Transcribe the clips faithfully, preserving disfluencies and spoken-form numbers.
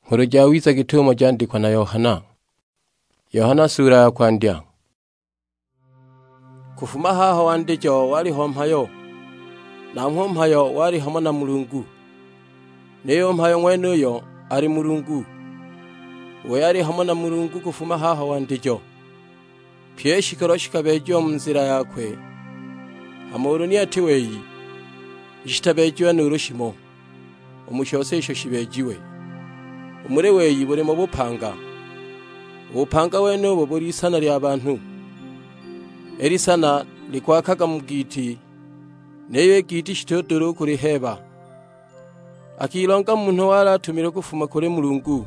Nghulu Jawiza git'umo jandikwa na Yohana. Yohana suula ya kwandya. Kufuma haho wandijo waliho mhayo, nanghwe u mhayo wali hamo na Mulungu, niyo u mhayo ng'wenuyo ali Mulungu. Wei ali hamo na Mulungu kufuma haho wandijo. Pyi i shikolo shikabeejiwa mu nzila yakwe, hama ulu ni ati wei, ni shitabeejiwa nuulu shimo u mu shose isho shibeejiwe. U muli wei bulimo bupanga, u bupanga wenubo buli isana lya banhu. I lisana likwakaga mu giiti, niyo i giiti shitudula u kuliheeba. Akilonga munhu wali atumilwe kufuma kuli Mulungu,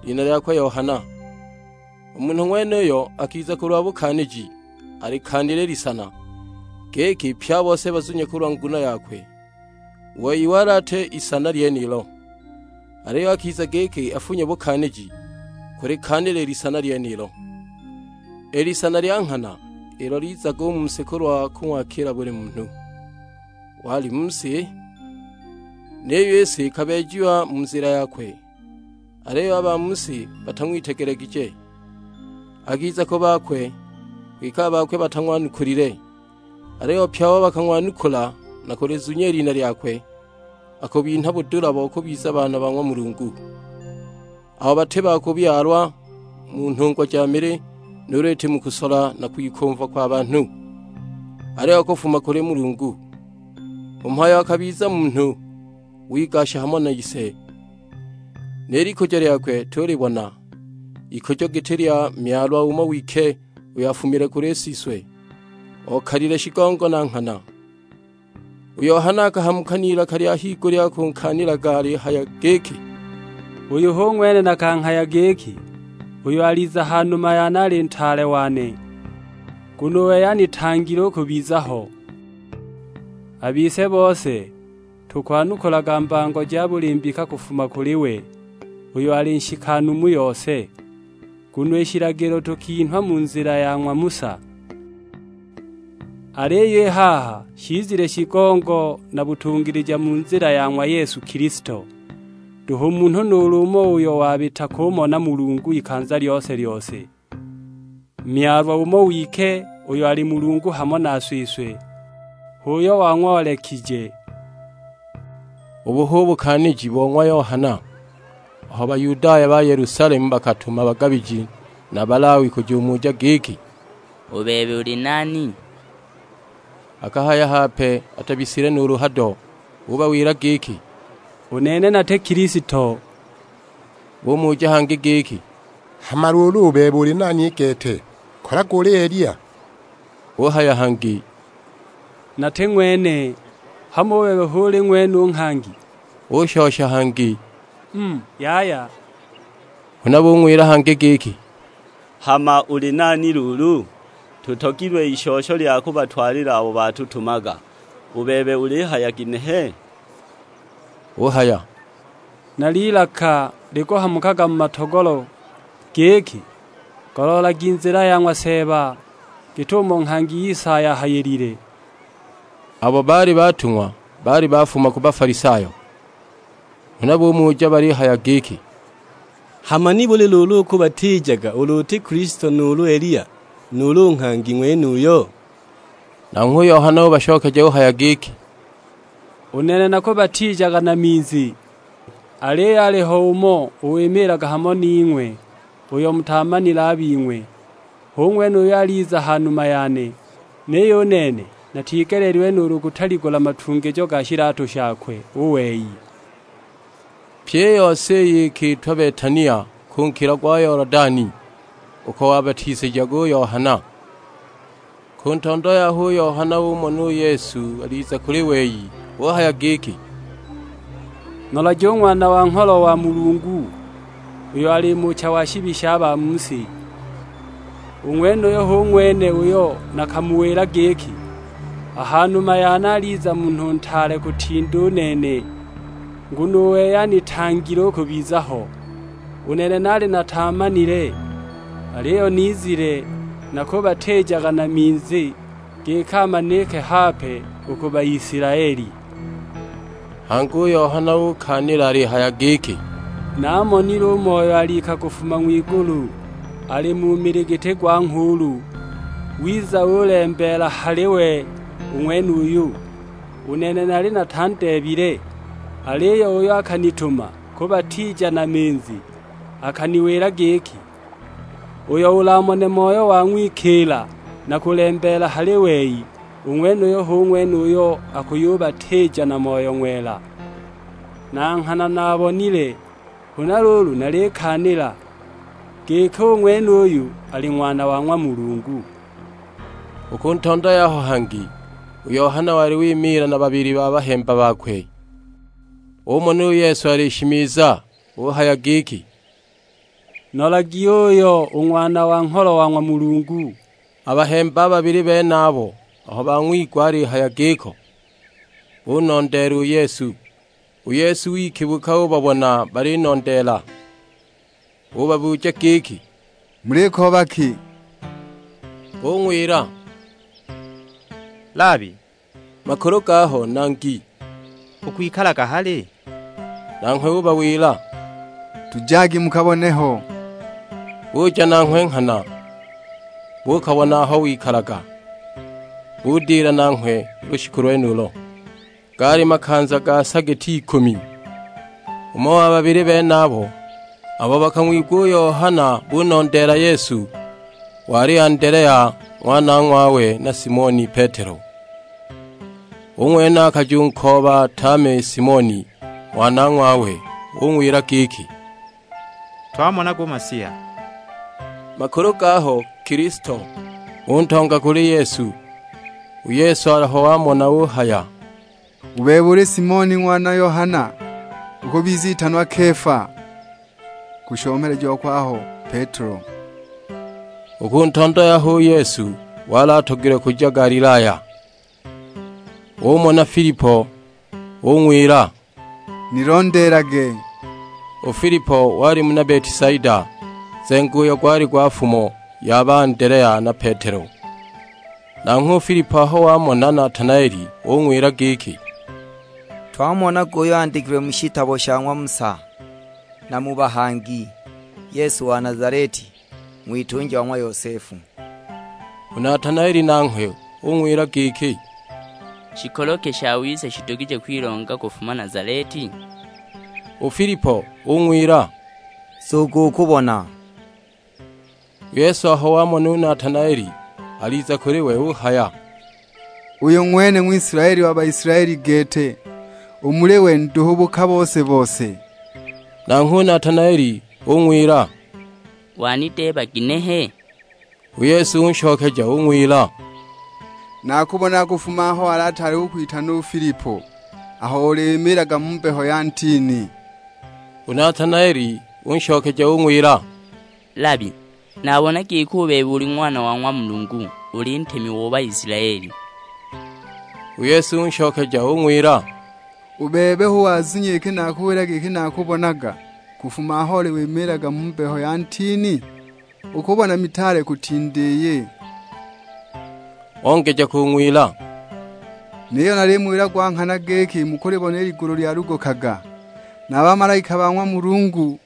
lina lyakwe Yohana. U munhu ng'wenuyo akiza kulwa bukaaniji, alikaanile i lisana, giki pye a bose bazunye kulwa nguno yakwe. Wei wali ati isana lyenilo, aliyo akiza giki afunye bukaaniji kulikaanila i lisana lyenilo. I lisana lya nghana ilo lizaga u mu si kulwa kung'wakila buli munhu. Wali mu si, niyo i si ikabeejiwa mu nzila yakwe, aliyo a ba mu si batang'witegelegije. Akiza ku bakwe, kwike a bakwe batang'wanukulile. Aliyo pye abo bakang'wanukula na kulizunya i lina lyakwe, akubinha budula bo kubiza baana ba ng'wa Mulungu, abo bati ba kubyalwa mu nhungwa ja mili, nuulu iti mu kusola na kwikumva kwa banhu, aliyo kufuma kuli Mulungu. U mhayo akabiza munhu, wigasha hamo na ise, ni likujo lyakwe tulibona, ikujo giti lya myalwa umo wike uyo afumile kuli siswe, okalile shigongo na nghana. U Yohana akahamuka n'ilaka lya higulya kunkaanilaga alihaya giki, "Uyu hu ng'wene nakanghaya giki, 'Uyo aliza ha numa yane ali ntaale wane, nguno u wei anitangile u kubiza ho.' A bise bose tukwanukulaga mbango ja buli mbika kufuma kuli we, uyo ali nshikanu mu yose, nguno i shilagilo tukinhwa mu nzila ya ng'wa Musa. Aliyo i haha shizile shigongo na butungilija mu nzila ya ng'wa Yesu Kilisto, nduhu munhu nuulu umo uyo wabita kumona Mulungu ikanza lyose-lyose. Myalwa umo wike uyo ali Mulungu hamo na siswe, h'uyo wang'oolekije." Ubu hu bukaaniji bo ng'wa Yohana. Aho Bayudaya ba Yelusalemu bakatuma bagabiji na Balawi kujumuja giki, "U bebe uli nani?" Akahaya hape atabisile nuulu hado, ubawila giki, "U nene nati Kilisto." Bumuja hangi giki, "Hama luulu u bebe uli nani i gete? Kolaga uli Eliya?" Uhaya hangi, "Nati ng'wene." "Hamo u bebe hu uli ng'wene u nghangi?" Ushosha hangi, "Mm, yaya." Huna bung'wila hangi giki, "Hama uli nani luulu? Tutogilwe i shosho lya kubatwalila abo batutumaga. U bebe ulihaya ginehe?" Uhaya, "Na lilaka likuhamukaga mu matogolo giki, 'Goloolagi nzila ya ng'wa Seeba, git'umo nghangi Isaya ahayilile.'" Abo baali batung'wa baali bafuma ku Bafalisayo, huna bumuja balihaya giki, "Hama nibuli luulu ukubatiijaga ulu uti Kilisto nuulu Eliya, nuulu nghangi ng'wenuyo?" Nanghwe u Yohana ubashokeja uhaya giki, "U nene nakubatiijaga na minzi, aliyo aliho umo uwimiilaga hamo ning'we, uyo mutaamanile a bing'we. Hu ng'wene uyo aliza ha numa yane, niyo u nene natigeleelilwe nuulu kutaligula matungijo ga shilatu shakwe u wei." Pyi i yose iyi ikiitwa Betania, ku nkilo gwa Yolodani, uko wabatizijaga u Yohana. Ku ntondo yaho u Yohana umona u Yesu aliza kuli wei, uhaya giki, "Nolaja u Ng'wana wa Ngholo wa Mulungu, uyo ali muucha wa shibi sha ba mu si. U ng'wenuyo hu ng'wene uyo nakamuwila giki, 'A ha numa yane aliza munhu ntaale kutinda u nene, nguno u wei anitangile u kubiza ho. U nene naali nataamanile, aliyo nizile nakubatiijaga na minzi, giki amanike hape u ku Baisilaeli.'" Hangi u Yohana ukaanila alihaya giki, Namonile u Moyo alika kufuma ng'wigulu, ali mu mili giti gwa nghuulu, wiza ulembeela hali we u ng'wenuyu. U nene nali natandeebile, aliyo uyo akanituma kubatija na minzi akaniwila giki, 'Uyo ulamone Moyo wa ng'wikiila na kulembeela hali wei, u ng'wenuyo hu ng'wene uyo akuyubatija na Moyo Ng'wela.' Na nghana nabonile, huna luulu nalikaanila, giki u ng'wenuyu ali Ng'wana wa ng'wa Mulungu." U ku ntondo yaho hangi, u Yohana wali wimiila na babili ba bahemba bakwe. Umona u Yesu alishimiza, uhaya giki, "Nolagi uyo u Ng'wana wa Ngholo wa ng'wa Mulungu!" A bahemba a babili benabo aho bang'wigwa alihaya giko, bunondeela u Yesu. U Yesu wikibuka ubabona balinondeela, ubabuja giki, "Mulikooba ki?" Bung'wila, "Labi, makulu gaho nangi, ukwikalaga hali?" Nanghwe ubawila, "Tujagi mukabone ho." Buja nanghwe nghana, buukabona aho wikalaga, budila nanghwe lushiku lwenulo. Gaali makanza ga sa giti ikumi. Umo wa babili benabo, abo bakang'wigwa u Yohana bunondeela Yesu, wali Andelea ng'wanang'wawe na Simoni Petelo. U ng'wene akajunkooba tame Simoni ng'wanang'wawe, ung'wila giki, "Twamonaga u Masiya." Makulu gaho Kilisto, untonga kuli Yesu. U Yesu aho wamona uhaya, "U bebe uli Simoni ng'wana Yohana, ukubiza itanwa Kefa," kushomelejiwa kwaho Petelo. U ku ntondo yaho u Yesu wali atogilwe kuja Galilaya. Umona Filipo, ung'wila, "Nilondeelage." U Filipo wali muna Betisaida, nzengo uyo gwali gwa fumo ya ba Andelea na Petelo. Nanghwe u Filipo aho wamona Natanaeli, ung'wila giki, "Twamonaga uyo andikilwe mu shitabo sha ng'wa Musa, na mu bahangi, Yesu wa Nazaleti, ng'witunja wa ng'wa Yosefu." U Natanaeli nanghwe ung'wila giki, "Shikolo ki shawiza shidugije kwilonga kufuma Nazaleti?" U Filipo ung'wila, "Nzuga ukubona." U Yesu aho wamona u Natanaeli, aliza kuli we uhaya, "Uyu ng'wene Ng'wisilaeli wa Baisilaeli gete, u muli we nduhu buka bose-bose." Nanghwe u Natanaeli ung'wila, "Wanideeba ginehe?" U Yesu unshokeja ung'wila, "Nakubonaga kufuma aho wali ataali ukwitana u Filipo, aho ulimiilaga mu mbeho ya ntini." U Natanaeli unshokeja ung'wila, "Labi, nabona giki u bebe uli Ng'wana wa ng'wa Mulungu, uli Ntemi o Baisilaeli." U Yesu unshokeja ung'wila, "U bebe hu wazunya iki nakuwila giki nakubonaga kufuma aho oli wimiilaga mu mbeho ya ntini? Ukubona mitaale kutinda iyi?" Ongeja kung'wila, "Niyo nalimuwila gwa nghana giki mukulibona i ligulu lyalugukaga, na a bamalaika ba ng'wa Mulungu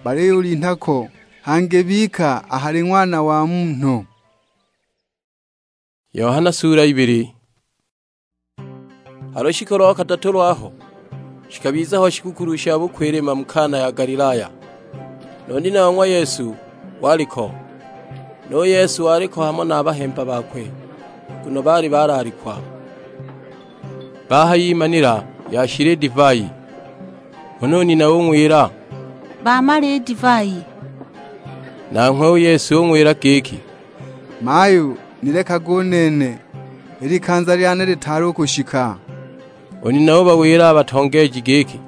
baliyulinha ko, hangi bika a hali Ng'wana wa Munhu." Yohana sura ibili. Ha lushiku lo kadatu lwaho, shikabiza ho shigukulu sha bukwilima mu Kana ya Galilaya. Nu nina wa ng'wa Yesu wali ko, nu Yesu wali ko hamo na a bahemba bakwe, nguno baali balaalikwa. Bahayimanila yashila i divai, huna u nina ung'wila, "Bamala i divai." Nanghwe u Yesu ung'wila giki, "Mayu, ni lekage u nene, i likanza lyane litaali u kushika." U nina ubawila a batongeeji giki,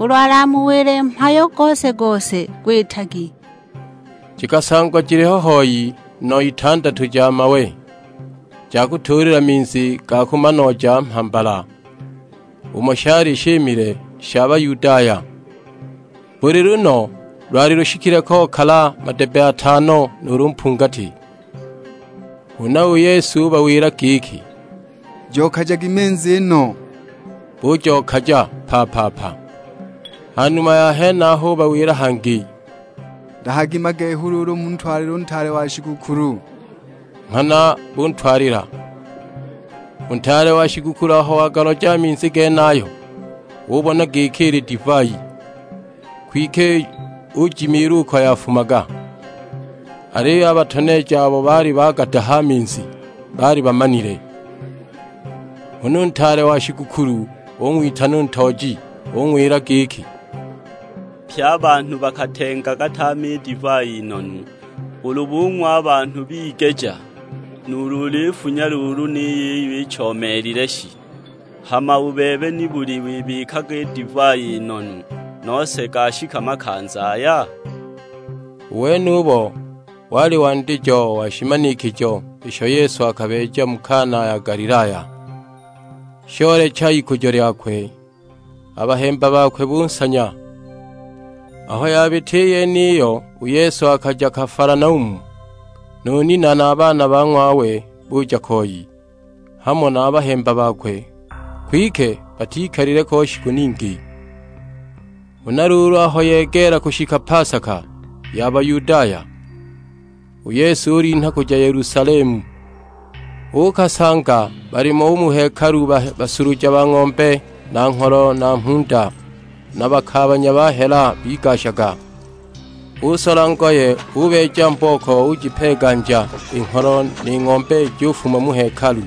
"Ulu alamuwile mhayo gose-gose, gwitagi." Jikasangwa jiliho hoi no itandatu ja mawe, ja kutuulila minzi ga kumanooja mhambala, umo shali shimile sha Bayudaya. Buli luno lwali lushikile kokala madebe atano nuulu mpungati. Huna u Yesu ubawila giki, "Jokajagi minzi no." Bujokaja pa-pa-pa. Ha numa ya henaho ubawila hangi, "Ndahagi magehu luulu muntwalile u ntaale wa shigukulu." Nghana buntwalila. U ntaale wa shigukulu aho wagaloja a minzi genayo, ubona giki ili divai, kwike ujimiila uko yafumaga. Aliyo a batoneeji abo baali bagadaha a minzi baali bamanile. Huna u ntaale wa shigukulu ung'witana u ntooji, ung'wila giki, "Pye a banhu bakatengaga tame i divai i nonu, ulu bung'wa a banhu bigeja, nuulu ulifunya luulu niyo iyo ichomeelile shi? Hama u bebe nibuli wibikaga i divai i nonu nose gashika makanza aya?" U wenubo wali wandijo wa shimanikijo isho Yesu akabeeja mu Kana ya Galilaya, shoolecha ikujo lyakwe, a bahemba bakwe bunsanya. Aho yabita i yeniyo, u Yesu akaja Kafalanaumu, nu nina na a baana ba ng'wawe buja koi, hamo na a bahemba bakwe, kwike batikalile ko shiku ningi. Huna luulu aho yegeela kushika pasaka ya Bayudaya, u Yesu ulinha kuja Yelusalemu. Uukasanga balimo u mu hekalu ba-, basuluja ba ng'ombe, na ngholo, na mhunda, na bakaabanya ba hela bigashaga. Usola ngoye, ubeeja mbooko, ujipeeganja i ngholo ni ng'ombe jufuma mu hekalu,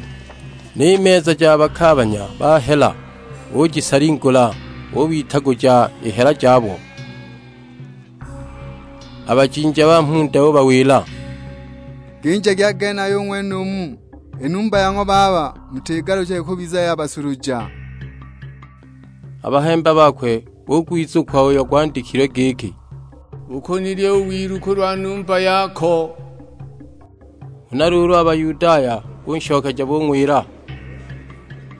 ni meza ja bakaabanya ba hela ujisalingula, ubitaguja i hela jabo. A bajinja ba mhunda ubawila, "Ginjagi a genayo u ng'wenumu, i numba ya ng'wa Baba mutigalukije kubiza ya basuluja." A bahemba bakwe bugwizukwa uyo gwandikilwe giki, "Ukunilye u wilu kulwa numba yako." Huna luulu a Bayudaya bunshokeja bung'wila,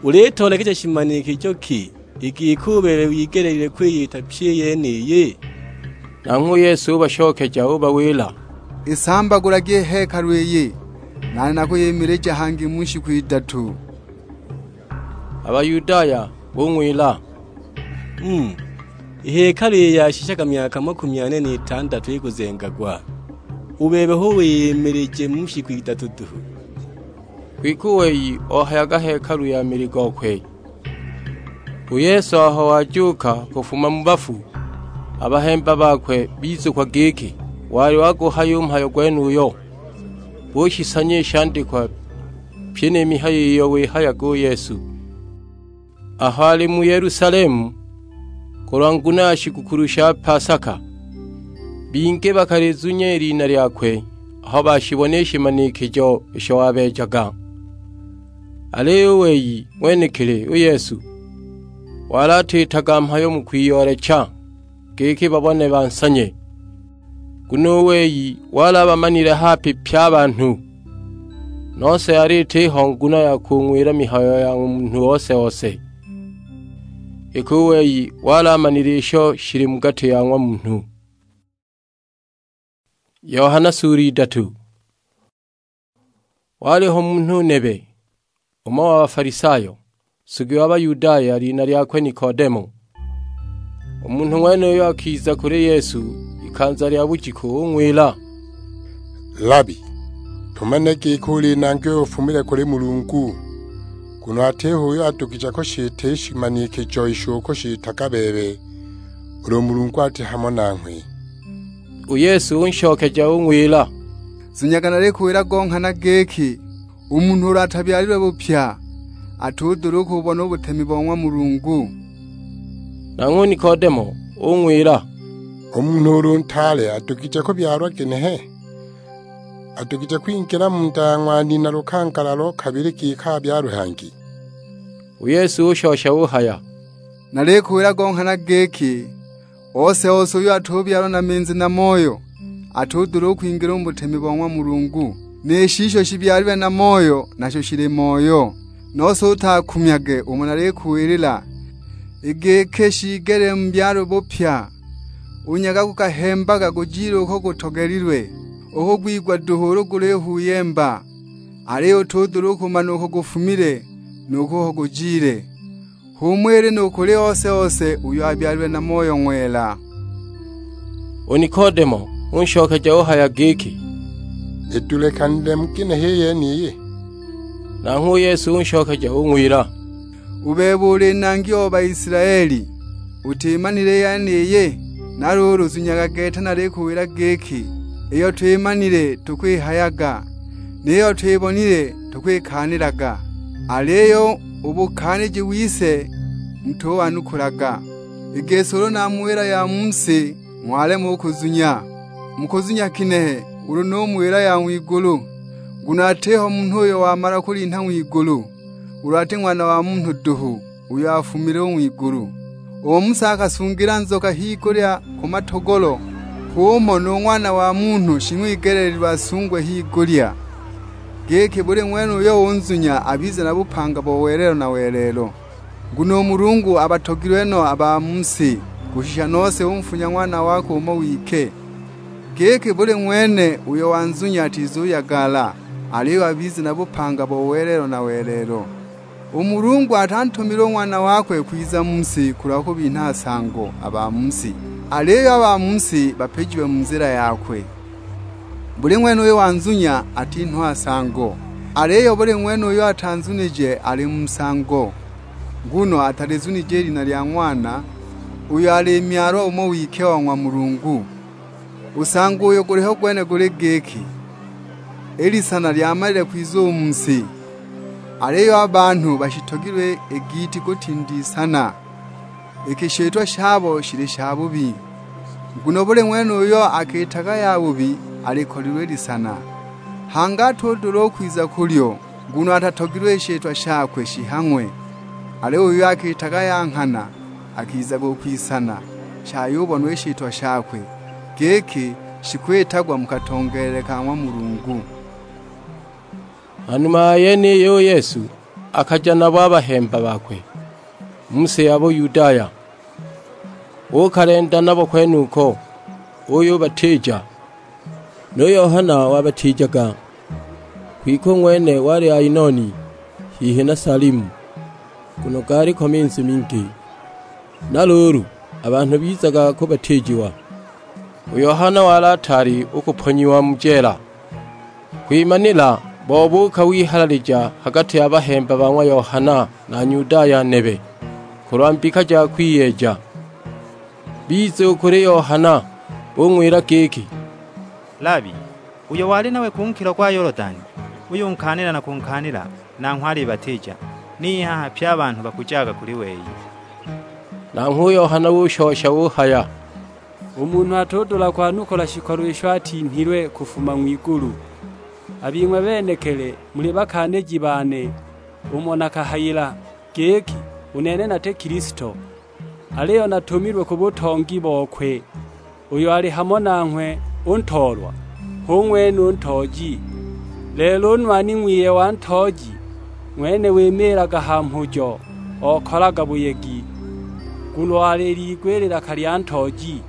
"Ulitoolekeja shimanikijo ki, i giki u bebe wigeleelilwe kwiyita pyi i yeniyi?" Nanghwe u Yesu ubashokeja ubawila, "I sambagulagi i hekalu iyi, nane nakuyimilija hangi mu shiku idatu." A Bayudaya bung'wila, "Mm, i hekalu iyi yashishaga myaka makumi ane n'itandatu ikuzengagwa, u bebe hu wiyimilije mu shiku idatu duhu?" Kwike u wei ohayaga hekalu ya mili gokwe. U Yesu aho wajuuka kufuma mu bafu, a bahemba bakwe bizukwa giki wali waguhaya u mhayo gwenuyo. Bushisanya i shandikwa pyi ni mihayo iyo wihayaga u Yesu. Aho ali mu Yelusalemu, kulwa nguno ya shigukulu sha pasaka, bingi bakalizunya i lina lyakwe aho bashibona i shimanikijo isho wabeejaga. Aliyo u wei ng'wenekili u Yesu, wali atiitaga mhayo mu kwiyoolecha, giki babone bansanye. Nguno u wei wali abamanile hape pye a banhu, nose yali itiho nguno ya kung'wila mihayo ya ng'wa munhu ose-ose, iki u wei wali amanile isho shili mu gati ya ng'wa munhu. Yohana sura idatu. Waliho munhu nebe, umo wa Bafalisayo, nsugi wa Bayudaya, lina lyakwe Nikodemo. U munhu ng'wenuyo akiza kuli Yesu ikanza lya bujiku, ung'wila, "Labi, tumane giki uli Nangi uyo ufumile kuli Mulungu, nguno atiho uyo adugije kushita i shimanikijo isho ukushitaga bebe, ulu Mulungu ati hamo nanghwe." U Yesu unshokeja ung'wila, "Zunyaga nalikuwila go nghana giki, u munhu ulu atabyalilwe bupya, atudula u kububona u butemi bo ng'wa Mulungu." Nanghwe u Nikodemo ung'wila, "U munhu ulu ntaale adugije kubyalwa ginehe? Adugije kwingila mu nda ya ng'wanina lukangala lo kabili giki abyalwe hangi?" U Yesu ushosha uhaya, "Nalikuwila go nghana giki, ose-ose uyo atubyalwa na minzi na Moyo, atudula u kwingila u mu butemi bo ng'wa Mulungu. Ni shisho shibyalilwe na Moyo nasho shili Moyo, nose utakumyage umo nalikuwilila. I giki shiigelile mubyalwe bupya, u nyaga gukahembaga gujile uko gutogelilwe, uko gwigwa duhu ulu gulihuyemba, aliyo utudula u kumana uko gufumile, nu kuko gujile. H'umo ili nu kuli ose-ose uyo abyalilwe na Moyo Ng'wela." U Nikodemo unshokeja uhaya giki, "Idulekanile mu ginehe i yeniyi?" Nanghwe u Yesu unshokeja ung'wila, "U bebe uli Nangi o Baisilaeli, utimanile i yeniyi? Na luulu zunyaga gete nalikuwila giki, iyo twimanile tukwihayaga, niyo twibonile tukwikaanilaga, aliyo u bukaaniji wise mutuwanukulaga. I gisi ulu namuwila ya mu si, ng'walema u kuzunya, mukuzunya kinehe ulu numuwila ya ng'wigulu? Nguno atiho munhu uyo wamala kulinha ng'wigulu, ulu ati Ng'wana wa Munhu duhu, uyo afumile u ng'wigulu. U Musa akasungila nzoka higulya ku matogolo, h'umo nu Ng'wana wa Munhu shing'wigeleelilwe asungwe higulya, giki buli ng'wene uyo unzunya abize na bupanga bo welelo na welelo. Nguno u Mulungu abatogilwe no a ba mu si, kushisha nose unfunya Ng'wana wakwe umo wike, giki buli ng'wene uyo wanzunya atizuyagala, aliyo abize na bupanga bo welelo na welelo. U Mulungu atantumile u Ng'wana wakwe kwiza mu si kulwa kubinha nsango a ba mu si, aliyo a ba mu si bapijiwe mu nzila yakwe. Buli ng'wene uyo wanzunya atinhwa nsango, aliyo buli ng'wene uyo atanzunije ali mu nsango, nguno atalizunije i lina lya Ng'wana, uyo ali Myalwa umo wike o ng'wa Mulungu. U nsango uyo guliho gwene guli giki, i lisana lyamalile kwiza u mu si, aliyo a banhu bashitogilwe i giiti kutinda isana, iki shitwa shabo shili shabubi. Nguno buli ng'wene uyo akiitaga yabubi alikolilwe i lisana, hangi atudula u kwiza kulyo, nguno atatogilwe i shitwa shakwe shihang'we. Aliyo uyo akiitaga ya nghana, akizaga u kwisana, shayubonwa i shitwa shakwe, giki shikwitagwa mu katongeelele ka ng'wa Mulungu. Hanuma ya yeniyo u Yesu akaja nabo a bahemba bakwe mu si ya Buyudaya, uukalenda nabo kwenuko, uyubatiija. Nu Yohana wabatiijaga, kwike u ng'wene wali Ainoni, hihi na Salimu, nguno gaaliko minzi mingi. Na luulu, a banhu bizaga kubatiijiwa. U Yohana wali ataali u kuponyiwa mu jeela. Kwimanila bo buuka wihalalija ha gati ya bahemba ba ng'wa Yohana na Nyudaya nebe, kulwa mbika ja kwiyeeja. Biza u kuli Yohana, bung'wila giki, "Labi, uyo wali nawe ku nkilo gwa Yolodani, uyunkaanila na kunkaanila, nanghwe alibatiija, ni haha pye a banhu bakujaga kuli wei." Nanghwe u Yohana ushosha uhaya, "U munhu atudula kwanukula shikolo isho atinhilwe kufuma ng'wigulu. A bing'we benekili muli bakaaniji bane umo nakahayila, giki, 'U nene nati Kilisto, aliyo natumilwe ku butongi bokwe uyo ali hamo nanghwe u ntoolwa, hu ng'wene u ntooji.' Lelo u nwani ng'wiye wa ntooji ng'wene wimiilaga ha mhujo, okolaga buyegi, nguno alil'igwe i lilaka lya ntooji.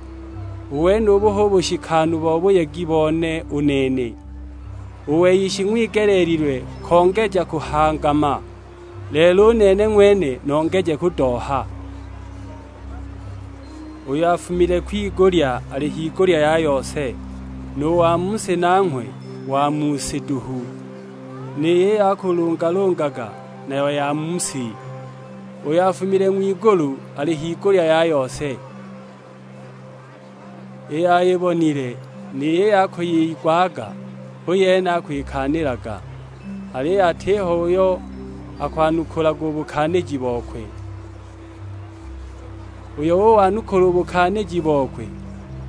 U wenubu hu bushikanu bo buyegi bone u nene. U wei shing'wigeleelilwe kongeja kuhangama, lelo u nene ng'wene nongeje kudooha. Uyo afumile kwigulya ali higulya ya yose, nu wa mu si nanghwe wa mu si duhu, niyo iyo akulungalungaga nayo ya mu si. Uyo afumile ng'wigulu ali higulya ya yose. Iyo ayibonile, ni yiyo akuyigwaga, hu yene akwikaanilaga, aliyo atiho uyo akwanukulaga u bukaaniji bokwe. Uyo uwanukula u bukaaniji bokwe,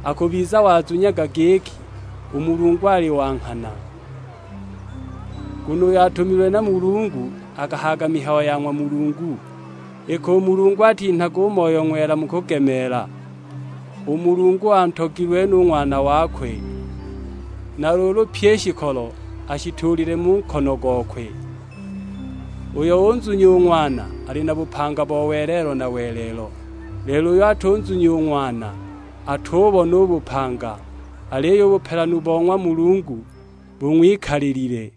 akubiza wazunyaga giki u Mulungu ali wa nghana. Nguno uyo atumilwe na Mulungu akahayaga mihayo ya ng'wa Mulungu, iki u Mulungu atinhaga u Moyo Ng'wela mu kugemeela. U Mulungu antogilwe nu Ng'wana wakwe, na luulu pyi i shikolo ashituulile mu nkono gokwe. Uyo unzunya u Ng'wana ali na bupanga bo welelo na welelo, lelo uyo atunzunya u Ng'wana atubona u bupanga, aliyo u bupelanu bo ng'wa Mulungu bung'wikalilile."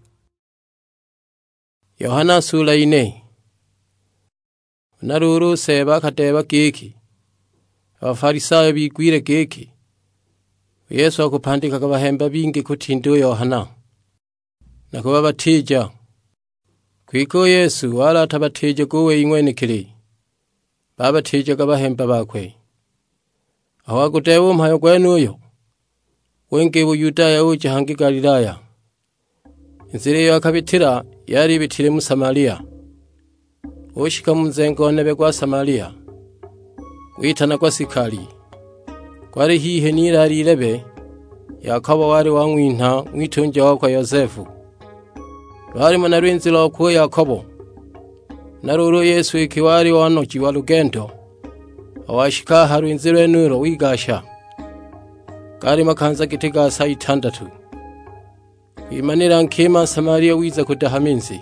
Yohana sula ine. Huna luulu u Seeba akadeeba giki a Bafalisayo bigwile giki u Yesu akupandikaga bahemba bingi kutinda u Yohana, na kubabatija. Kwike u Yesu wali atabatijaga u wei ng'wenekili, babatijaga bahemba bakwe. Aho wagudeeba u mhayo gwenuyo, winga i Buyudaya uja hangi Galilaya. I nzila iyo akabitila yali ibitile mu Samalia. Ushika mu nzengo nebe gwa Samalia, gwitanagwa Sikali, gwali hihi n'ilali ilebe Yakobo wali wang'winha ng'witunja wakwe Yosefu. Lwalimo na lwinzi lokwe u Yakobo, na luulu u Yesu iki wali wanojiwa lugendo. Aho washika a ha lwinzi lwenulo wigasha, gaali makanza giti ga sa itandatu. Kwimanila nkima Nsamalia wiza kudaha minzi.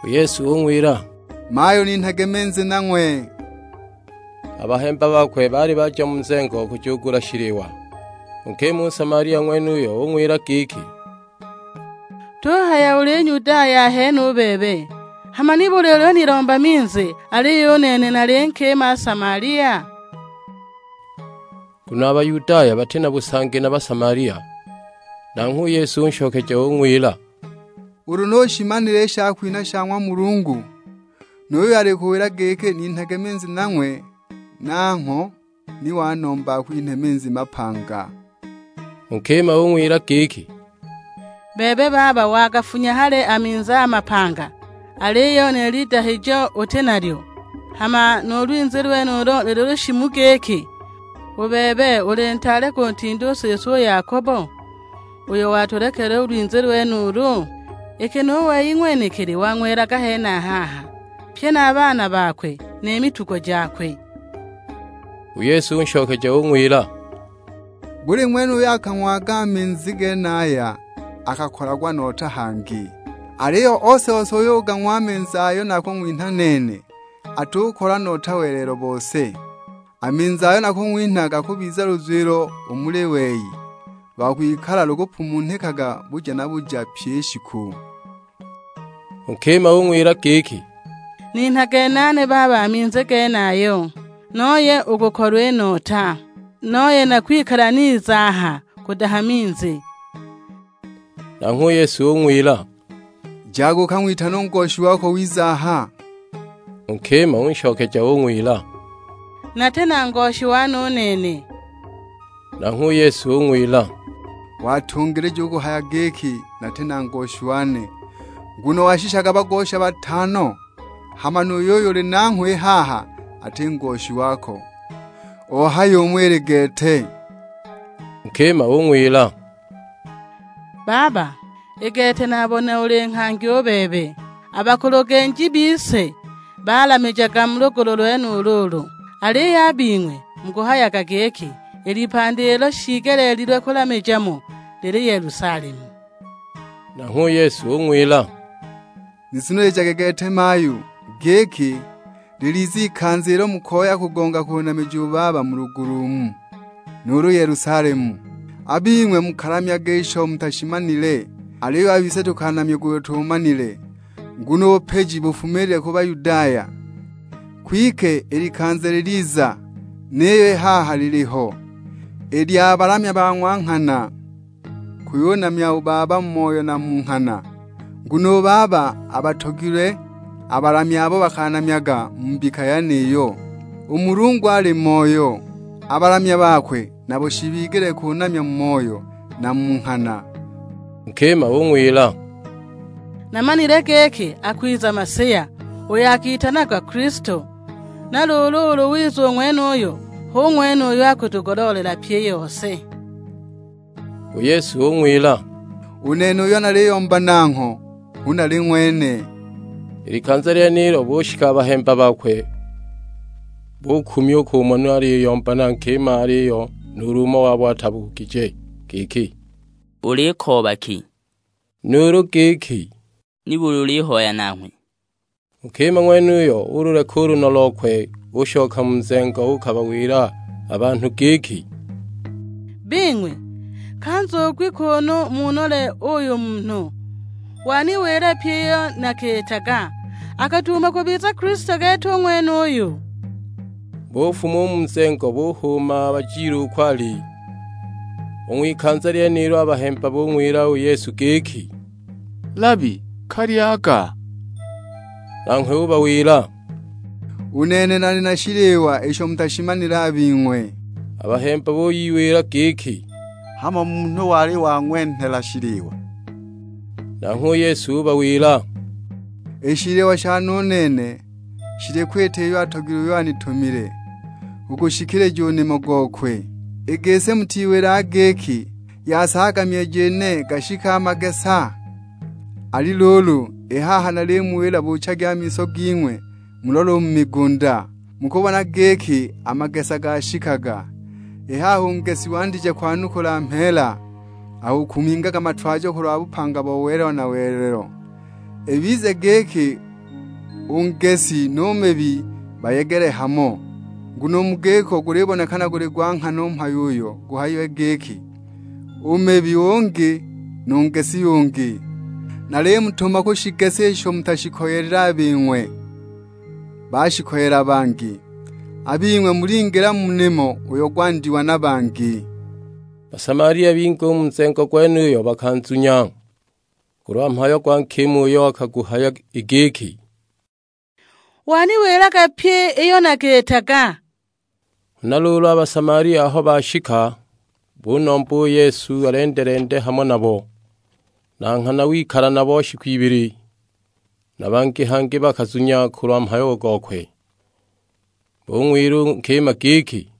U Yesu ung'wila, "Mhaye uninhage minzi nang'we." A bahemba bakwe baali baja mu nzengo kujugula shiliwa. U nkima u Nsamalia ng'wenuyo ung'wila giki, "Tuhaya uli Nyudaya ahene u bebe, hama nibuli uliyunilomba minzi, aliyo u nene nali nkima Nsamalia?" Nguno a Bayudaya bati na busangi na Basamalia. Nanghwe u Yesu unshokeja ung'wila, "Ulu nushimanile i shakwinha sha ng'wa Mulungu, nu yuyo alikuwila giki, 'Ninhage minzi nang'we,' nangho ni wanomba akwinhe minzi mapanga." U nkima ung'wila giki, "Bebe baba wagafunya hali a minzi a mapanga, aliyo ni lidahijo uti nalyo, hama nu lwinzi lwenulo luli lushimu giki? U bebe uli ntaale kuntinda u siswe u Yakobo, uyo watulekele u lwinzi lwenulu? Iki nu wei ng'wenekili wang'welaga henahaha, pye na a baana bakwe ni mitugo jakwe." U Yesu unshokeja ung'wila, "Buli ng'wene uyo akang'waga a minzi genaya akakolagwa nota hangi. Aliyo ose-ose uyo ugang'wa a minzi ayo nakung'winha nene, atukola nota welelo bose. A minzi ayo nakung'winha gakubiza luzwilo u muli wei, lwa kwikala lukupumunhikaga buja na buja pyi i shiku." U nkima ung'wila giki, "Ninhage nane baba a minzi genayo, noye ukukolwa i nota, noye nakwikala niza aha kudaha minzi." Nanghwe u Yesu ung'wila, "Jaga ukang'witane u ngoshi wako wiza aha." U nkima unshokeja ung'wila, "Nati na ngoshi wane u nene." Nanghwe u Yesu ung'wila, "Watungilija u kuhaya giki, 'Nati na ngoshi wane,' nguno washishaga bagosha batano, hama nu yuyo uli nanghwe i haha ati ngoshi wako. Ohaya umo ili gete." U nkima ung'wila, "Baba, i gete nabona uli nghangi u bebe. A bakulugenji bise balamijaga mu lugulu lwenulu ulu, aliyo a bing'we mukuhayaga giki, 'I lipandi ilo shiigeleelilwe kulamija mo lili Yelusalemu.'" Nanghwe u Yesu ung'wila, "Nizunilijage gete mayu, giki, liliza ikanza ilo mukoya kugonga kunamija u Baba mu lugulu umu, nuulu Yelusalemu. A bing'we mukalamyaga isho mutashimanile, aliyo a bise tukanamyaga uyo tumanile, nguno u bupiji bufumiilile ku Bayudaya. Kwike i likanza liliza, niyo i haha liliho, i lya balamya ba ng'wa nghana, kuyunamya u Baba mu moyo na mu nghana. Nguno u Baba abatogilwe a balamya abo bakanamyaga mu mbika yeniyo. U Mulungu ali Moyo, a balamya bakwe nabo shibigele kunamya mu moyo na mu nghana." U nkima ung'wila, "Namanile giki akwiza Masiya, uyo akitanagwa Kilisto. Na luulu ulu wiza u ng'wenuyo, hu ng'wene uyo akutugoloolela pyi i yose." U Yesu ung'wila, "U nene uyo naliyomba nangho, hu nali ng'wene." I likanza lyenilo bushika a bahemba bakwe, bukumya u kumona aliyomba na nkima aliyo nuulu umo wabo atabugije, giki, "Ulikooba ki?" Nuulu giki, "Nibuli ulihoya nanghwe?" U nkima ng'wenuyo ululeka u luno lokwe, ushoka mu nzengo uukabawila a banhu giki, "Bing'we, kanzugwi kunu munole uyu munhu! Waniwila pyi iyo nakiitaga, akatuuma kubiza Kilisto gete u ng'wenuyu." Bufuma u mu nzengo, buhuuma bajile uko ali. U ng'wikanza lyenilo a bahemba bung'wila u Yesu giki, "Labi, kalyaga." Nanghwe ubawila, "U nene nali na shiliwa isho mutashimanile a bing'we." A bahemba buyiwila giki, "Hamo munhu wali wang'wenhela shiliwa?" Nanghwe u Yesu ubawila, "I shiliwa shane u nene shili kwita iyo atogilwe uyo anitumile, u kushikilija u nimo gokwe. I gisi mutiwilaga giki, 'Yasaaga myoyo ine gashike a magesa'? Ali luulu, i haha nalimuwila, buchagi a miso ging'we, mulole u mu migunda, mukubona giki a magesa gashikaga. I haha u ngesi wandije kwanukula mheela, aho ukumingaga matwajo kulwa bupanga bo welelo na welelo. Ibize giki u ngesi nu mebi bayegele hamo, nguno u mu giko gulibonekana guli gwa nghana u mhayo uyo guhayiwe giki, 'U mebi ungi, nu ngesi ungi.' Nalimutuma kushigesa isho mutashikoyelile a bing'we, bashikoyela bangi. A bing'we mulingila mu nimo uyo gwandiwa na bangi." Basamalia bingi u mu nzengo gwenuyo bakanzunya, kulwa mhayo gwa nkima uyo akaguhaya i giki, "Waniwilaga pyi iyo nakiitaga." Huna luulu a Basamalia aho bashika, bunomba u Yesu alendelende hamo nabo, na nghana wikala nabo shiku ibili, na bangi hangi bakazunya kulwa mhayo gokwe. Bung'wila u nkima giki,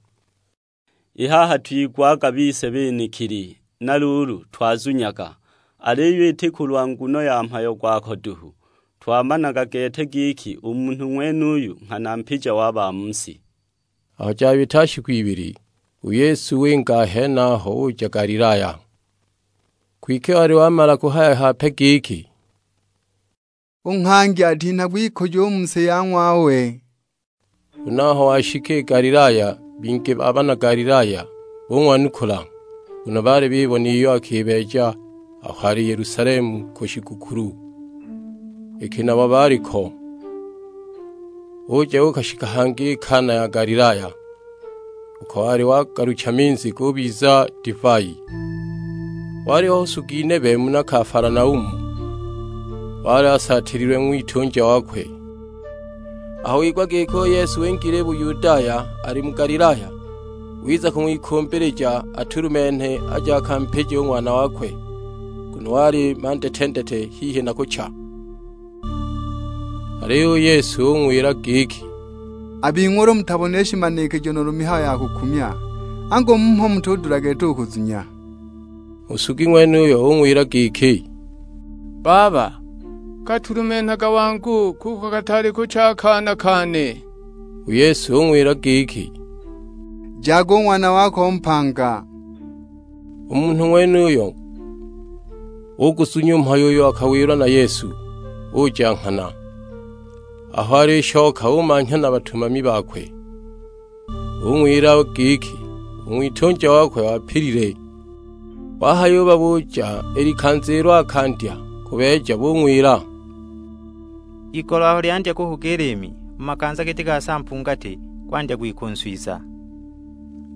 "I haha twigwaga bise benekili, na luulu twazunyaga, aliyo iti kulwa nguno ya mhayo gwako duhu. Twamanaga gete giki u munhu ng'wenuyu nghana mpija wa ba mu si." Aho jabita shiku ibili, u Yesu winga a henaho uja Galilaya. Kwike wali wamala kuhaya hape giki, "U nghangi atinhagwa ikujo u mu si ya ng'wawe." Huna aho washika i Galilaya, bingi ba bana Galilaya bung'wanukula, nguno baali bibona iyo akibeeja aho ali Yelusalemu ku shigukulu, iki nabo baali ko. Uja uukashika hangi i Kana ya Galilaya, uko wali wagalucha minzi gubiza divai. Waliho nsugi nebe muna Kafalanaumu, wali asaatililwe ng'witunja wakwe. Aho wigwa giki u Yesu wingile Buyudaya ali mu Galilaya, wiza kung'wikumbilija atulumenhe aje akampije u ng'wana wakwe, nguno wali mandetendete hihi na kucha. Aliyo u Yesu ung'wila giki, "A bing'we ulu mutabonile shimanikijo nuulu mihayo ya kukumya, angu mumo mutudula gete u kuzunya?" U nsugi ng'wenuyo ung'wila giki, "Baba, katulumenhaga wangu, kuko kataali kucha a kaana kane." U Yesu ung'wila giki, "Jaga u ng'wana wako mpanga." U munhu ng'wenuyo uguzunya u mhayo uyo akawilwa na Yesu, uja nghana. Aho alishoka umanhya na batumami bakwe, ung'wila giki, "U ng'witunja wakwe wapilile." Wahayubabuucha i likanza ilo akandya kubeeja, bung'wila, "Igolo aho lyandya kuhuga i liimi, mu makanza giti ga saa mpungati, gwandya gwikunswiza."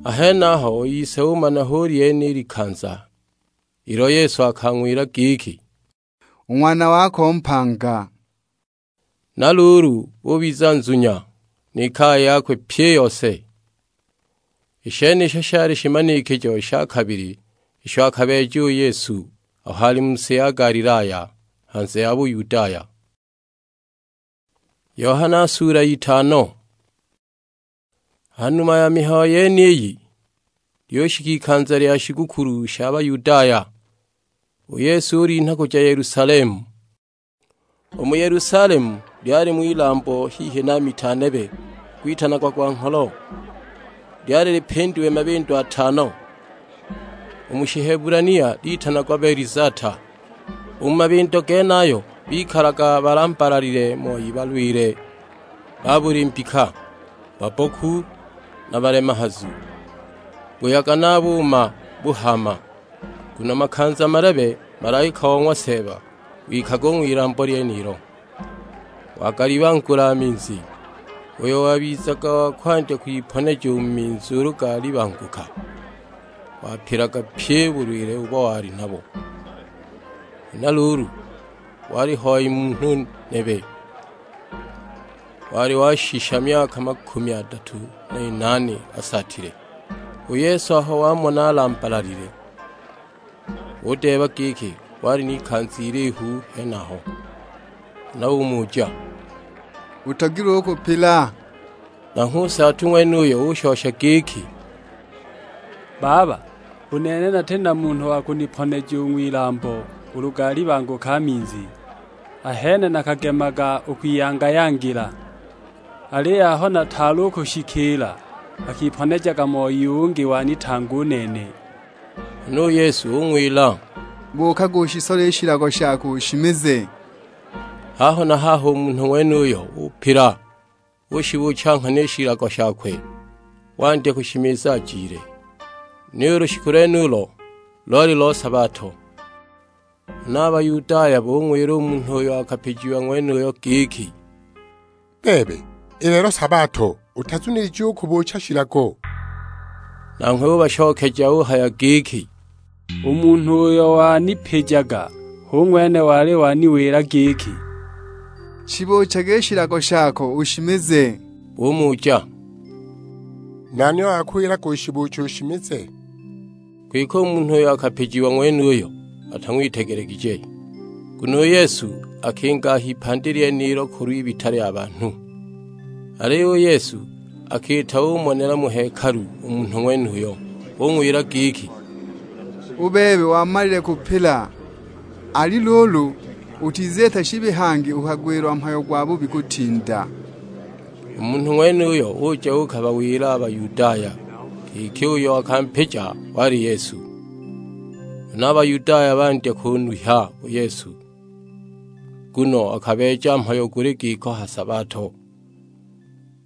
A henaho u ise umana hu lyene i likanza ilo Yesu akang'wila giki, "U ng'wana wako mpanga." Na luulu ubiza nzunya, ni kaya yakwe pyi i yose. I shenisho shali shimanikijo sha kabili isho akabeeja u Yesu aho ali mu si ya Galilaya, hanze ya Buyudaya. Yohana sula ya itano. Ha numa ya mihayo yeniyi, lyushika ikanza lya shigukulu sha Bayudaya, u Yesu ulinha kuja Yelusalemu. U mu Yelusalemu lyalimo ilambo hihi na mita nebe, gwitanagwa gwa ngholo, lyali lipindiwe mabindo atano, u mu Shihebulania litanagwa Belizata. U mu mabindo genayo bikalaga balambalalile moi balwile, ba buli mbika, babboku na balemahazu, buyaga na buuma buhaama. Nguno makanza malebe malaika o ng'wa Seeba wikaga u ng'wilambo lyenilo. Wagalibangula a minzi, uyo wabizaga wa kwandya kwiponeja u mu minzi ulu galibanguka, wapilaga pyi bulwile ubo wali nabo. Huna luulu, wali hoi munhu nebe, wali washisha myaka makumi adatu na inaane asaatile. U Yesu aho wamona alambalalile, udeeba giki wali n'ikanza ilihu henaho, huna umuja, "Utogilwe u kupila?" Nanghwe u nsaatu ng'wenuyo ushosha giki, "Baba, u nene nati na munhu wa kuniponeja u ng'wilambo ulu galibanguka a minzi, ahene nakagemaga u kwiyanga-yangila. Aliyo aho nataali u kushikiila, akiponejaga moi ungi wanitanga u nene." Huna u Yesu ung'wila, "Buukaga ushisole i shilago shako ushimize." Haho na haho u munhu ng'wenuyo upila, ushibuucha nghana i shilago shakwe, wandya kushimiza ajile. Niyo u lushiku lwenulo loli lo sabato. Huna a Bayudaya bung'wila u munhu uyo akapijiwa ng'wenuyo giki, "Bebe, i lelo sabato, utazunilije u kubuucha shilago?" Nanghwe ubashokeja uhaya giki, "U munhu uyo wanipijaga, hu ng'wene wali waniwila giki, 'Shibuuchage i shilago shako ushimize.'" Bumuja, "Nani uyo akuwilaga ushibuuche ushimize?" Kwike u munhu uyo akapijiwa ng'wenuyo atang'witegelegije, nguno u Yesu akinga a h'ipandi lyenilo kulw'ibita lya banhu. Aliyo u Yesu akiita umonela mu hekalu u munhu ng'wenuyo, ung'wila giki, "U bebe wamalile kupila, ali luulu utiziita shibi hangi ukagwilwa mhayo gwa bubi kutinda." U munhu ng'wenuyo uja uukabawila a Bayudaya giki uyo akampija wali Yesu. Huna a Bayudaya bandya kunwihya u Yesu, nguno akabeeja mhayo guli giko ha sabato.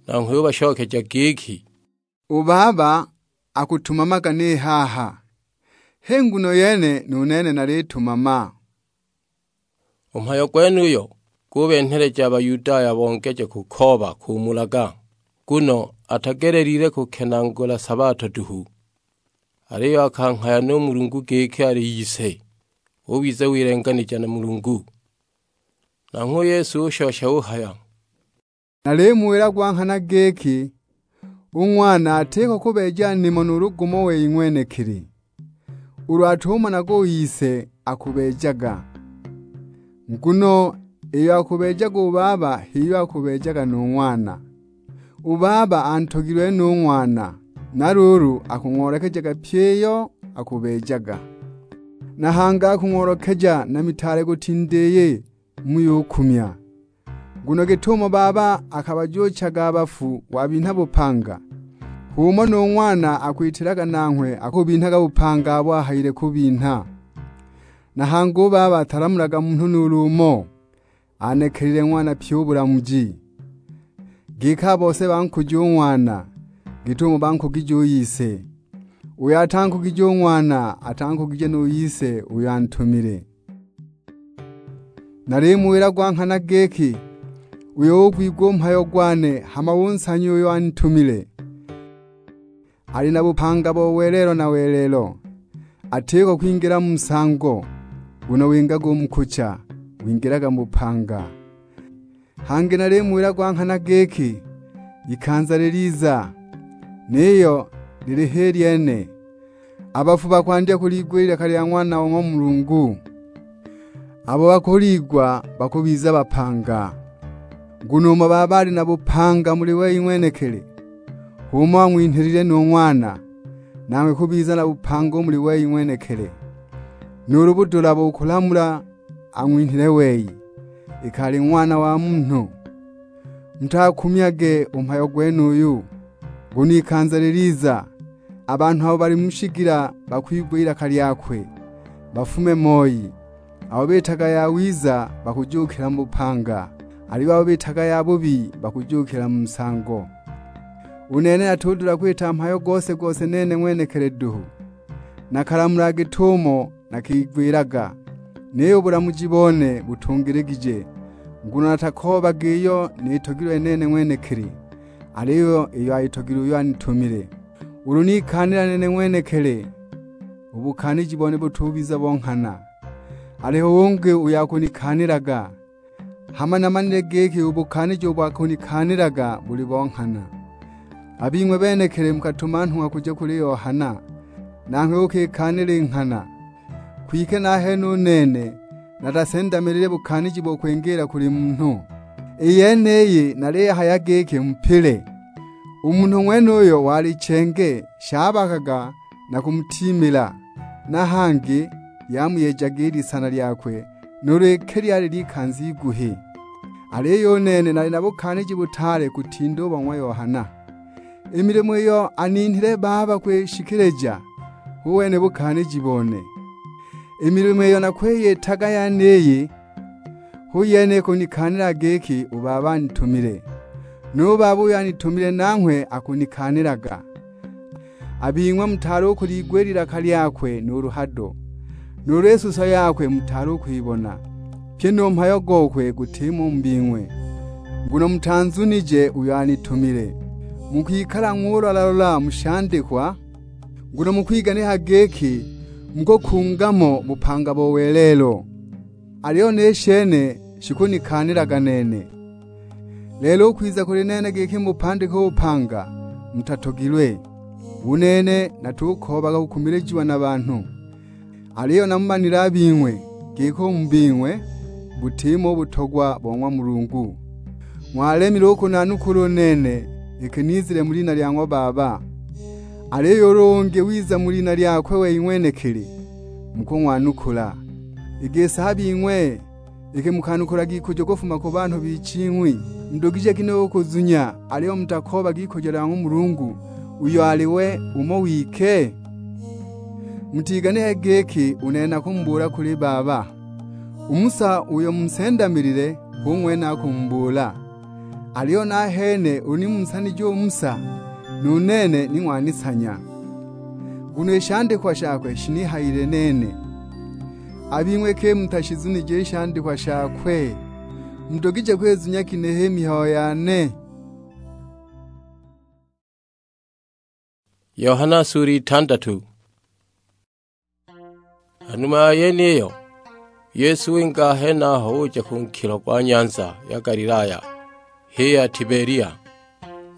Nanghwe ubashokeja giki, "U Baba akutumamaga ni haha, h'i nguno yene nu nene nalitumama." U mhayo gwenuyo gubenheleja a Bayudaya bongeje kukooba kumulaga, nguno atagelelile kukenaagula sabato duhu, aliyo akanghaya nu Mulungu giki ali Ise, ubiza wilenganija na Mulungu. Nanghwe u Yesu ushosha uhaya, "Nalimuwila gwa nghana giki, u Ng'wana atiko kubeeja nimo nuulu gumo wei ng'wenekili, ulu atumonaga u Ise akubeejaga. Nguno iyo akubeejaga u Baba h'iyo akubeejaga nu Ng'wana. U Baba antogilwe nu Ng'wana, na luulu akung'oolekejaga pyi iyo akubeejaga. Na hangi akung'oolekeja na mitaale kutinda iyi muyukumya. Nguno git'umo Baba akabajuuchaga a bafu wabinha bupanga, h'umo nu Ng'wana akwitilaga nanghwe akubinhaga bupanga abo ahayile kubinha. Na hangi u Baba atalamulaga munhu nuulu umo, anekelile Ng'wana pyi u bulamuji. Giki a bose bankuja u Ng'wana, git'umo bankugije u Ise. Uyo atankugije u Ng'wana, atankugije nu Ise uyo antumile. Nalimuwila gwa nghana giki, uyo ugwigwa u mhayo gwane hama unsanya uyo anitumile, ali na bupanga bo welelo na welelo, atiko kwingila mu nsango, nguno wingaga u mu kucha, wingilaga mu bupanga. Hangi nalimuwila gwa nghana giki, ikanza liliza, niyo lili h'i lyene, a bafu bakwandya kuliigwa i lilaka lya Ng'wana o ng'wa Mulungu. Abo bakuliigwa bakubiza bapanga, nguno umo Baba ali na bupanga muli wei ng'wenekili, h'umo ang'winhilile nu Ng'wana, nanghwe kubiza na bupanga u muli wei ng'wenekili. Nuulu budula bo kulamula ang'winhile wei, iki ali Ng'wana wa Munhu. Mutakumyage u mhayo gwenuyu, nguno ikanza liliza, a banhu abo bali mu shigila bakwigwa ilaka lyakwe, bafume moi. Abo bitaga yawiza bakujuukila mu bupanga, aliyo abo bitaga yabubi bakujuukila mu nsango. U nene natudula kwita mhayo gose-gose nene ng'wenekili duhu, nakalamula git'umo nakigwilaga, niyo u bulamuji bone butungiligije. Nguno natakoobaga iyo nitogilwe nene ng'wenekili, aliyo iyo ayitogilwe uyo anitumile. Ulu nikaanila nene ng'wenekili, u bukaaniji bone butubiza bo nghana, aliho ungi uyo akunikaanilaga. Hama namanile giki u bukaaniji ubo akunikaanilaga buli bo nghana. A bing'we benekili mukatuma nhung'wa kuja kuli Yohana, nanghwe uukikaanila i nghana. Kwike nahene u nene natasendamilile bukaaniji bo kwingiila kuli munhu. I yeniyi naliyihaya giki mupile. U munhu ng'wenuyo wali chenge, shabakaga na kumutiimila, na hangi lyamuyejaga i lisana lyakwe, nuulu iki lyali ly'ikanza iguhi. Aliyo u nene nali na bukaaniji butaale kutinda u bo ng'wa Yohana. I milimo iyo aninhile Baba kwishikilija, hu wene bukaaniji bone. I milimo iyo nakwiyitaga yeniyi, hu yene ikunikaanila giki u Baba anitumile, nu Baba uyo anitumile nanghwe akunikaanilaga. A bing'we mutaali u kuliigwa i lilaka lyakwe nuulu hado, nuulu i suso yakwe mutaali u kwibona, pyi nu mhayo gokwe gutimo u mu bing'we, nguno mutanzunije uyo anitumile. Mukwikala ng'ulola-lola mu shandikwa, nguno mukwiganika giki mukukunga mo bupanga bo welelo. Aliyo ni shene shikunikaanilaga nene. Lelo u kwiza kuli nene giki mubupandike u bupanga, mutatogilwe. U nene natukoobaga kukumilijiwa na banhu, aliyo namumanile a bing'we, giki u mu bing'we butimo u butogwa bo ng'wa Mulungu. Ng'walemile u kunanukula u nene, iki nizile mu lina lya ng'wa Baba. Aliyo ulu ungi wiza mu lina lyakwe wei ng'wenekili, mukung'wanukula. I gisi a bing'we, iki mukanukulaga ikujo kufuma ku banhu biching'wi, mudugije ginehe u kuzunya, aliyo mutakoobaga ikujo lya ng'wa Mulungu, uyo ali we umo wike? Mutiganike giki u nene nakumubuula kuli Baba. U Musa uyo munsendamilile, hu ng'wene akumubuula. Aliyo nahene ulu nimunsanije u Musa, nu nene ni ng'wanisanya, nguno i shandikwa shakwe shinihayile nene. A bing'we ki mutashizunije i shandikwa shakwe? Mudugije kwizunya ginehe i mihayo yane? Yohana sura itandatu. Ha numa ya yeniyo, u Yesu winga a henaho uja ku nkilo gwa nyanza ya Galilaya, h'i ya Tibelia.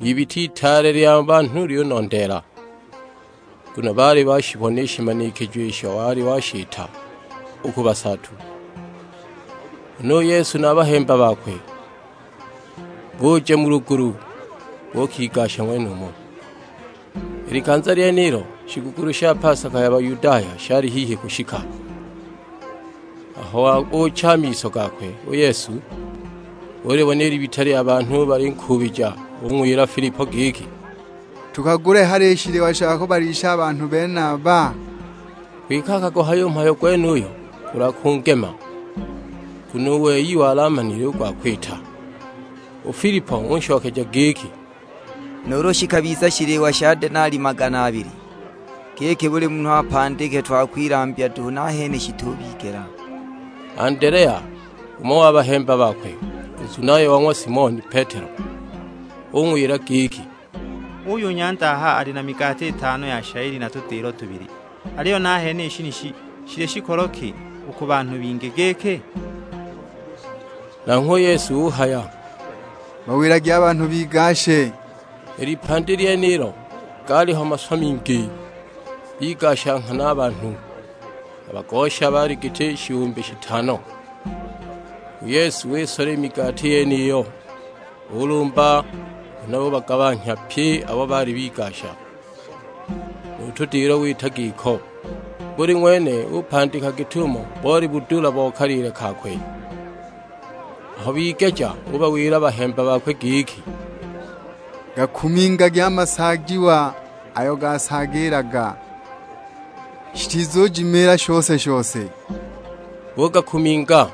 N'ibita itaale lya banhu lyunondeela, nguno baali bashibona i shimanikijo isho wali washita u ku basaatu. Huna u Yesu na a bahemba bakwe buja mu lugulu, bukigasha ng'wenumo. I likanza lyenilo shigukulu sha pasaka ya Bayudaya shali hihi kushika. Aho wabuucha a miso gakwe u Yesu, ulibona i libita lya banhu balinkuubija, ung'wila Filipo giki, "Tukagule hali i shiliwa sha kubalisha a banhu benaba?" Kwike akaguhaya u mhayo gwenuyo kulwa kungema, nguno u wei wali amanile u gwa kwita. U Filipo unshokeja giki, "Nuulu shikabiza shiliwa sha denali magana abili, giki buli munhu apandike twa kwilambya duhu nahene shitubigela." Andelea, umo wa bahemba bakwe, u nzunayo wa ng'wa Simoni Petelo, ung'wila giki, "Uyu nyanda aha ali na migati itano ya shayili na tudiilo tubili, aliyo nahene i shinishi shili shikolo ki u ku banhu bingi giki?" Nanghwe u Yesu uhaya, "Bawilagi a banhu bigashe." I lipandi lyenilo gaaliho maswa mingi, bigasha nghana a banhu. A bagosha baali giti shihumbi shitano. U Yesu wisola i migati yeniyo, ulumba, huna ubagabanhya pye abo baali bigasha. Nu tudiilo wita giko, buli ng'wene upandika git'umo boli budula bo kaliile kakwe. Aho bigeja ubawila a bahemba bakwe giki, "Gakumingagi a masaajiwa ayo gasaagiilaga, shitizujimiila shose-shose." Bugakuminga,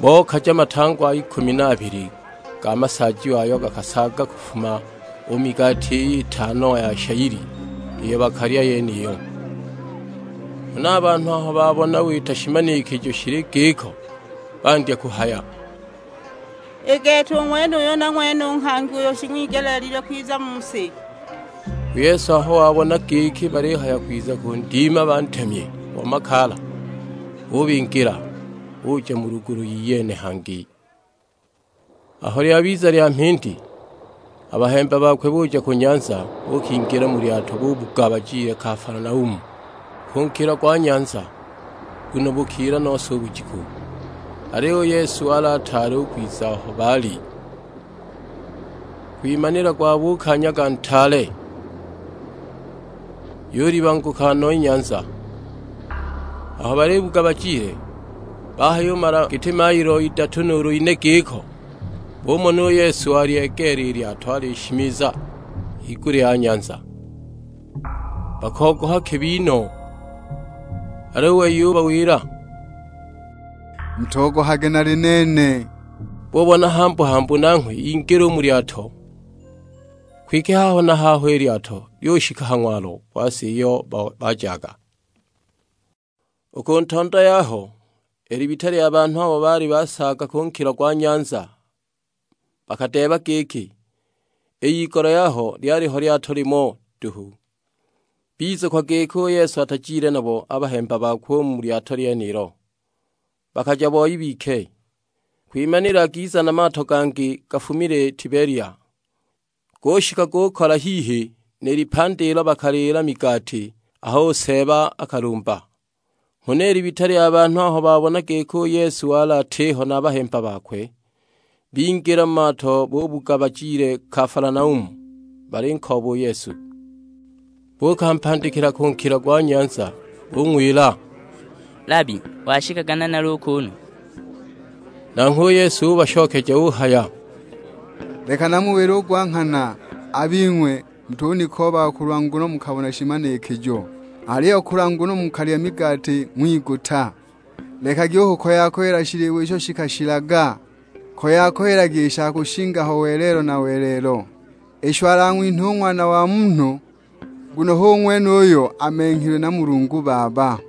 bokaja matangwa ikumi na abili ga masaajiwa ayo gakasaaga kufuma u migati iyi itano ya shayili iyo bakalya yeniyo. Huna a banhu aho babona wita shimanikijo shili giko, bandya kuhaya, I gete u ng'wenuyo na ng'wene u nghangi uyo shing'wigeleelilwe kwiza mu si." U Yesu aho wabona giki balihaya kwiza kundima bantemye bo makaala, ubingila, uja mu lugulu iyene hangi. Aho lyabiza lya mhindi, a bahemba bakwe buja ku nyanza, buukingila mu lyato bubuga bajile Kafalanaumu, ku nkila gwa nyanza, nguno bukiila nose u bujiku. Aliyo u Yesu wali ataali u kwiza aho baali. Kwimanila gwabuuka nyaga ntaale, yulibanguka no i nyanza. Aho balibuga bajile, bahayumala giti mailo idatu nuulu ine giko, bumona u Yesu alyegeela i lyato alishimiza higulya ya nyanza. Bakogoha kibi no, aliyo u wei ubawila, "Mutogohage, nali nene." Bubona hambu-hambu nanghwe ingila u mu lyato, kwike haho na haho i lyato lyushika ha ng'walo gwa si iyo ba-, bajaga. U ku ntondo yaho, i libita lya banhu abo baali basaaga ku nkilo gwa nyanza bakadeeba giki, "I y'igolo yaho lyaliho lyato limo duhu." Bizukwa giki u Yesu atajile nabo a bahemba bakwe u mu lyato lyenilo, bakaja boi bike. Kwimanila giza na mato gangi gafumile Tibelia, gushika gukola hihi ni lipandi ilo bakaliila migati aho u Seeba akalumba. Huna i libita lya banhu aho babona giki u Yesu wali atiho na a bahemba bakwe, bingila mu mato bubuga bajile Kafalanaumu, balinkooba u Yesu. Buukampandikila ku nkilo gwa nyanza, bung'wila, "Labi, washikaga nanali u kuunu?" Nanghwe u Yesu ubashokeja uhaya, "Leka namuwile u gwa nghana, a bing'we mutunikoobaga kulwa nguno mukabona shimanikijo, aliyo kulwa nguno mukalya migati ng'wiguta. Lekagi u kukoya-koyela shiliwa isho shikashilaga, koya-koyelagi i sha kushinga ho welelo na welelo, isho alang'winha u Ng'wana wa Munhu, nguno hu ng'wene uyo amenghilwe na Mulungu Baba."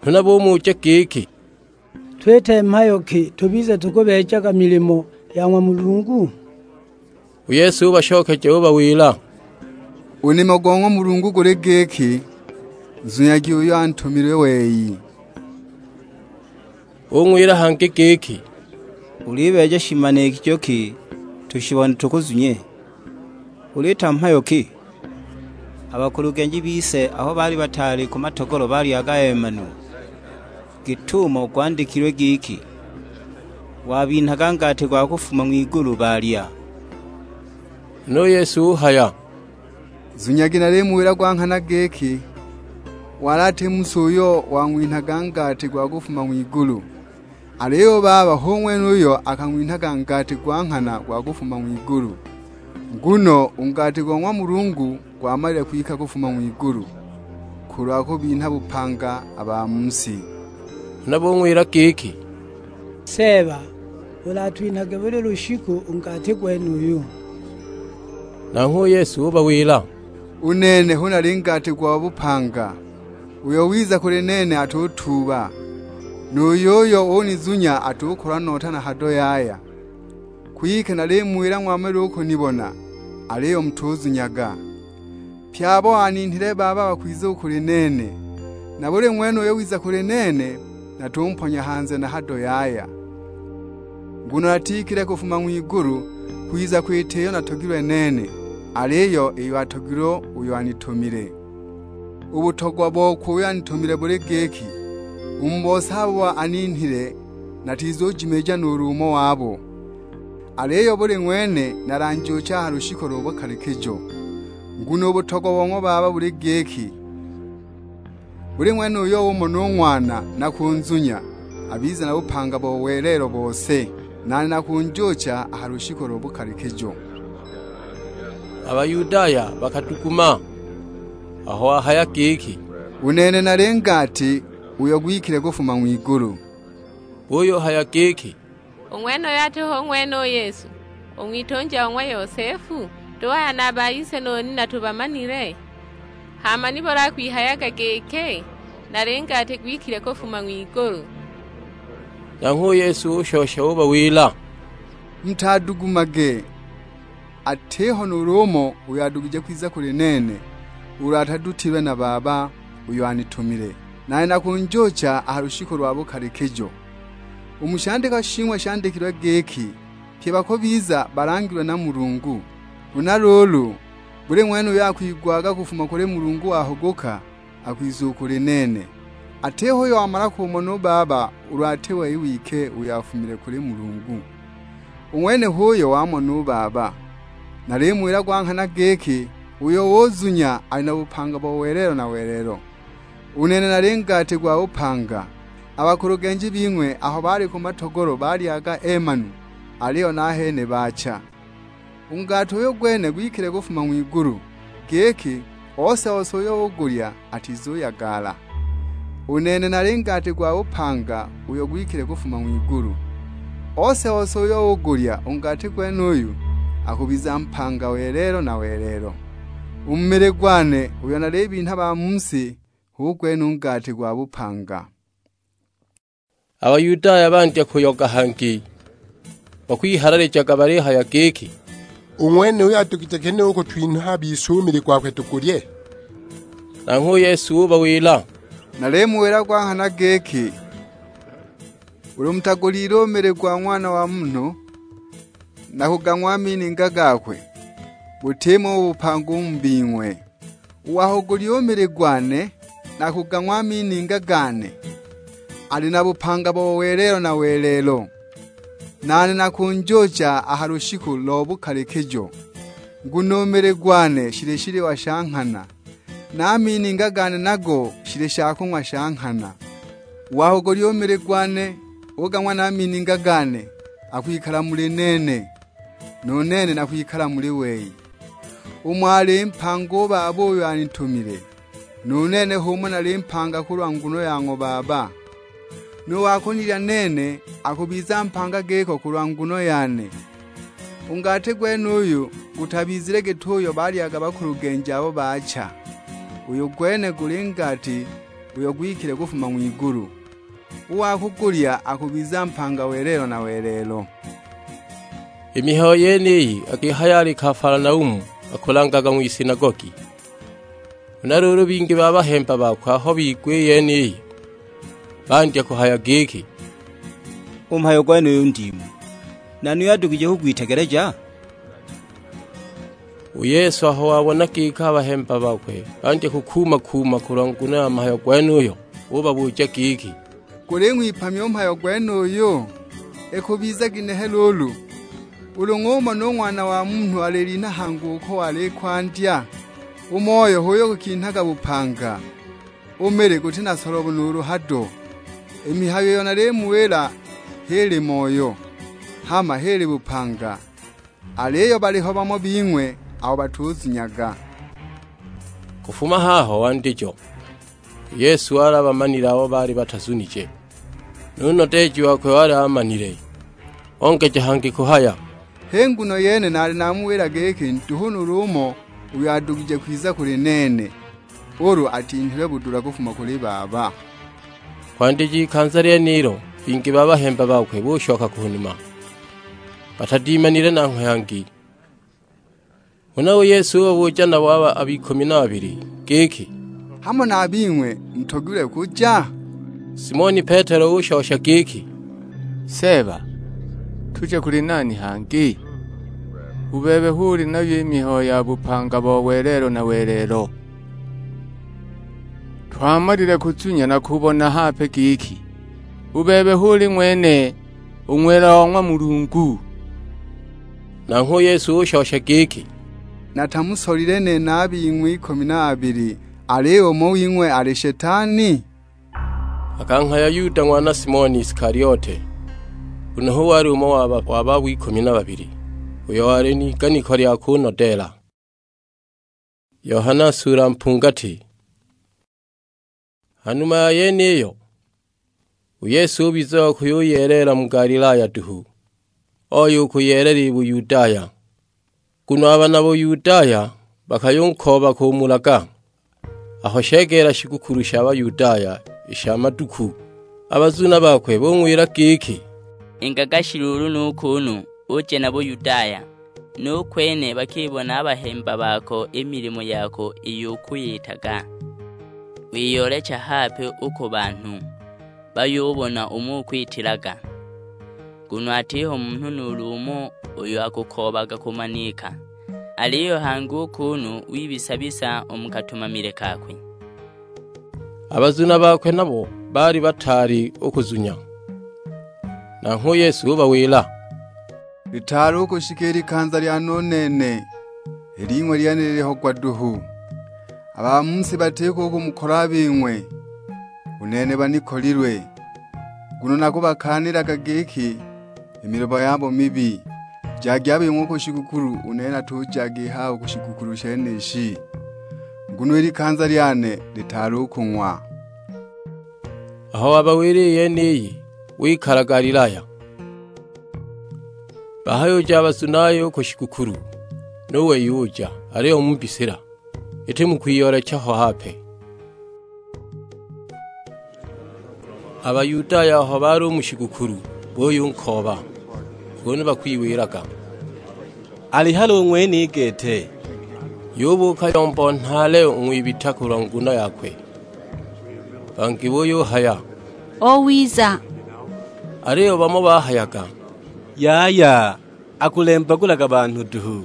Huna bumuja giki, "Twite mhayo ki tubize tukubeejaga milimo ya ng'wa Mulungu?" U Yesu ubashokeja ubawila, "U nimo go ng'wa Mulungu guli giki, 'Nzunyagi uyo antumilwe wei.'" Ung'wila hangi giki, "Ulibeeja shimanikijo ki tushibone tukuzunye? Ulita mhayo ki?" A bakulugenji bise aho baali bataali ku matogolo balyaga emanu, git'umo gwandikilwe giki, "Wabinhaga ngati gwa kufuma ng'wigulu, balya." Huna u Yesu uhaya, "Zunyagi nalimuwila gwa nghana giki, wali ati mu si uyo wang'winhaga ngati gwa kufuma ng'wigulu. Aliyo u Baba hu ng'wene uyo akang'winhaga ngati gwa nghana gwa kufuma ng'wigulu. Nguno u ngati go ng'wa Mulungu gwamalile kwika kufuma ng'wigulu, kulwa kubinha bupanga a ba mu si." Huna bung'wila giki, "Seeba, ulatwinhage buli lushiku u ngati gwenuyu." Nanghwe u Yesu ubawila, "U nene hu nali ngati gwa bupanga. Uyo wiza kuli nene atutuuba, nu yuyo unizunya atukolwa nota na hado yaya. Kwike nalimuwila ng'wamala u kunibona, aliyo mutuzunyaga. Pye abo aninhile Baba bakwiza u kuli nene, na buli ng'wene uyo wiza kuli nene natumponya hanze na hado yaya. Nguno natikile kufuma ng'wigulu kwiza kwita iyo natogilwe nene, aliyo iyo atogilwe uyo anitumile. U butogwa bokwe uyo anitumile buli giki, u mu bose abo aninhile natizujimiija nuulu umo wabo. Aliyo buli ng'wene nalanjuucha a ha lushiku lo bukalikijo. Nguno u butogwa bo ng'wa Baba buli giki, buli ng'wene uyo umona u Ng'wana na kunzunya, abize na bupanga bo welelo bose, nane nakunjuucha a ha lushiku lo bukalikijo." A Bayudaya bakaduguma aho wahaya giki, "U nene nali ngati uyo gwikile kufuma ng'wigulu." Buyuhaya giki, "U ng'wenuyo ati hu ng'wene u Yesu, u ng'witunja o ng'wa Yosefu? Tuhaya na a ba ise nu nina tubamanile? Hama nibuli akwihayaga giki, 'Nali ngati gwikile kufuma ng'wigulu'?" Nanghwe u Yesu ushosha ubawila, "Mutadugumage! Atiho nuulu umo uyo adugije kwiza kuli nene, ulu atadutilwe na Baba uyo anitumile. Nane nakunjuucha a ha lushiku lwa bukalikijo. U mu shandikwa shing'we shandikilwe giki, 'Pye bakubiza balangilwe na Mulungu.' Huna luulu, buli ng'wene uyo akwigwaga kufuma kuli Mulungu wahuguka, akwiza u kuli nene. Atiho uyo wamala kumona u Baba ulu ati wei wike uyo afumile kuli Mulungu, u ng'wene h'uyo wamona u Baba. Nalimuwila gwa nghana giki, uyo uzunya ali na bupanga bo welelo na welelo. U nene nali ngati gwa bupanga. A bakulugenji bing'we aho baali ku matogolo balyaga emanu, aliyo nahene baacha. U ngati uyu gwene gwikile kufuma ng'wigulu, giki ose-ose uyo ugulya atizuyagala. U nene nali ngati gwa bupanga uyo gwikile kufuma ng'wigulu. Ose-ose uyo ugulya u ngati gwenuyu akubiza mpanga welelo na welelo. U mu mili gwane uyo nalibinha ba mu si, hu gwene u ngati gwa bupanga." A Bayudaya bandya kuyoga hangi, bakwihalalijaga balihaya giki, "U ng'wenuyu adugije kene u kutwinha a bise u mili gwakwe tugulye?" Nanghwe u Yesu ubawila, "Nalimuwila gwa nghana giki, ulu mutaguliile u mili gwa Ng'wana wa Munhu, na kugang'wa a mininga gakwe, butimo u bupanga u mu bing'we. U wa kugulya u mili gwane, na kugang'wa a mininga gane, ali na bupanga bo welelo na welelo. Nane nakunjuucha a ha lushiku lo bukalikijo, nguno u mili gwane shili shiliwa sha nghana, na a mininga gane nago shili shakung'wa sha nghana. U wa kugulya u mili gwane, ugang'wa na a mininga gane, akwikala muli nene, nu nene nakwikala muli wei. Umo ali mpanga u Baba uyo anitumile, nu nene h'umo nali mpanga kulwa nguno ya ng'wa Baba. Nu wa kunilya nene akubiza mpanga giko kulwa nguno yane. U ngati gwenuyu gutabizile git'uyo balyaga bakulugenji abo baacha, uyu gwene guli ngati uyo gwikile kufuma ng'wigulu. U wa kugulya akubiza mpanga welelo na welelo." I mihayo yeniyi akihaya ali Kafalanaumu, akulangaga ng'wisinagogi. Huna luulu bingi ba bahemba bakwe aho bigwa i yeniyi, bandya kuhaya giki, "U mhayo gwenuyu ndimu, nani uyo adugije kugwitegeleja?" U Yesu aho wabona giki a bahemba bakwe bandya kukuuma-kuuma kulwa nguno ya mhayo gwenuyo, ubabuja giki, "Guling'wipamya u mhayo gwenuyu? Ikubiza ginehe luulu, ulu ng'umona u Ng'wana wa Munhu alilinha hangi uko wali kwandya? U Moyo h'uyo gukinhaga bupanga, u mili guti na solobo nuulu hado. I mihayo iyo nalimuwila h'ili Moyo, hama h'ili bupanga. Aliyo baliho bamo bing'we abo batuzunyaga." Kufuma haho wandijo, u Yesu wali abamanile abo baali batazunije, nu nodeeji wakwe wali amanile. Ongeja hangi kuhaya, "H'i nguno yene naali namuwila giki nduhu nuulu umo uyo adugije kwiza kuli nene, ulu atinhilwe budula kufuma kuli Baba." Kwandija ikanza lyenilo, bingi ba bahemba bakwe bushoka ku numa, batadimanile nanghwe hangi. Huna u Yesu ubabuja nabo a ba- a b'ikumi na babili giki, "Hamo na a bing'we mutogilwe kuja?" Simoni Petelo ushosha giki, "Seeba, tuje kuli nani hangi? U bebe hu uli nayo i mihayo ya bupanga bo welelo na welelo. Twamalile kuzunya na kubona hape giki, u bebe hu uli ng'wene u Ng'wela o ng'wa Mulungu." Nanghwe u Yesu ushosha giki, "Natamusolile nene a bing'we ikumi na babili, aliyo umo wing'we ali Shetani?" Akanghaya Yuda ng'wana Simoni Isikaliote, nguno hu wali umo wa ba- wa babo ikumi na babili, uyo wali n'iganiko lya kunodeela. Yohana sula mpungati. Ha numa ya yeniyo, u Yesu ubiza wa kuyuyeelela mu Galilaya duhu, oya u kuyeelela i Buyudaya, nguno a bana Buyudaya bakayunkooba kumulaga, aho shegeela shigukulu sha Bayudaya i sha maduku. A bazuna bakwe bung'wila giki, "Ingaga shiluulu nu kuunu, uje na Buyudaya, nu kwene bakibona a bahemba bako i milimo yako iyo ukuyitaga. Wiyoolecha hape u ku banhu, bayubona umo ukwitilaga. Nguno atiho munhu nuulu umo uyo akukoobaga kumanika, aliyo hangi u kuunu wibisa-bisa u mu katumamile kakwe." A bazuna bakwe nabo baali bataali u kuzunya. Nanghwe u Yesu ubawila, "Litaali u kushika i likanza lyane u nene, i ling'we lyene lilihogwa duhu. A ba mu si batiko u kumukola a bing'we, u nene banikolilwe. Nguno nakubakaanilaga giki, i milomo yabo mibi. Jagi a bing'we u ku shigukulu, u nene natujaga i haha u ku shigukulu shenishi, nguno i likanza lyane litaali u kung'wa." Aho wabawila i yeniyi, wikala Galilaya. Bahayuja a bazunaye u ku shigukulu, nu wei uja, aliyo mu mbisila, iti mu kwiyoolecha ho hape. A Bayudaya aho baali u mu shigukulu, buyunkooba, kunu bakwiwilaga, "Ali hali u ng'wene i gete?" Yubuuka yombo nhaale u ng'wibita kulwa nguno yakwe. Bangi buyuhaya, "O wiza!" Aliyo bamo bahayaga, "Yaya, akulembagulaga banhu duhu."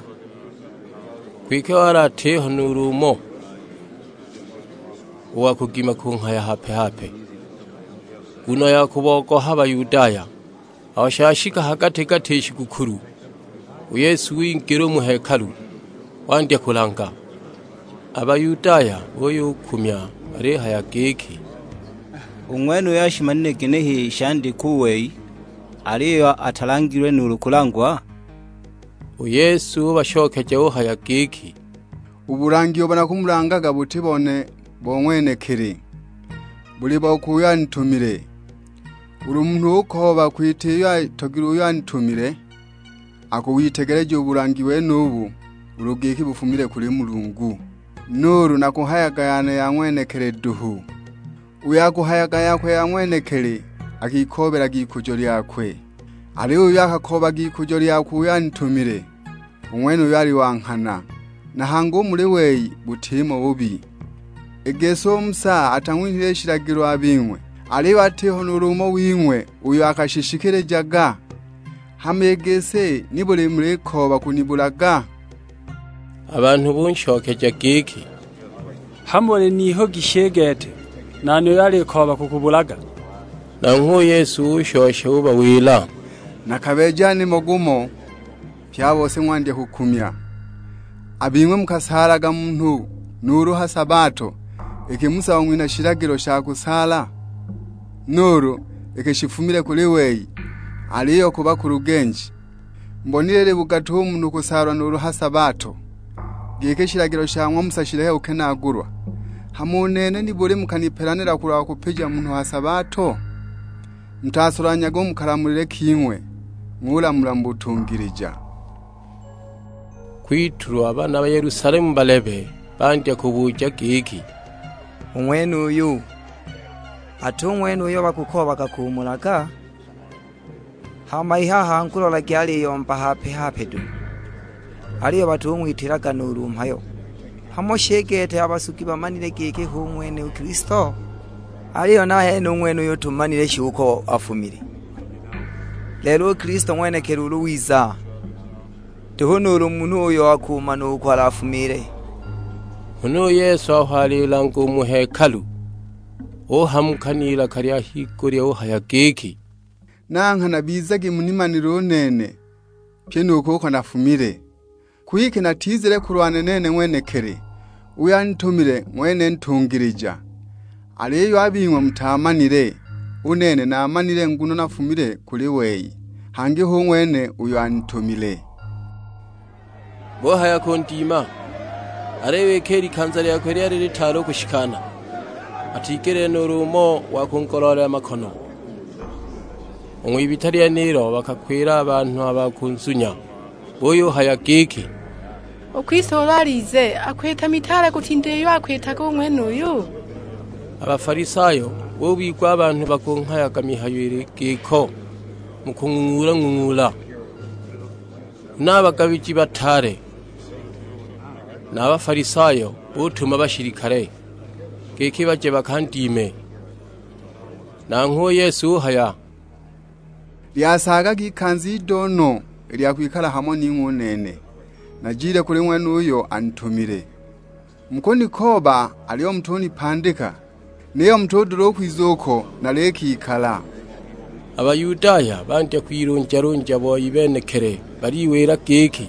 Kwike wali atiho nuulu umo u wa kugima kunghaya hape-hape, nguno ya kubogoha Bayudaya. Aho shashika ha gati-gati i shigukulu, u Yesu wingila u mu hekalu, wandya kulanga. A Bayudaya buyukumya balihaya giki, "U ng'wenuyu ashimanile ginehe i shandikwa u wei, aliyo atalangilwe nuulu kulangwa?" U Yesu ubashokeja uhaya giki, "U bulangi ubo nakumulangaga buti bone bo ng'wenekili, buli bokwe uyo anitumile. Ulu munhu ukooba kwita iyo atogilwe uyo anitumile, akuwitegeleja u bulangi wenubu ulu giki bufumile kuli Mulungu. Nuulu nakuhayaga yane ya ng'wenekili duhu. Uyo akuhayaga yakwe ya ng'wenekili akikoobelaga ikujo lyakwe, aliyo uyo akakoobaga ikujo lyakwe uyo anitumile, u ng'wenuyo ali wa nghana, na hangi u muli wei butimo bubi. I gisi u Musa atang'winhile shilagilo a bing'we, aliyo atiho nuulu umo wing'we uyo akashishikilijaga? Hama i gisi nibuli mulikooba kunibulaga?" A banhu bunshokeja giki, "Hamo uli n'ihugi shi i gete, nani uyo alikooba kukubulaga?" Nanghwe u Yesu ushosha ubawila, "Nakabeeja nimo gumo, pye a bose ng'wandya kukumya. A bing'we mukasaalaga munhu nuulu ha sabato, iki Musa wang'winha shilagilo sha kusaala? Nuulu iki shifumile kuli wei, aliyo ku bakulugenji? Mubonile ili bugatu u munhu kusaalwa nuulu ha sabato, giki i shilagilo sha ng'wa Musa shilehe kukenaagulwa? Hama u nene nibuli mukanipelanila kulwa kupija munhu ha sabato? Mutasolanhage u mu kalamulile king'we, ng'ulamula mu butungilija." Kwitulwa a bana ba Yelusalemu balebe bandya kubuja giki, "U ng'wenuyu, ati u ng'wene uyo bakukoobaga kumulaga? Hama i haha ngulolagi aliyomba hape-hape duhu, aliyo batung'witilaga nuulu mhayo. Hamo shi i gete a basugi bamanile giki hu ng'wene u Kilisto? Aliyo nahene u ng'wenuyu tumanile shi uko afumile. Lelo u Kilisto ng'wenekili ulu wiza, tuhu nuulu munhu uyo akumana uko alafumile." Huna u Yesu aho alilanga u mu hekalu, uhamuka n'ilaka lya higulya uhaya giki, "Na nghana bizagi munimanile u nene, pyi nu kuko nafumile. Kwike natizile kulwa nene ng'wenekili, uyo anitumile ng'wene ntungilija. Aliyo a bing'we mutaamanile, u nene naamanile nguno nafumile kuli wei, hangi hu ng'wene uyo anitumile." Buhaya kundima, aliyo iki i likanza lyakwe lyali litaali u kushikana, atigeleele nuulu umo wa kungoloolela makono. U ng'wibita lyenilo bakakwila a banhu a ba kunzunya, buyuhaya giki, "U Kilisto ulu alize, akwita mitaale kutinda iyo akwitaga u ng'wenuyu?" A Bafalisayo bubigwa a banhu bakunghayaga mihayo ili giko mu kung'ung'ula-ng'ung'ula. Huna a bagabiji bataale na a Bafalisayo butuma bashilikale, giki baje bakandime. Nanghwe u Yesu uhaya, "Lyasaagaga ikanza ido no i lya kwikala hamo ning'we u nene, najile kuli ng'wene uyo anitumile. Mukunikooba, aliyo mutunipandika, niyo mutudula u kwiza uko nalikikala." A Bayudaya bandya kwilunja-lunja boi benekili, baliwila giki,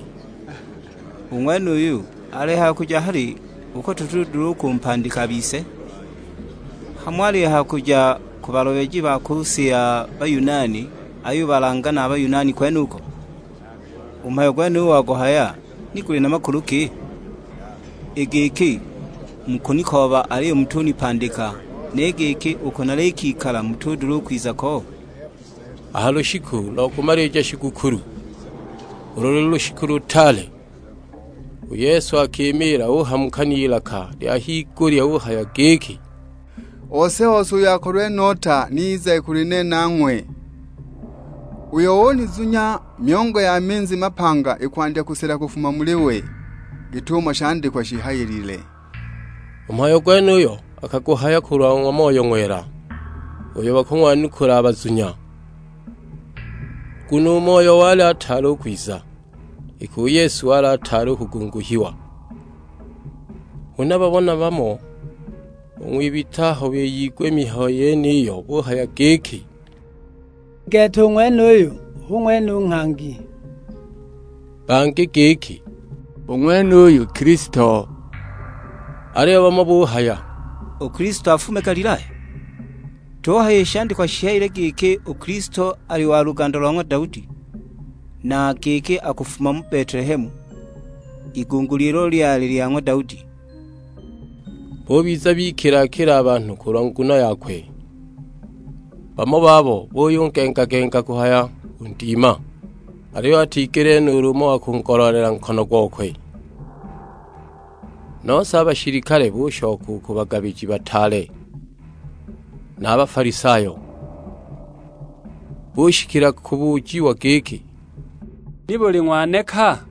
"U ng'wenuyu alihaya kuja hali uko tutudula u kumpandika a bise? Hamo alihaya kuja ku balomeji ba ku si ya Bayunani ayubalanga na a Bayunani kwenuko? U mhayo gwenuyu waguhaya ni guli na makulu ki? I giki, 'Mukunikooba aliyo mutunipandika,' ni giki, 'Uko nalikikala mutudula u kwiza ko?' " A ha lushiku lo kumalija shigukulu, ulu luli lushiku lutaale, u Yesu akimiila uhamuka n'ilaka lya higulya uhaya giki, "Ose-ose uyo akolwe nota ni ize kuli nene ang'we. Uyo unizunya, myongo ya minzi mapanga ikwandya kusela kufuma muli we, git'umo shandikwa shihayilile." U mhayo gwenuyo akaguhaya kulwa ng'wa Moyo Ng'wela, uyo bakung'wanukula a bazunya. Nguno u Moyo wali ataali u kwiza, iki u Yesu wali ataali u kugunguhiwa. Huna babona bamo u ng'wibita aho biyigwa i mihayo yeniyo, buhaya giki, "Gete u ng'wenuyu hu ng'wene u nghangi." Bangi giki, "U ng'wenuyu Kilisto." Aliyo bamo buhaya, "U Kilisto afume Galilaya? Tuhaya i shandikwa shihayile giki u Kilisto ali wa luganda lo ng'wa Daudi, na giki akufuma mu Betelehemu, i gunguli ilo lyali lya ng'wa Daudi." Bubiza bikila-kila a banhu kulwa nguno yakwe. Bamo babo buyungenga-genga kuhaya kundima, aliyo atigele nuulu umo wa kungoloolela nkono gokwe. Nose a bashilikale bushoka u ku bagabiji bataale na a Bafalisayo, bushikila kubujiwa giki, "Nibuli ng'waneka?"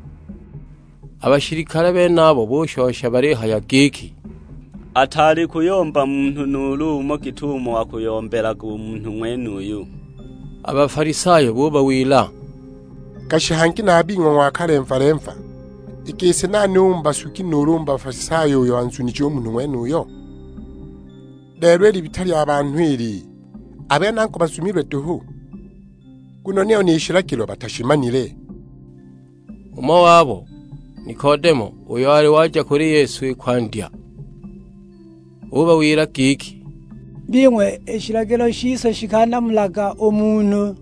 A bashilikale benabo bushosha balihaya giki, "Ataali kuyomba munhu nuulu umo git'umo akuyombelaga u munhu ng'wenuyu." A Bafalisayo bubawila, "Gashi hangi na a bing'we ng'wakalemva-lemva, i gisi nani u mu basugi nuulu u mu Bafalisayo uyo anzunije u munhu ng'wenuyo? Lelo i libita lya banhu ili, a bene angu bazumilwe duhu, nguno niyo ni shilagilo batashimanile." Umo wabo, Nikodemo, uyo wali waja kuli Yesu i kwandya, ubawila giki, "Bing'we, i shilagilo shise shikanamulaga u munhu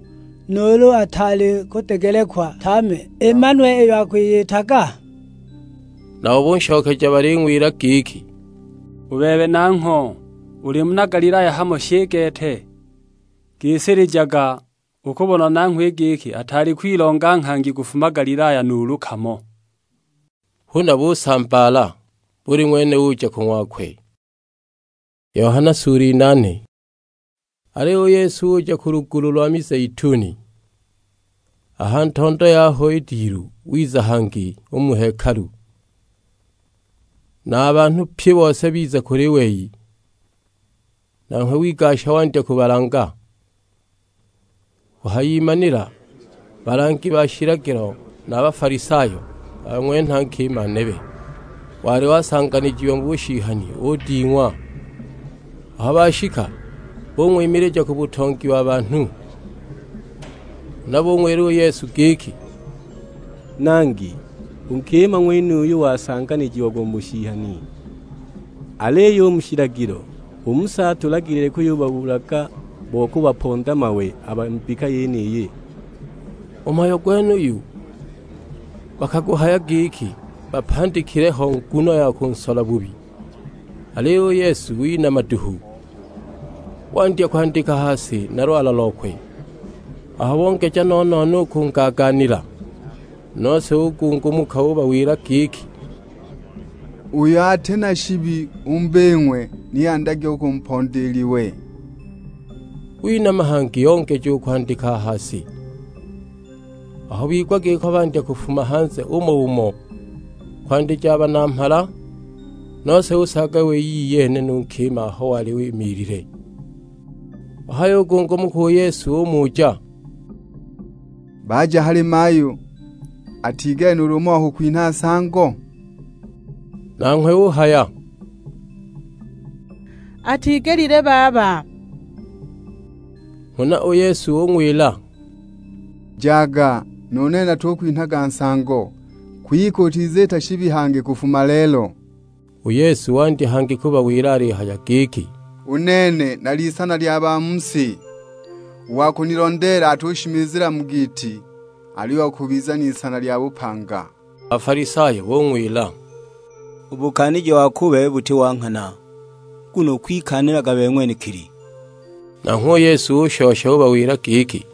nuulu ataali kudegelekwa tame i manwe iyo akwiyitaga?" Nabo bunshokeja baling'wila giki, "U bebe nangho uli muna Galilaya hamo shi gete? Gisilijaga, ukubona nanghwe giki ataali kwilonga nghangi kufuma Galilaya nuulu kamo." Huna busambaala, buli ng'wene uja ku ng'wakwe. Yohana sura inane. Aliyo u Yesu uja ku lugulu lwa Mizeituni. A ha ntondo yaho i dilu wiza hangi u mu hekalu, na a banhu pye bose biza kuli wei, nanghwe wigasha wandya kubalanga. Kuhayimanila, balangi ba shilagilo na a Bafalisayo bang'wenha nkima nebe, wali wasanganijiwa mu bushihani, uding'wa. Aho bashika, bung'wimilija ku butongi wa banhu. Huna bung'wila u Yesu giki, "Nangi, u nkima ng'wenuyu wasanganijiagwa mu bushihani, aliyo u mu shilagilo u Musa atulagilile kuyubabulaga bo kubaponda mawe a ba mbika yeniyi." U mhayo gwenuyu bakaguhaya giki bapandikile ho nguno ya kunsola bubi. Aliyo u Yesu winama duhu, wandya kwandika ha si na lwala lokwe. Aho bongeja no-no-no u kungagaanila, nose ugungumuka ubawila giki, "Uyo ati na shibi u mu bing'we ni andage u kumponda i liwe." Winama hangi yongeja u kwandika a ha si. Aho bigwa giko bandya kufuma hanze umo umo, kwandija a banamhala, nose usaaga wei iyene nu nkima aho wali wimiilile. Wahayugungunuka u Yesu umuja, "Baja hali mayu, atigele nuulu umo wa kukwinha nsango?" Nanghwe uhaya, "Atigelile baba." Huna u Yesu ung'wila, "Jaga, nu nene natukwinhaga nsango, kwike utiziita shibi hangi kufuma lelo." U Yesu wandya hangi kubawila alihaya giki, "U nene nali isana lya ba mu si. U wa kunilondeela atushimizila mu giiti, aliyo akubiza n'isana lya bupanga." A Bafalisayo bung'wila, "U bukaaniji wako u bebe buti wa nghana, nguno ukwikaanilaga bebe ng'wenekili." Nanghwe u Yesu ushosha ubawila giki,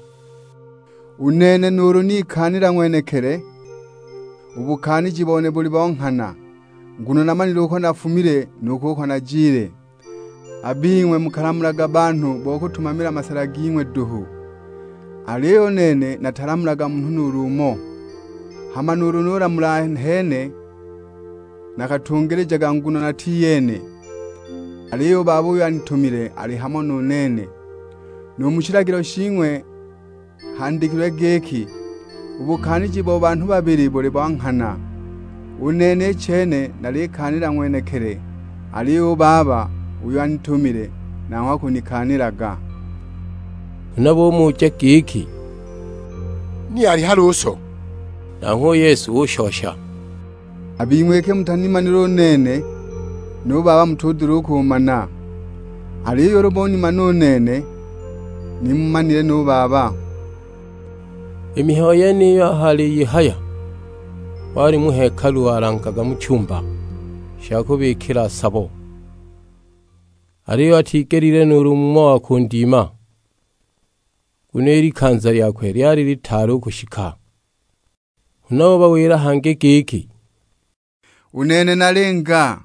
"U nene nuulu nikaanila ng'wenekili, u bukaaniji bone buli bo nghana, nguno namanile uko nafumile nu kuko najile. A bing'we mukalamulaga banhu bo kutumamila masala ging'we duhu, aliyo u nene natalamulaga munhu nuulu umo. Hama nuulu nulamula nene, nakatungilijaga nguno natiyene, aliyo u Baba uyo anitumile ali hamo nu nene. Nu mu shilagilo shing'we handikilwe giki, 'U bukaaniji bo banhu babili buli bo nghana.' U nene i chene nalikaanila ng'wenekili, aliyo u Baba uyo anitumile nanghwe akunikaanilaga." Huna bumuja giki, "Ni ali hali u so?" Nanghwe u Yesu ushosha, "A bing'we iki mutanimanile u nene, nu Baba mutudula u kumana. Aliyo ulu munimana u nene, ni mumanile nu Baba." I mihayo yeniyo aho aliyihaya, wali mu hekalu walangaga mu chumba sha kubikila sabo, aliyo atigelile nuulu umo wa kundima, nguno i likanza lyakwe lyali litaali u kushika. Huna ubawila hangi giki, "U nene nalinga,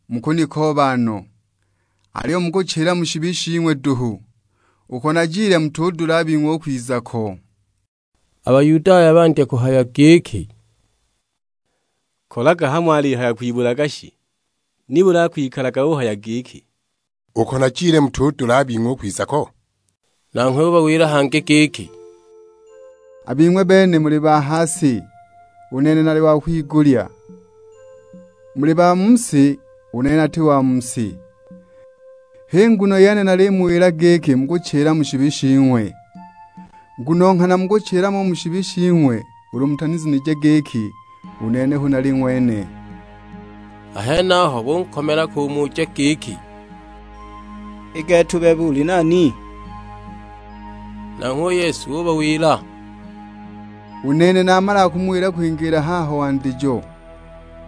mukunikooba no, aliyo mukuchila mu shibi shing'we duhu. Uko najile mutudula a bing'we u kwiza ko." A Bayudaya bandya kuhaya giki, "Kolaga hamo alihaya kwibulaga shi? Nibuli akwikalaga uhaya giki, 'Uko najile mutudula a bing'we u kwiza ko'?" Nanghwe ubawila hangi giki, "A bing'we bene muli ba ha si, u nene nali wa kwigulya. Muli ba mu si, u nene nati wa mu si. H'i nguno yene nalimuwila giki mukuchila mu shibi shing'we. Nguno nghana mukuchila mo mu shibi shing'we ulu mutanizunije giki, u nene hu nali ng'wene." A henaho bunkomela kumuja giki, "I gete u bebe uli nani?" Nanghwe u Yesu ubawila, "U nene namala kumuwila kwingiila haho wandijo,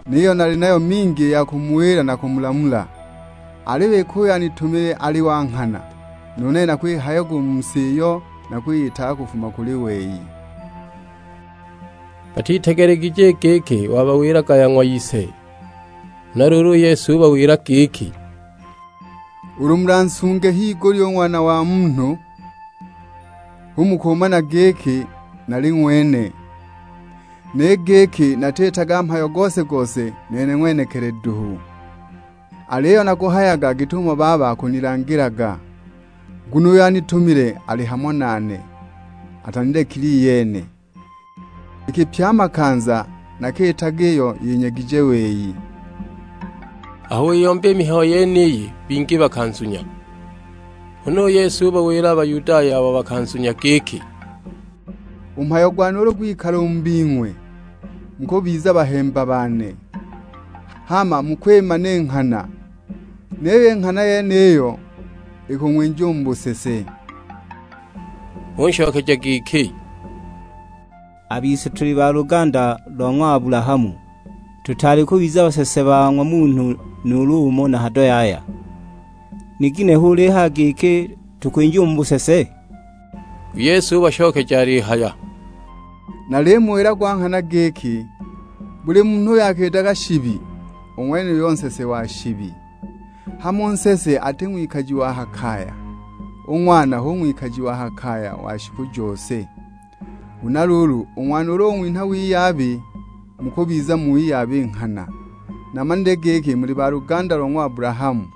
niyo nali nayo mingi ya kumuwila na kumulamula. Aliyo iki uyo anitumile ali wa nghana, nu nene nakwihayaga u mu si iyo nakwiyitaga kufuma kuli wei." Batitegelegije giki wabawilaga ya ng'wa ise. Huna luulu u Yesu ubawila giki, "Ulu mulansunge h'igulya u Ng'wana wa Munhu, hu mukumana giki nali ng'wene, ni giki natiitaga mhayo gose-gose nene ng'wenekili duhu. Aliyo naguhayaga git'umo Baba akunilangilaga, nguno uyo anitumile ali hamo nane, atanilekile iyene. Iki pye a makanza nakiitaga iyo yinyegije wei." Aho wiyomba i mihayo yeniyi, bingi bakanzunya. Huna u Yesu ubawila a Bayudaya abo bakanzunya giki, "U mhayo gwane ulu gwikala u mu bing'we, mukubiza bahemba bane, hama mukwimana i nghana, niyo i nghana yeniyo ikung'winja u mu busese." Unshokeja giki, "A bise tuli ba luganda lo ng'wa Abulahamu, tutaali kubiza basese ba ng'wa munhu nuulu umo na hado yaya. Ni ginehe ulihaya giki tukwinja u mu busese?" U Yesu ubashokeja alihaya, "Nalimuwila gwa nghana giki, buli munhu uyo akiitaga shibi, u ng'wenuyo nsese wa shibi. Hama u nsese ati ng'wikaji wa ha kaya, u ng'wana hu ng'wikaji wa ha kaya wa shiku jose. Huna luulu, u ng'wana ulu ung'winha wiyabi, mukubiza mu wiyabi nghana. Namanile giki muli ba luganda lo ng'wa Abulahamu,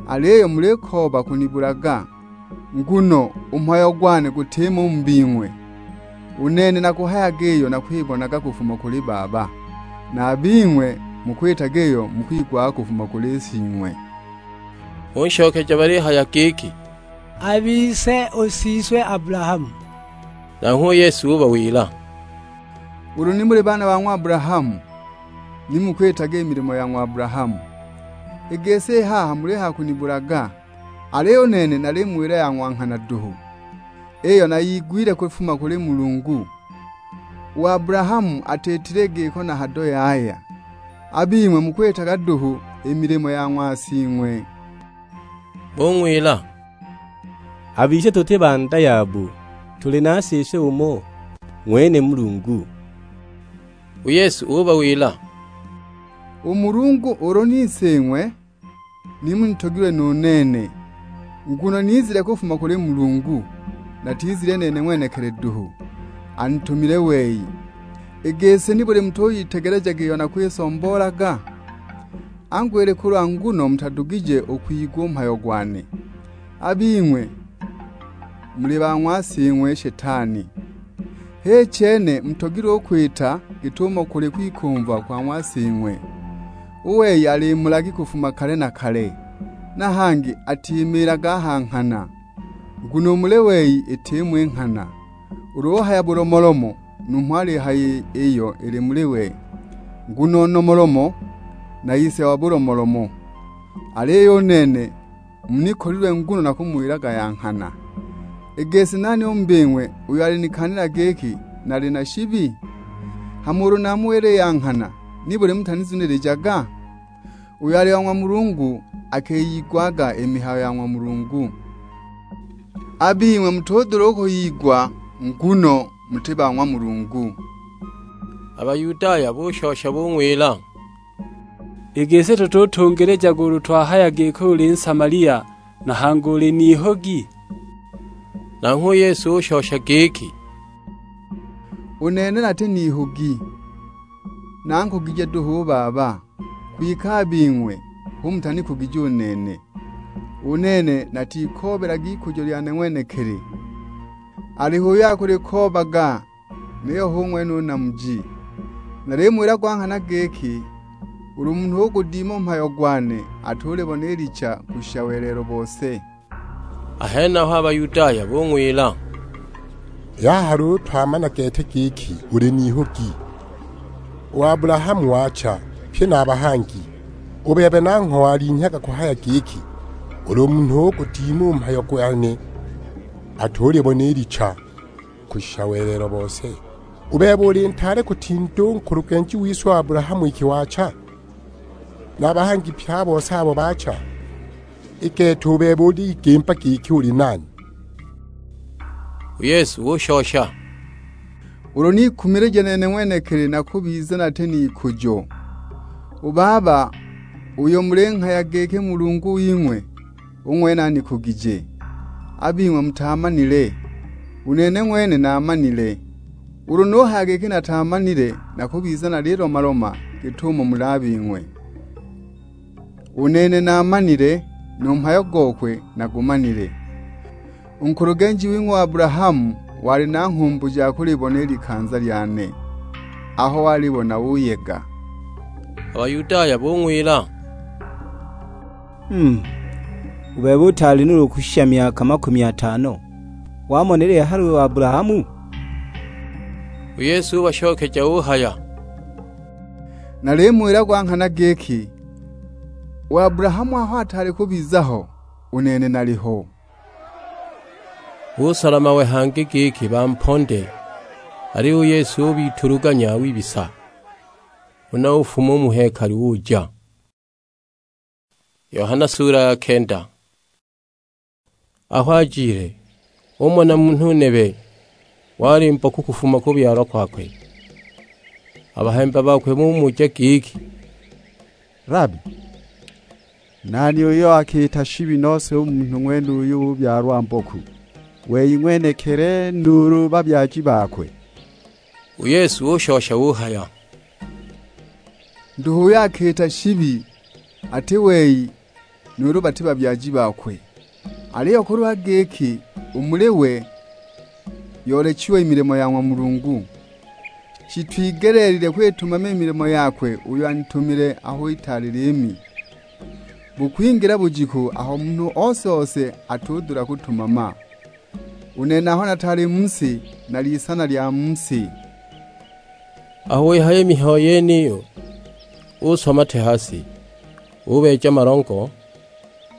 aliyo mulikooba kunibulaga, nguno u mhayo gwane gutimo u mu bing'we. U nene nakuhayaga iyo nakwibonaga kufuma kuli Baba, na a bing'we mukwitaga iyo mukwigwaga kufuma kuli sing'we." Bunshokeja balihaya giki, "A bise u siswe Abulahamu." Nanghwe u Yesu ubawila, "Ulu ni muli baana ba ng'wa Abulahamu, ni mukwitaga i milimo ya ng'wa Abulahamu. I gisi i haha mulihaya kunibulaga, aliyo u nene nalimuwila ya ng'wa nghana duhu, iyo nayigwile kufuma kuli Mulungu. U Abulahamu atiitile giko na hado yaya, a bing'we mukwitaga duhu i milimo ya ng'wa sing'we." Bung'wila, "A bise tuti ba nda yabo, tuli na siswe umo, ng'wene Mulungu." U Yesu ubawila, "U Mulungu ulu ni Sing'we, ni munitogilwe nu nene, nguno nizile kufuma kuli Mulungu, natizile nene ng'wenekili duhu, anitumile wei. I gisi nibuli mutuyitegelejaga iyo nakwisomboolaga? Angu, ili kulwa nguno mutadugije u kwigwa u mhayo gwane? A bing'we muli ba ng'wa sing'we Shetani. H'i chene mutogilwe u kwita git'umo kuli kwikumva kwa ng'wa sing'we. U wei ali mulagi kufuma kale na kale, na hangi atimiilaga a ha nghana, nguno u muli wei itimo i nghana. Ulu uhaya bulomolomo, numho alihaya iyo ili muli we, nguno nomolomo na ise wa bulomolomo. Aliyo u nene munikolilwe nguno nakumuwilaga ya nghana. I gisi nani u mu bing'we uyo alinikaanila giki nali na shibi? Hama ulu namuwila i ya nghana, nibuli mutanizunilijaga? Uyo ali wa ng'wa Mulungu akiyigwaga i mihayo ya ng'wa Mulungu. A bing'we mutudula u kuyigwa, nguno muti ba ng'wa Mulungu." A Bayudaya bushosha bung'wila, "I gisi tututungilijaga ulu twahaya giki uli Nsamalia, na hangi uli n'ihugi?" Nanghwe u Yesu ushosha giki, "U nene nati n'ihugi, nankugije duhu u Baba, kwike a bing'we hu mutanikugije u nene. U nene natikoobelaga ikujo lyane ng'wenekili, aliho uyo akulikoobaga, niyo hu ng'wene u Namuji. Nalimuwila gwa nghana giki, ulu munhu ugudima u mhayo gwane, atulibona i licha kushisha welelo bose." A henaho a Bayudaya bung'wila, "I haha luulu twamana gete giki uli n'ihugi. U Abulahamu wacha, pye na a bahangi. U bebe nangho walinhyaga kuhaya giki, ulu munhu ugudima u mhayo gwane, atulibona i licha kushisha welelo bose. U bebe uli ntaale kutinda u nkulugenji wise u Abulahamu iki wacha, na a bahangi pye a bose abo baacha. I gete u bebe uliyigimba giki uli nani?" U Yesu ushosha, "Ulu nikumilija nene ng'wenekili nakubiza nati n'ikujo. U Baba, uyo mulinghaya giki Mulungu wing'we, u ng'wene anikugije. A bing'we mutaamanile, u nene ng'wene naamanile. Ulu nuhaya giki nataamanile, nakubiza nalilomaloma git'umo muli a bing'we. U nene naamanile, nu mhayo gokwe nagumanile. U nkulugenji wing'we u Abulahamu wali na nghumbu ja kulibona i likanza lyane, aho walibona uyega." A Bayudaya bung'wila, "Mm, u bebe utaali nuulu kushisha myaka makumi atano, wamonile hali u Abulahamu?" U Yesu ubashokeja uhaya, "Nalimuwila gwa nghana giki, u Abulahamu aho ataali kubiza ho, u nene naliho." Busola mawe hangi giki bamponde, aliyo u Yesu ubituluganya wibisa, huna ufuma u mu hekalu uja. Yohana sura ya kenda. Aho ajile, umona munhu nebe, wali mboku kufuma kubyalwa kwakwe. A bahemba bakwe bumuja giki, "Labi, nani uyo akiita shibi nose u munhu ng'wenuyu ubyalwa mboku, wei ng'wenekili nuulu babyaji bakwe?" U Yesu ushosha uhaya, "Nduhu uyo akiita shibi ati wei nuulu bati babyaji bakwe. Aliyo kulwa giki u muli we yoolechiwe i milimo ya ng'wa Mulungu, shitwigeleelilwe kwitumama i milimo yakwe uyo anitumile aho itaali liimi. Bukwingila bujiku aho munhu ose-ose atudula kutumama. U nene aho nataali mu si, nali isana lya mu si." Aho wihaya i mihayo yeniyo, uswa mate ha si, ubeeja malongo,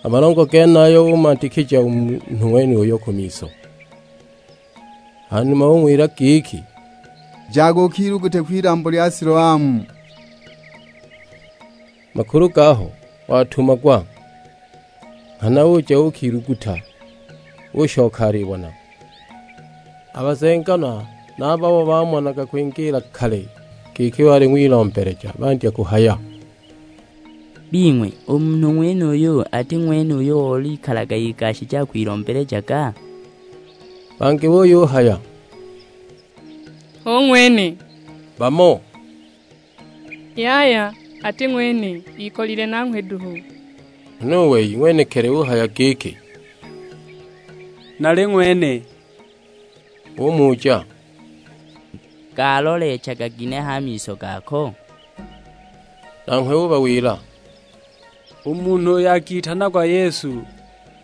a malongo genayo umandikija u munhu ng'wenuyo ku miso. Hanuma ung'wila giki, "Jaga ukilugute kw'ilambo lya Siloamu." Makulu gaho watumagwa, nghana uja uukiluguta, ushoka alibona. A bazenganwa na a babo bamonaga kwingiila kale giki wali ng'wilombeleja bandya kuhaya, "Bing'we, u munhu ng'wenuyu ati ng'wene uyo olikalaga igashije akwilombelejaga?" Bangi buyuhaya, "Hu ng'wene." Bamo, "Yaya, ati ng'wene, ikolile nanghwe duhu." Huna u wei ng'wenekili uhaya giki, "Nali ng'wene." Bumuja, "Galolechaga ginehe a miso gako?" Nanghwe ubawila, "U munhu uyo akitanagwa Yesu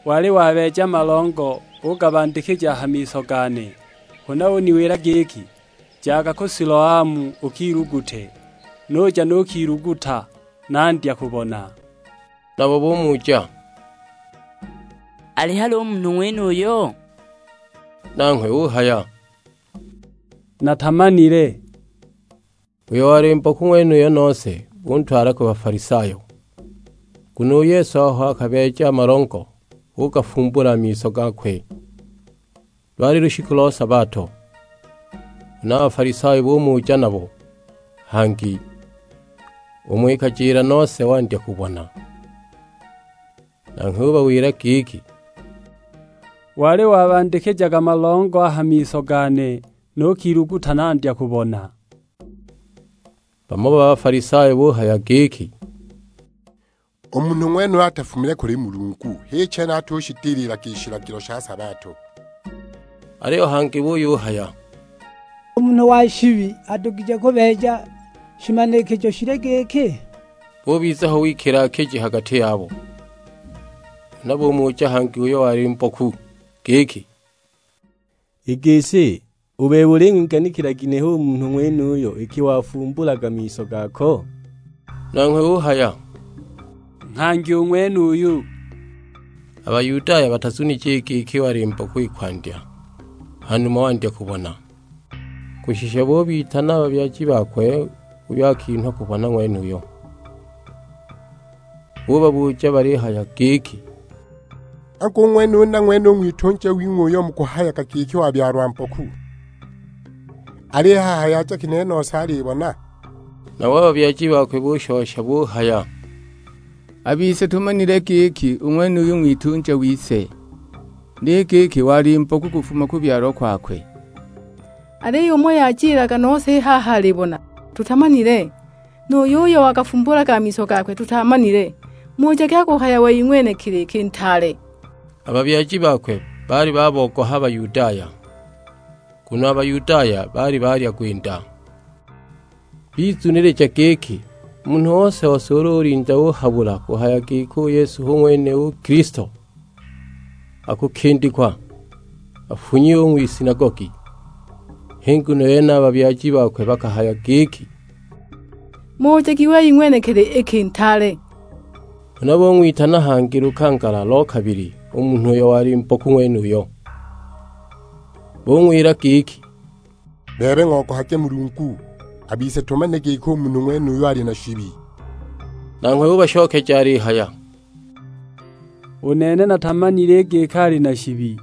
wali wabeeja malongo ugabandikija a ha miso gane, huna uniwila giki, 'Jaga ku Siloamu ukilugute.' Nuja nukiluguta, nandya kubona." Nabo bumuja, "Ali hali u munhu ng'wenuyo?" Nanghwe uhaya, "Natamanile." Uyo wali mboku ng'wenuyo nose buntwala ku Bafalisayo, nguno u Yesu aho akabeeja a malongo, ugafumbula a miso gakwe. Lwali lushiku lo sabato, huna a Bafalisayo bumuja nabo hangi, umo ikajila nose wandya kubona. Nanghwe ubawila giki, "Wali wabandikijaga malongo a ha miso gane, nukiluguta nandya kubona." Bamo ba Bafalisayo buhaya giki, "U munhu ng'wenuyu atafumile kuli Mulungu, h'i chene atushidililaga i shilagilo sha sabato." Aliyo hangi buyuhaya, "U munhu wa shibi adugije kubeeja shimanikijo shili giki?" Bubiza ho wikilakiji ha gati yabo. Huna bumuja hangi uyo wali mboku giki, "I gisi, u bebe uling'wiganikila ginehe u munhu ng'wenuyo iki wafumbulaga miso gako?" Nanghwe uhaya, "Nghangi u ng'wenuyu." A Bayudaya batazunije i giki wali mboku i kwandya, hanuma wandya kubona. Kushisha bubitana a babyaji bakwe uyo akinhwa kubona ng'wenuyo. Bubabuja balihaya giki, "Angu, u ng'wene u nang'wene u ng'witunja wing'we uyo mukuhayaga giki wabyalwa mboku, ali haha yaja ginehe nose alibona?" Nabo a babyaji bakwe bushosha buhaya, "A bise tumanile giki u ng'wenuyu ng'witunja wise, ni giki wali mboku kufuma kubyalwa kwakwe. Aliyo umo yajilaga nose i haha alibona, tutamanile, nu yuyo wakafumbulaga a miso gakwe tutamanile. Mujagi akuhaya wei ng'wenekili iki ntaale." A babyaji bakwe baali babogoha a Bayudaya, nguno a Bayudaya baali baalya gwinda. Bizunilija giki, munhu ose-ose ulu ulinda uhabula kuhaya giki u Yesu hu ng'wene u Kilisto, akukindikwa, afunyiwe u ng'wisinagogi. H'i nguno yene a babyaji bakwe bakahaya giki, "Mujagi wei ng'wenekili iki ntaale." Huna bung'witana hangi lukangala lo kabili u munhu uyo wali mboku ng'wenuyo. Bung'wila giki, "Bebe ng'ogohage Mulungu, a bise tumanile giki u munhu ng'wenuyu ali na shibi." Nanghwe ubashokeja alihaya, "U nene natamanile giki ali na shibi,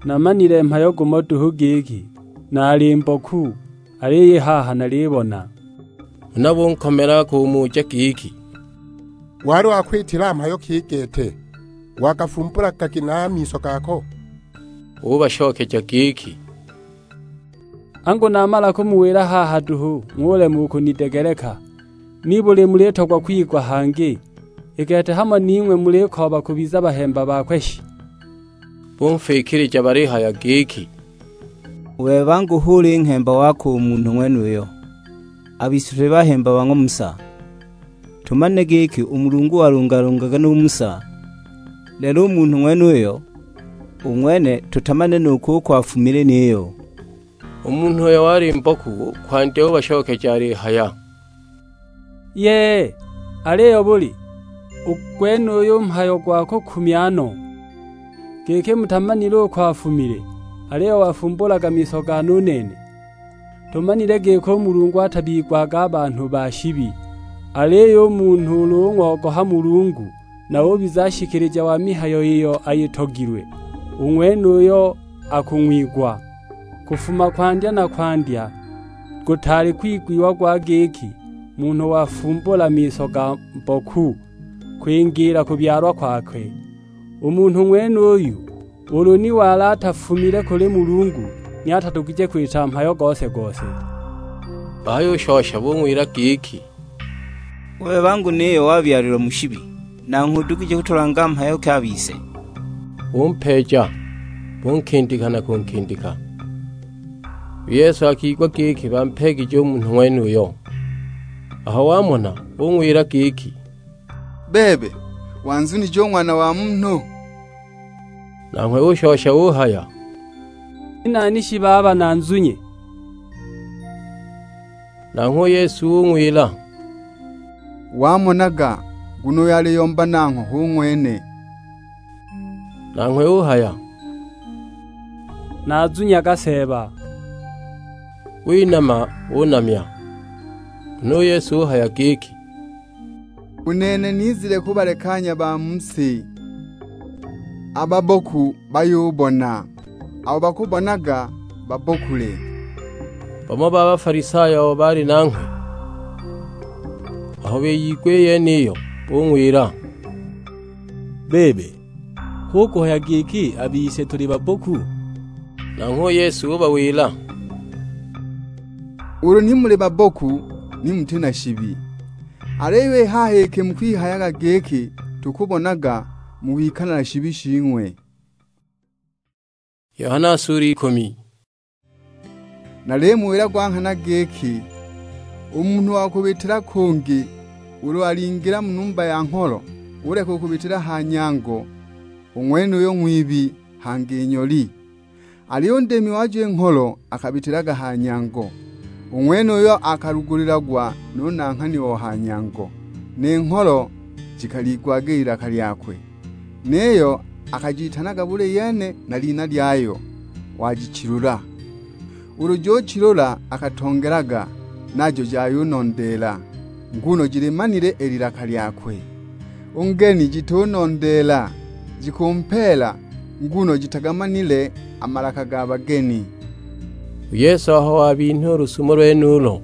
namanile mhayo gumo duhu giki, naali mboku, aliyo i haha nalibona." Huna bunkomela kumuja giki, Wali wakwitila mhayo ki gete, wakafumbulaga ginehe a miso gako?" Ubashokeja giki, "Angu namala kumuwila haha duhu, ng'ulema u kunidegeleka? Nibuli mulitogwa kwigwa hangi? I gete hamo ning'we mulikooba kubiza bahemba bakwe shi?" Bumfwikilija balihaya giki, "U bebe angu hu uli nghemba wakwe u munhu ng'wenuyo? A bise tuli bahemba ba ng'wa Musa. Tumanile giki u Mulungu walungalungaga nu Musa, lelo u munhu ng'wenuyo, u ng'wene tutamanile nu kuko afumile niyo." U munhu uyo wali mboku kwandya ubashokeja alihaya, "Yee, aliyo buli? U gwenuyu mhayo gwa kukumya no, giki mutamanile uko afumile, aliyo wafumbulaga miso gane u nene. Tumanile giki u Mulungu atabigwaga a banhu ba shibi, aliyo u munhu ulu ung'ogoha Mulungu, na ubiza nshikilija wa mihayo iyo ayitogilwe, u ng'wenuyo akung'wigwa. Kufuma kwandya na kwandya gutaali kwigwiagwa giki munhu wafumbula miso ga mboku kwingiila kubyalwa kwakwe. U munhu ng'wenuyu ulu ni wali atafumile kuli Mulungu, ni atadugije kwita mhayo gose-gose." Bayushosha bung'wila giki, "U bebe angu niyo wabyalilwa mu shibi, nanghwe udugije kutulanga mhayo ki a bise?" Bumpeeja, bunkindika na kunkindika. U Yesu akigwa giki bampeegije u munhu ng'wenuyo. Aho wamona, ung'wila giki, "Bebe, wanzunije u Ng'wana wa Munhu?" Nanghwe ushosha uhaya, "Ni nani shi baba nanzunye?" Nanghwe u Yesu ung'wila, "Wamonaga, nguno uyo aliyomba nangho hu ng'wene." Nanghwe uhaya, "Nazunyaga Seeba." Winama, unamya. Huna u Yesu uhaya giki, "U nene nizile kubalekanya ba mu si, a babboku bayubona, abo bakubonaga babbokule." Bamo ba Bafalisayo abo baali nanghwe, aho biyigwa i yeniyo, bung'wila, "Bebe, hu kuhaya giki a bise tuli babboku?" Nanghwe u Yesu ubawila, "Ulu ni muli babboku, ni muti na shibi. Aliyo i haha iki mukwihayaga giki, 'Tukubonaga,' mukwikala na shibi shing'we." Yohana sura ikumi. Nalimuwila gwa nghana giki, u munhu wa kubitila kungi, ulu alingila mu numba ya ngholo, uleka u kubitila ha nyango, u ng'wenuyo ng'wibi, hangi nyoli. Aliyo u ndimi wajo i ngholo akabitilaga ha nyango, u ng'wenuyo akalugulilagwa nu nanghani o ha nyango, ni ngholo jikaliigwaga i lilaka lyakwe. Niyo akajitanaga buli yene na lina lyayo, wajichilula. Ulu juchilula akatongelaga, najo jayunondeela, nguno jilimanile i lilaka lyakwe. U ngeni jitunondeela, jikumpeela, nguno jitagamanile a malaka ga bageni. U Yesu aho wabinha u lusumo lwenulo,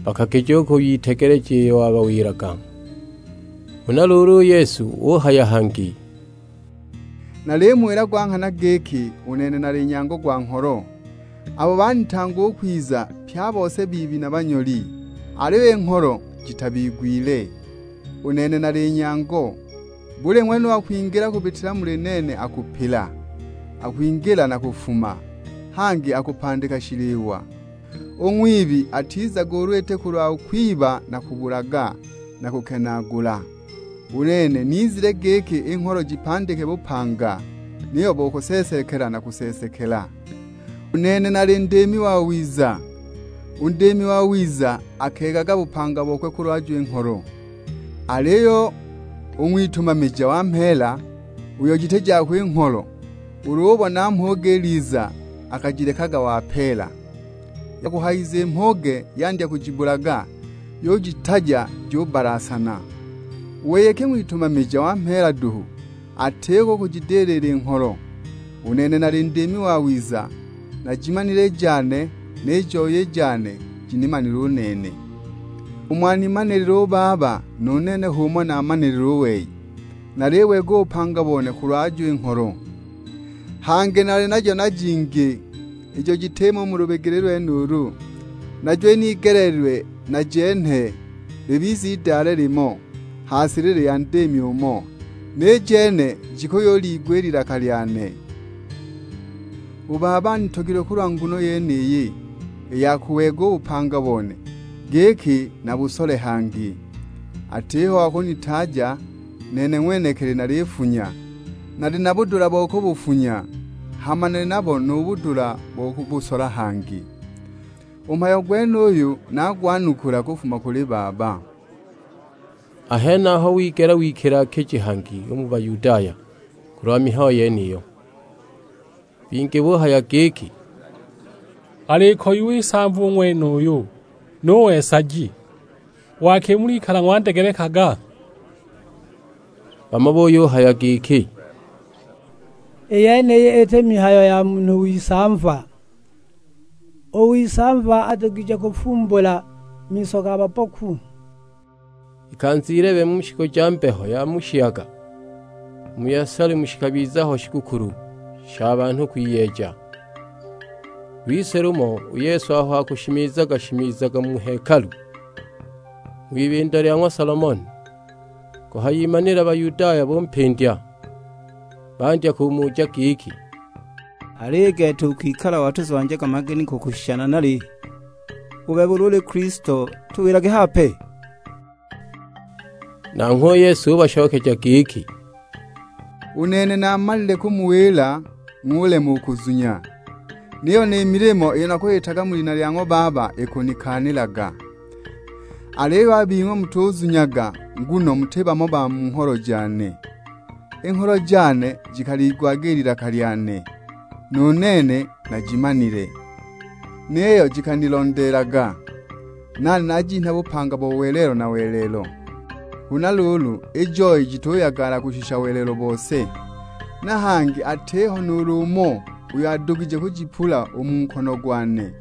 bakagija u kuyitegeleja iyo wabawilaga. Huna luulu u Yesu uhaya hangi, "Nalimuwila gwa nghana giki, u nene nali nyango gwa ngholo. Abo banitanga u kwiza, pye a bose bibi na banyoli, aliyo i ngholo jitabigwile. U nene nali nyango. Buli ng'wene uyo akwingila kubitila muli nene akupila, akwingila na kufuma, hangi akupandika shiliwa. U ng'wibi atizaga ulu iti kulwa kwiba na kubulaga na kukenaagula. U nene nizile giki i ngholo jipandike bupanga, niyo bo kuseesekela na kuseesekela. U nene nali ndimi wawiza. U ndimi wawiza akeegaga bupanga bokwe kulwajo i ngholo. Aliyo u ng'witumamija wa mheela, uyo jiti jakwe i ngholo, ulu ubona mhuge iliza, akajilekaga wapeela. Yakuhayiza i mhuge yandya kujibulaga, yujitaja jubalasana. U wei iki ng'witumamija wa mheela duhu, atiko kujidilila i ngholo. U nene nali ndimi wawiza, najimanile i jane, ni joye i jane jinimanile u nene. Umo animanilile u Baba, nu nene h'umo namanilile u wei, naliweega u bupanga bone kulwa ajo i ngholo. Hangi nali najo na jingi, ijo jitimo u mu lubegele lwenulu, najo inigeleelilwe najenhe libize idaale limo ha silili ya ndimi umo, ni jene jikuyuliigwa i lilaka lyane. U Baba anitogilwe kulwa nguno yeniyi, i ya kuweega u bupanga bone, giki nabusole hangi. Atiho wa kunitaaja, nene ng'wenekili nalifunya. Nali na budula bo kubufunya, hama nali nabo nu budula bo kubusola hangi. U mhayo gwenuyu nagwanukula kufuma kuli Baba. A henaho wigela wikilakiji hangi u mu Bayudaya kulwa mihayo yeniyo. Bingi buhaya giki, "Alikoyiwa isamva u ng'wenuyu, nu wesaji! Wakimul'ikala ng'wandegelekaga?" Bamo buyuhaya giki, "I yeniyi iti mihayo ya munhu w'isamva. U w'isamva adugije kufumbula miso ga babboku." Ikanza ilebe mu shiku ja mbeho ya mu shiyaga, mu Yelusalemu shikabiza ho shigukulu sha banhu kwiyeja. Lwise lumo u Yesu aho akushimizaga-shimizaga mu hekalu, ng'wibindo lya ng'wa Solomoni, kuhayimanila Bayudaya bumpindya, bandya kumuja giki, "Aliyo gete u kwikala watuzwanjaga mageni kukushisha nanali? U bebe ulu uli Kilisto, tuwilage hape." Nanghwe u Yesu ubashokeja giki, "U nene namalile kumuwila, ng'ulema u kuzunya. Niyo ni milimo iyo nakwitaga mu lina lya ng'wa Baba ikunikaanilaga. Aliyo a bing'we mutuzunyaga, nguno muti bamo ba mu ngholo jane. I ngholo jane jikaliigwaga i lilaka lyane, nu nene najimanile, niyo jikanilondeelaga. Nali najinha bupanga bo welelo na welelo. Huna luulu, i joi jituyagala kushisha welelo bose, na hangi atiho nuulu umo uyo adugije kujipula u mu nkono gwane.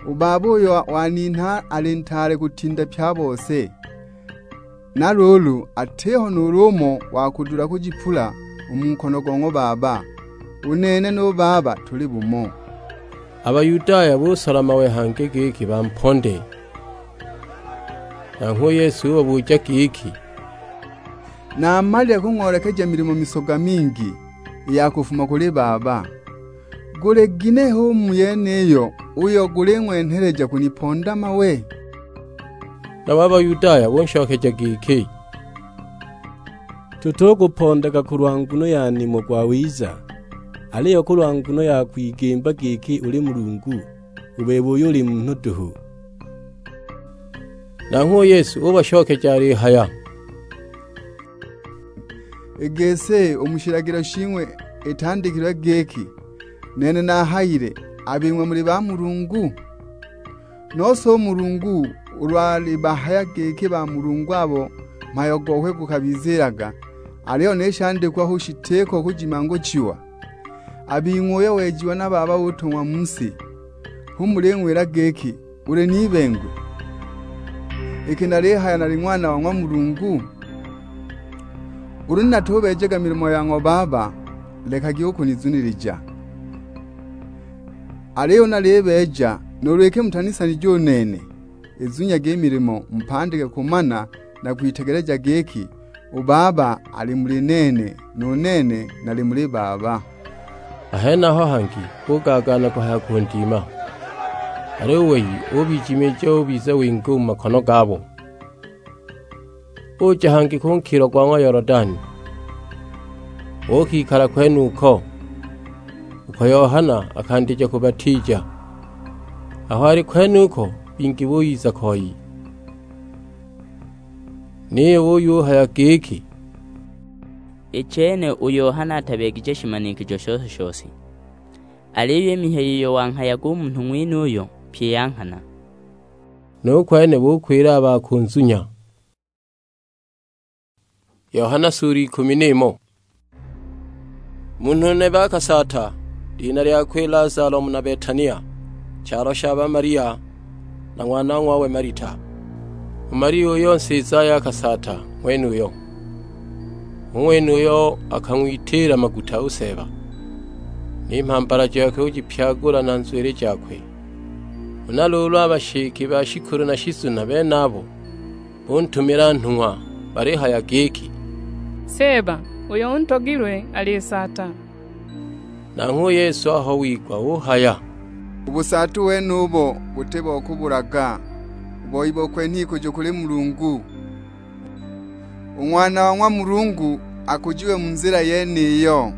U Baba uyo waninha ali ntaale kutinda pye a bose, na luulu atiho nuulu umo wa kudula kujipula u mu nkono go ng'wa Baba. U nene nu Baba tuli bumo." A Bayudaya busola mawe hangi giki bamponde. Nanghwe u Yesu ubabuja giki, "Namalile kung'oolekeja milimo misoga mingi i ya kufuma kuli Baba. Guli ginehe u mu yeniyo uyo guling'wenheleja kuniponda mawe?" Nabo a Bayudaya bunshokeja giki, "Tutukupondaga kulwa nguno ya nimo gwawiza, aliyo kulwa nguno ya kwigimba giki uli Mulungu, u bebe uyo uli munhu duhu." Nanghwe u Yesu ubashokeja alihaya, "I gisi u mu shilagilo shing'we itandikilwe giki, 'Nene nahayile, a bing'we muli ba Mulungu'? Nose u Mulungu ulu alibahaya giki ba Mulungu abo mhayo gokwe gukabizilaga, aliyo ni shandikwa hu shitiko kujimanguchiwa, a bing'we uyo wejiwa na Baba utong'wa mu si, hu muling'wila giki, 'Uli n'ibengwe, iki nalihaya nali Ng'wana wa ng'wa Mulungu?' Ulu ni natubeejaga milimo ya ng'wa Baba, lekagi u kunizunilija. Aliyo ulu nalibeeja, nuulu iki mutanisanije u nene, izunyagi i milimo mupandike kumana na kwitegeleja giki, u Baba ali muli nene, nu nene nali muli Baba." A henaho hangi bugaagaana kuhaya kundima, aliyo u wei ubijimiija ubiza wingi u mu makono gabo. Uja hangi ku nkilo gwa ng'wa Yolodani, uukikala kwenuko, uko Yohana akandija kubatiija. Aho ali kwenuko, bingi buyiza koi. Niyo buyuhaya giki, "I chene u Yohana atabeegije shimanikijo shose-shose, aliyo i mihayo iyo wanghayaga u munhu ng'wenuyo pyi ya nghana." Nu kwene bukwila a ba kunzunya. Yohana sura ikumi n'imo. Munhu nebe akasaata, lina lyakwe Lazalo, muna Betania, chalo sha ba Malia na ng'wanong'wawe Malita. U Malia uyo nsizaye akasaata ng'wenuyo, u ng'wenuyo akang'witiila maguta u Seeba, ni mhambala jakwe ujipyagula na nzwili jakwe. Huna luulu a bashike ba shikulu na shizuna benabo buntumila nhung'wa, balihaya giki, "Seeba, uyo untogilwe alisaata." Nanghwe u Yesu aho wigwa uhaya, "U busaatu wenubo buti bo kubulaga, u boi bo kwenha ikujo kuli Mulungu. U Ng'wana wa ng'wa Mulungu akujiwe mu nzila yeniyo."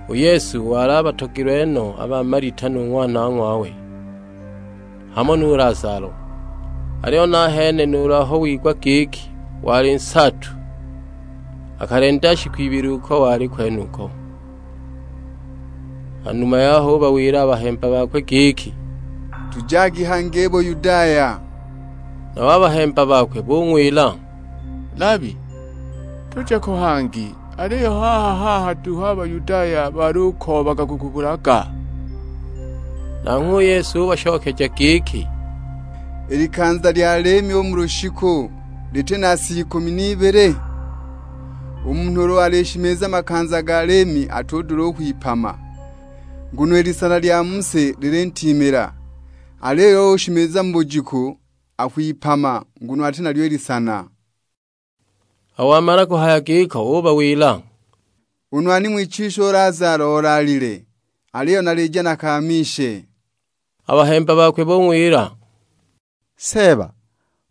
U Yesu wali abatogilwe no a ba Malita nu ng'wana ng'wawe, hamo nu Lazalo. Aliyo nahene nuulu aho wigwa giki wali nsaatu, akalenda shiku ibili uko wali kwenuko. Hanuma yaho ubawila a bahemba bakwe giki, "Tujagi hangi i Buyudaya." Nabo a bahemba bakwe bung'wila, "Labi, tuje ko hangi, aliyo haha-haha duhu a Bayudaya balukoobaga kukubulaga." Nanghwe u Yesu ubashokeja giki, "I likanza lya liimi u mu lushiku liti na si ikumi n'ibili? U munhu ulu alishimiza makanza ga liimi atudula u kwipama, nguno i lisana lya mu si lilintiimila. Aliyo uyo ushimiza mu bujiku akwipama, nguno ati nalyo i lisana." Aho wamala kuhaya giko ubawila, "U nwani ng'wichisha u Lazalo olaalile, aliyo nalija nakamishe." A bahemba bakwe bung'wila, "Seeba,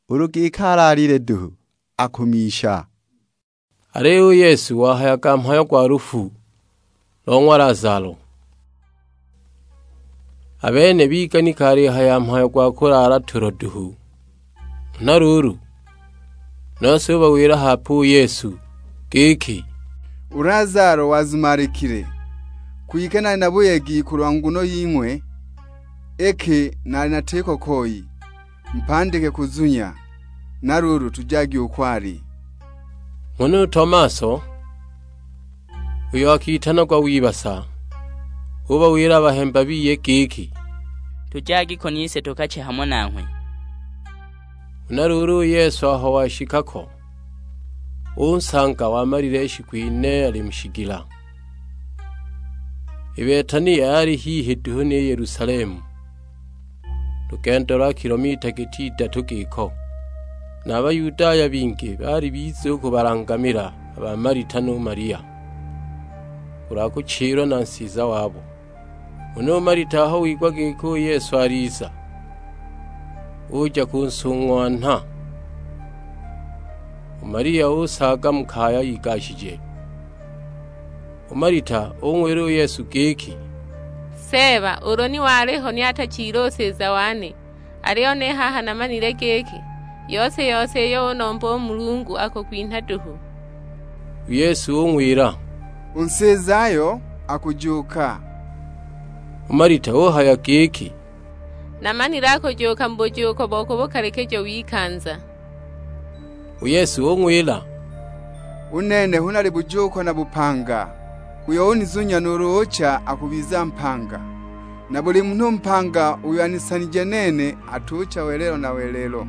ulu giki alaalile duhu, akumisha." Aliyo u Yesu wahayaga mhayo gwa lufu lo ng'wa Lazalo. A bene biganika alihaya mhayo gwa kulaala tulo duhu. Huna luulu, nose ubawila hape u Yesu giki, "U Lazalo wazumaalikile, kwike nali na buyegi kulwa nguno ying'we, iki nali natiko koi, mpandike kuzunya. Na luulu tujagi uko ali." Nghana u Tomaso, uyo akitanagwa Wibasa, ubawila a bahemba biye giki, "Tujagi ko nise tukache hamo nanghwe." Huna luulu u Yesu aho washika ko, unsanga wamalile shiku ine ali mu shigila. I Betania yali hihi duhu ni Yelusalemu, lugendo lwa kilomita giti idatu giko. Na a Bayudaya bingi baali biza u kubalangamila a ba Malita nu Malia, kulwa kuchilwa na nsiza wabo. Huna u Malita aho wigwa giki u Yesu aliza, uja kunsung'wanha. U Malia usaaga mu kaya igashije. U Malita ung'wila u Yesu giki, "Seeba, ulu ni waliho ni atachile u nsiza wane, aliyo ni haha namanile giki, yose-yose iyo unomba u Mulungu akukwinha duhu." U Yesu ung'wila, "U nsizayo akujuuka." U Malita uhaya giki, "Namanile akujuuka mu bujuuko bo ku bukalikijo w'ikanza." U Yesu ung'wila, "U nene hu nali bujuuko na bupanga. Uyo unizunya nuulu ucha akubiza mpanga. Na buli munhu mpanga uyo anisanije nene atucha welelo na welelo.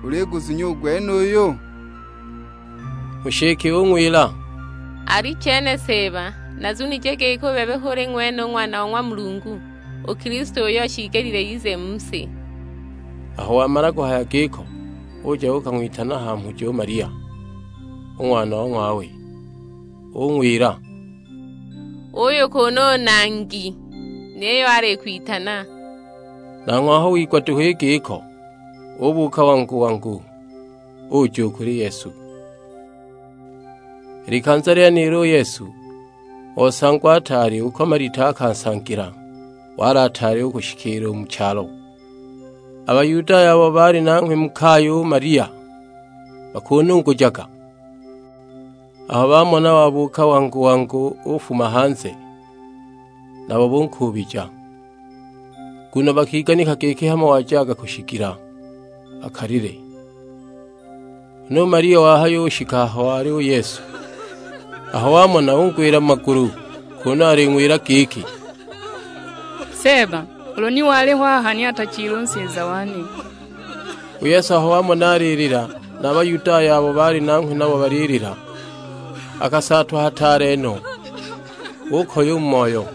Uliguzunya u gwenuyu?" U nshike ung'wila, "Alichene Seeba, nazunije giki u bebe h'uli ng'wene u Ng'wana o ng'wa Mulungu, u Kilisto uyo shiigelile ize mu si." Aho wamala kuhaya giko, uja uukang'witana ha mhujo u Malia, u ng'wana o ng'wawe, ung'wila, "Uyu kunu u Nangi, niyo alikwitana." Nanghwe aho wigwa duhu i giko, ubuuka wangu-wangu, uja u kuli Yesu. I likanza lyenilo u Yesu osangwa ataali uko Malita akansangila, wali ataali u kushikiila u mu chalo. A Bayudaya abo baali nanghwe mu kaya u Malia bakunungujaga. Aho bamona wabuuka wangu-wangu ufuma hanze, nabo bunkuubija, nguno bakiganika giki hamo wajaga kushigila, akalile. Huna u Malia wahayushika aho wali u Yesu. Aho wamona, ungwila mu magulu, kunu aling'wila giki, "Seeba, ulu ni waliho aha ni atachile u nsiza wane." U Yesu aho wamona alilila, na a Bayudaya abo baali nanghwe nabo balilila, akasaatwa hataale no, ukoya u mu moyo.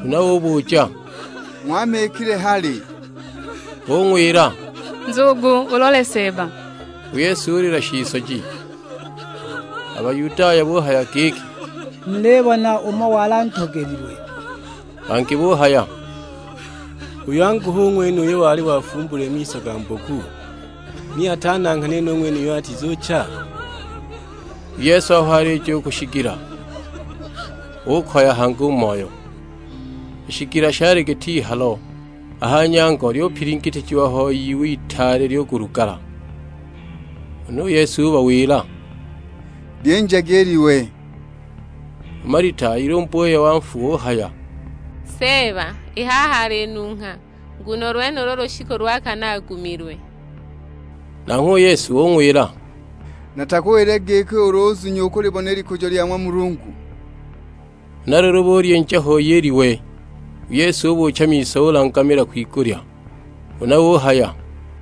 Huna ubuja, "Ng'wamikile hali?" Bung'wila, "Nzugu, ulole Seeba." U Yesu ulila shisoji. A Bayudaya buhaya giki, "Mulibona umo wali antogelilwe!" Bangi buhaya, "Uyu angu hu ng'wene uyo wali wafumbulwe miso ga mboku, ni atananghane no ng'wene uyo atizucha?" U Yesu aho alija u ku shigila, ukoya hangi u moyo. I shigila shali giti ihalo, a ha nyango lyupilingitijiwa ho iwe itaale lyo kulugala. Huna u Yesu ubawila, "Lyinjagi i liwe." U Malita ilumba u wei wa nfu uhaya, "Seeba, i haha alinungha, nguno lwenulo lushiku lwa kana agumilwe." Nanghwe u Yesu ung'wila, "Natakuwilile giki ulu uzunya ukulibona i likujo lya ng'wa Mulungu?" Huna luulu bulyinja hoi i liwe. U Yesu ubuucha miso ulangamila kwigulya, huna uhaya,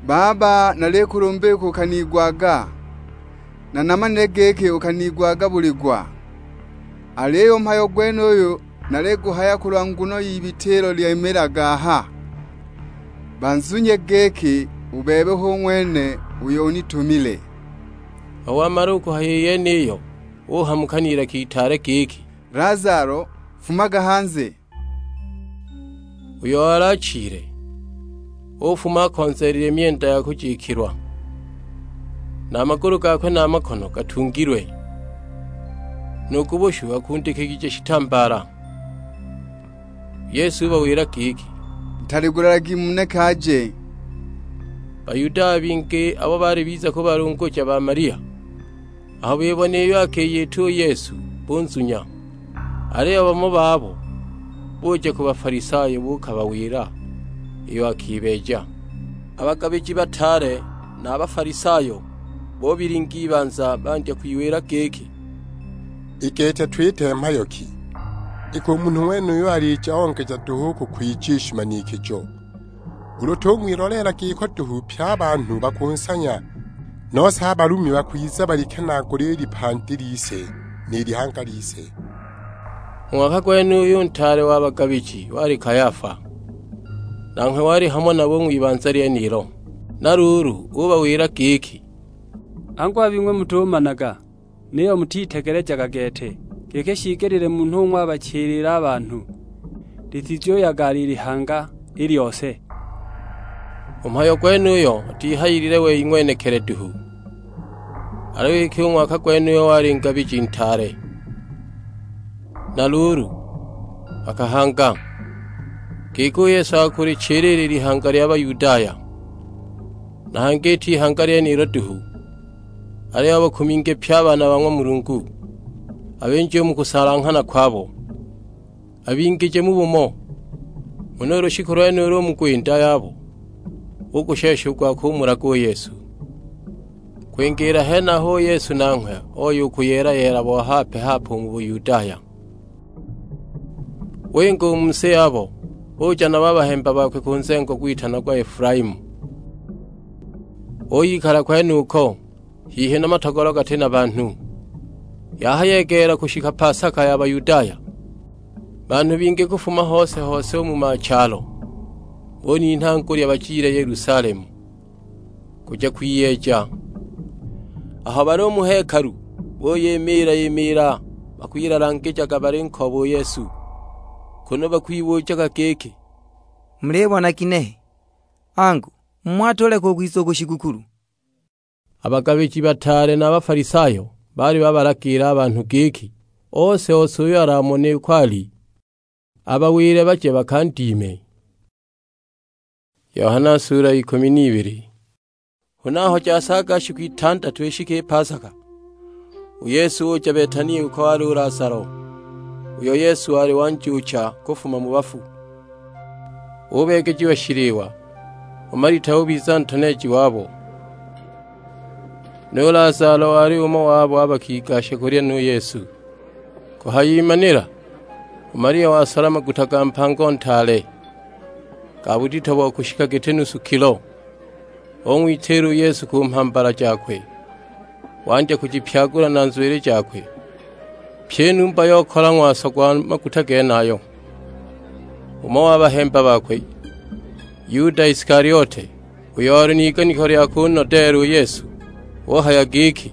"Baba, nalikulumba iki ukanigwaga, na namanile giki ukanigwaga buli gwa. Aliyo u mhayo gwenuyu naliguhaya kulwa nguno y'ibitilo lyimilaga aha, banzunye giki u bebe hu ng'wene uyo unitumile." Aho wamala u kuhaya i yeniyo, uhamuka n'ilaka itaale giki, "Lazalo, fumaga hanze!" Uyo wali achile, ufuma akonzeelile myenda ya kujikilwa, na a magulu gakwe na a makono gatungilwe, nu ku bushu akundikigije shitambaala. U Yesu ubawila giki, "Mutaligulagi, mumuneke aje." Bayudaya bingi abo baali biza kubalunguja ba Malia, aho bibona iyo akiyita u Yesu, bunzunya. Aliyo bamo babo buja ku Bafalisayo buukabawila iyo akibeeja. A bagabiji bataale na a Bafalisayo bubilinga ibanza bandya kwiwila giki, "I gete twite mhayo ki? Iki u munhu ng'wenuyu alija ongeja duhu u kukwija i shimanikijo. Ulu tung'wiloleela giko duhu pye a banhu bakunsanya, nose a Balumi bakwiza balikenaagule i lipandi lise ni lihanga lise." U ng'waka gwenuyu u ntaale wa bagabiji wali Kayafa, nanghwe wali hamo nabo u ng'wibanza lyenilo. Na luulu ubawila giki, "Angu a bing'we mutumanaga, niyo mutitegelejaga gete, giki shiigelile munhu ung'wabachilile a banhu, litizuyaga alilihanga i lyose." U mhayo gwenuyo atihayilile wei ng'wenekili duhu, aliyo iki u ng'waka gwenuyo wali ngabiji ntaale. Na luulu, akahanga, giki u Yesu akulichilila i lihanga lya Bayudaya. Na hangi iti ihanga lyenilo duhu, aliyo a bakuminge pye a baana ba ng'wa Mulungu, abinje u mu kusalanghana kwabo, abingije mu bumo. Huna u lushiku lwenulo u mu kwinda yabo, ugushesha u gwa kumulaga u Yesu. Kwingiila henaho u Yesu nanghwe oya u kuyeela-yeela bo hape-hape u mu Buyudaya. Winga u mu si yabo, uja nabo a bahemba bakwe ku nzengo gwitanagwa Efulaimu. Uyikala kwenuko, hihi na matogolo gati na banhu. Yahayegeela kushika Pasaka ya Bayudaya, banhu bingi kufuma hose-hose u mu machalo, buninha ngulya bajile Yelusalemu, kuja kwiyeeja. Aho bali u mu hekalu, buyimiila-imiila, bakwilalangijaga balinkooba u Yesu, kunu bakwibujaga giki, "Mulibona ginehe? Angu, mumo atuleka u kwiza u ku shigukulu?" A bagabiji bataale na a Bafalisayo baali babalagiila a banhu giki, ose-ose uyo alamone uko ali, abawile baje bakandime. Yohana sura ya ikumi n'ibili. Huna aho jasaaga shiku itandatu ishike i Pasaka, u Yesu uja Betania uko wali u Lazalo, uyo Yesu wali wanjuucha kufuma mu bafu. Ubeegejiwa shiliwa, u Malita ubiza ntoneeji wabo. Nu Lazalo wali umo wabo a bakigasha kulya nu Yesu. Kuhayimanila, u Malia wasola maguta ga mpango ntaale, ga budito bo kushika giti nusu kilo, Ung'witiila u Yesu ku mhambala jakwe, wandya kujipyagula na nzwili jakwe, pyi i numba yokola ng'waso gwa maguta genayo. Umo wa bahemba bakwe, Yuda Isikaliote, uyo oli n'iganiko lya kunodeela u Yesu, uhaya giki,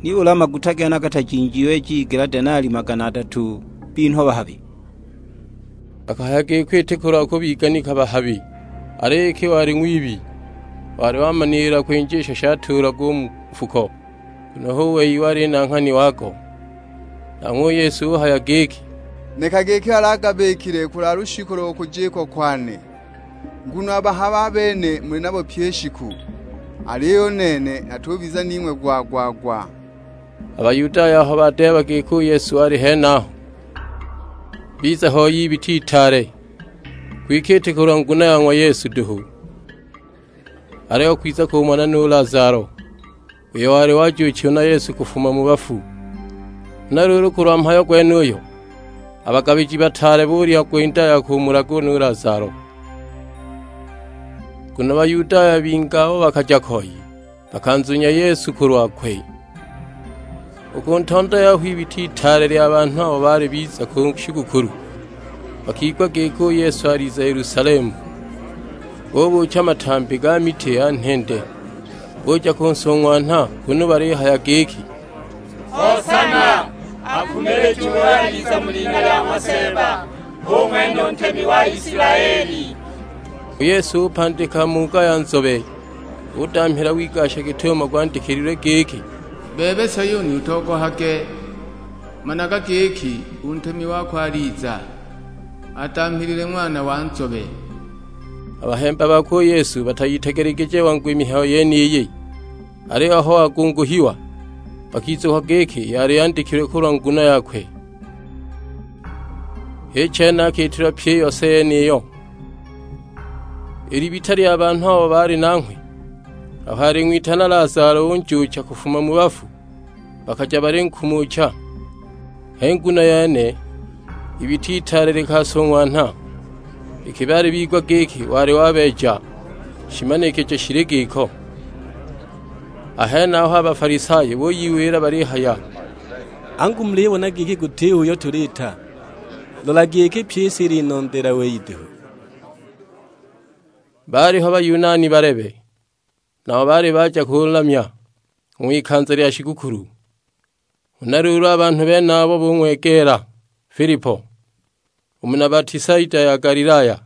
"Nibuli a maguta gene gatajinjiwe jigila denali magana adatu binhwa bahabi?" Akahaya giko iti kulwa kubiganika bahabi, aliyo iki wali ng'wibi, wali wamanila kwinja isho shatuulagwa u mu nfuko, nguno hu wei wali nanghani wago. Nanghwe u Yesu uhaya giki, "Lekagi iki alagabikile kulwa lushiku lo kujikwa kwane, nguno a bahabi a bene muli nabo pyi i shiku, aliyo u nene natubiza ning'we gwa-gwa-gwa." A Bayudaya aho badeeba giki u Yesu ali henaho, biza hoi ibita itaale, kwike iti kulwa nguno ya ng'wa Yesu duhu, aliyo kwiza kumona nu Lazalo, uyo wali wajuuchiwe na Yesu kufuma mu bafu. Huna luulu kulwa mhayo gwenuyo, a bagabiji bataale bulya gwinda ya kumulaga u nu Lazalo. Nguno Bayudaya bingi abo bakaja koi, bakanzunya Yesu kulwakwe. U ku ntondo yaho ibita itaale lya banhu abo baali biza ku shigukulu, bakigwa giki u Yesu aliza Yelusalemu. Bubuucha matambi ga miti ya nhende, buja kunsung'wanha, kunu balihaya giki, "Hosana! Akumilije uyo aliza mu lina lya ng'wa Seeba, hu ng'wene u Ntemi wa Isilaeli!" U Yesu upandika muuga ya nzobe, udamhila wigasha git'umo gwandikililwe giki, "Bebe Sayuni utogohage, managa giki u Ntemi wako aliza, adamhilile ng'wana wa nzobe." A bahemba bakwe u Yesu batayitegelegije wangu i mihayo yeniyi, aliyo aho wagunguhiwa, bakizukwa giki yali yandikilwe kulwa nguno yakwe. H'i chene akiitilwa pyi i yose yeniyo. I libita lya banhu abo baali nanghwe, aho aling'witana Lazalo unjuucha kufuma mu bafu, bakaja balinkumucha. H'i nguno yene, ibita itaale likasung'wanha, iki baali bigwa giki wali wabeeja shimanikijo shili giko. A henaho a Bafalisayo buyiwila balihaya, "Angu mulibona giki guti uyo tuliita? Lola giki pyi i si ilinondeela wei duhu." Baaliho Bayunani balebe, nabo baali baja kulamya ng'wikanza lya shigukulu. Huna luulu a banhu benabo bung'wegeela Filipo, u muna Batisaida ya Galilaya.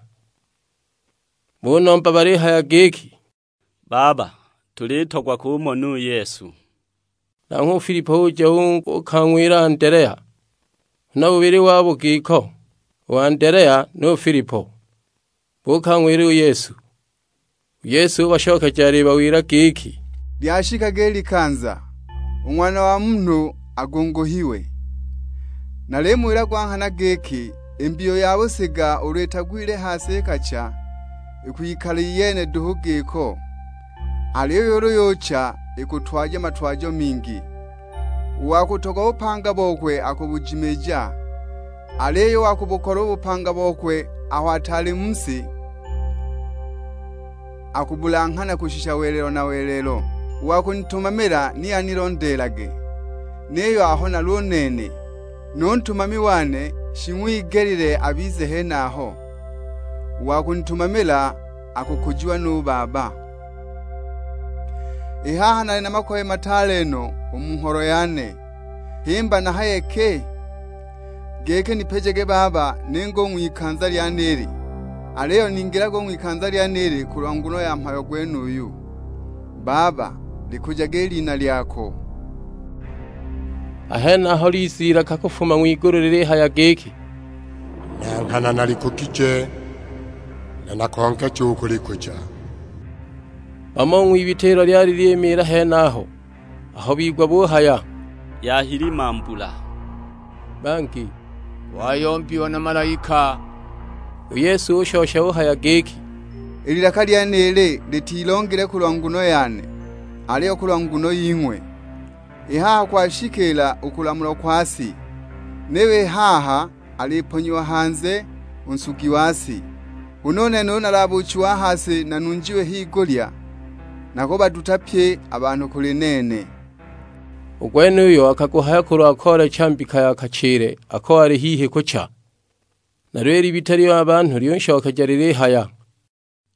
Bunomba balihaya giki, "Baba, tulitogwa kumona u Yesu." Nanghwe u Filipo uja u-, uukang'wila Andelea, huna bubili wabo giko, u Andelea nu Filipo, buukang'wila u Yesu. U Yesu ubashokeja alibawila giki, "Lyashikaga i likanza, u Ng'wana wa Munhu agunguhiwe. Nalimuwila gwa nghana giki, i mbiyu ya busiga ulu itagwile ha si ikacha, ikwikala iyene duhu giko, aliyo ulu yucha ikutwaja matwajo mingi. U wa kutogwa bupanga bokwe akubujimiija, aliyo u wa kubukola u bupanga bokwe aho ataali mu si, akubulanghana kushisha welelo na welelo. U wa kunitumamila ni anilondeelage, niyo aho nali u nene, nu ntumami wane shing'wigelile abize henaho. U wa kunitumamila akukujiwa nu Baba." I haha nali na makoye mataale no u mu ngholo yane. Himba nahaye ki? Giki nipejage Baba ninge u ng'wikanza lyenili? Aliyo ningilage u ng'wikanza lyenili kulwa nguno ya mhayo gwenuyu. Baba, likujage i lina lyako. A henaho liza ilaka kufuma ng'wigulu lilihaya giki, "Na nghana nalikugije, na nakongeja u kulikuja." Bamo u ng'wibita ilo lyali lyimiila henaho, aho bigwa buhaya, "Yahilima mbula!" Bangi, "Wayombiwa na malaika!" U Yesu ushosha uhaya giki, "I lilaka lyenili litilongile kulwa nguno yane, aliyo kulwa nguno ying'we. I haha kwashikiila u kulamulwa kwa si, niyo i haha aliponyiwa hanze u nsugi wa si. Huna u nene ulu nalabuuchiwe a ha si nanunjiwe higulya, nakubaduta pye a banhu kuli nene." U gwenuyo akaguhaya kulwa koolecha mbika ya kachile ako wali hihi kucha. Nalyo i libita lya banhu lyunshokeja lilihaya,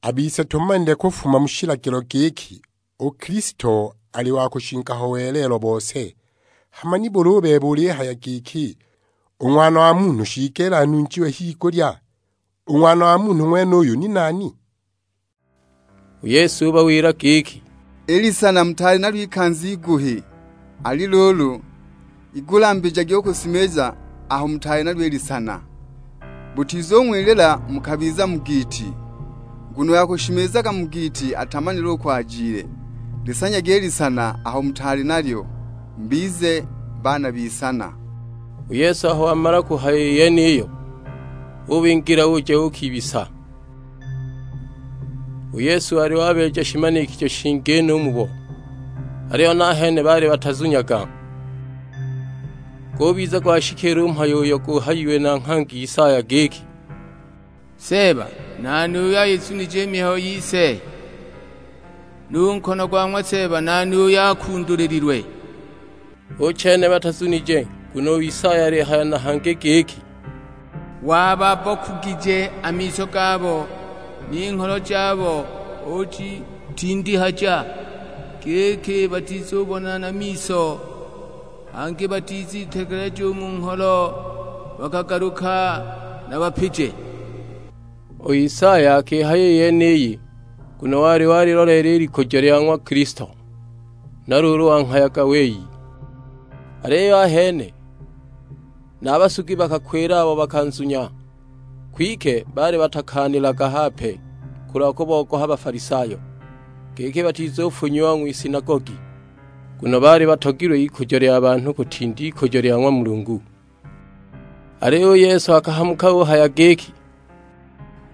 "A bise tumanile kufuma mu shilagilo giki u Kilisto ali wa kushinga ho welelo bose. Hama nibuli u bebe ulihaya giki, 'U Ng'wana wa Munhu shiigelile anunjiwe higulya'? U Ng'wana wa Munhu ng'wenuyu ni nani?" U Yesu ubawila giki, "I lisana mutaali nalyo ikanza iguhi, ali luulu, igulambijagi u kusimiza aho mutaali nalyo i lisana. Butizung'wilila mukabiza mu giiti, nguno uyo akushimizaga mu giiti atamanile uko ajile. Lisanyagi i lisana aho mutaali nalyo, mubize baana b'isana." U Yesu aho wamala kuhaya i yeniyo, ubingila uja uukibisa. U Yesu wali wabeeja shimanikijo shingi no u mubo, aliyo nahene baali batazunyaga. Gubiza gwashikiila u mhayo uyo guhayiwe na nghangi Isaya giki, "Seeba, nani uyo ayizunije i mihayo yise? Nu nkono gwa ng'wa Seeba nani uyo akundulililwe?" U chene batazunije, nguno u Isaya alihaya na hangi giki, "Wababokugije a miso gabo, ni ngholo jabo ujitindihaja, giki batizubona na miso, hangi batizitegeleja u mu ngholo, bakagaluka nabapije." U Isaya akihaya i yeniyi, nguno wali waliloleela i likujo lya ng'wa Kilisto, na luulu wanghayaga wei. Aliyo ahene, na a basugi bakakwila abo bakanzunya, kwike baali batakaanilaga hape kulwa kubogoha Bafalisayo, giki batizufunyiwa ng'wisinagogi, nguno baali batogilwe ikujo lya banhu kutinda ikujo lya ng'wa Mulungu. Aliyo u Yesu akahamuka uhaya giki,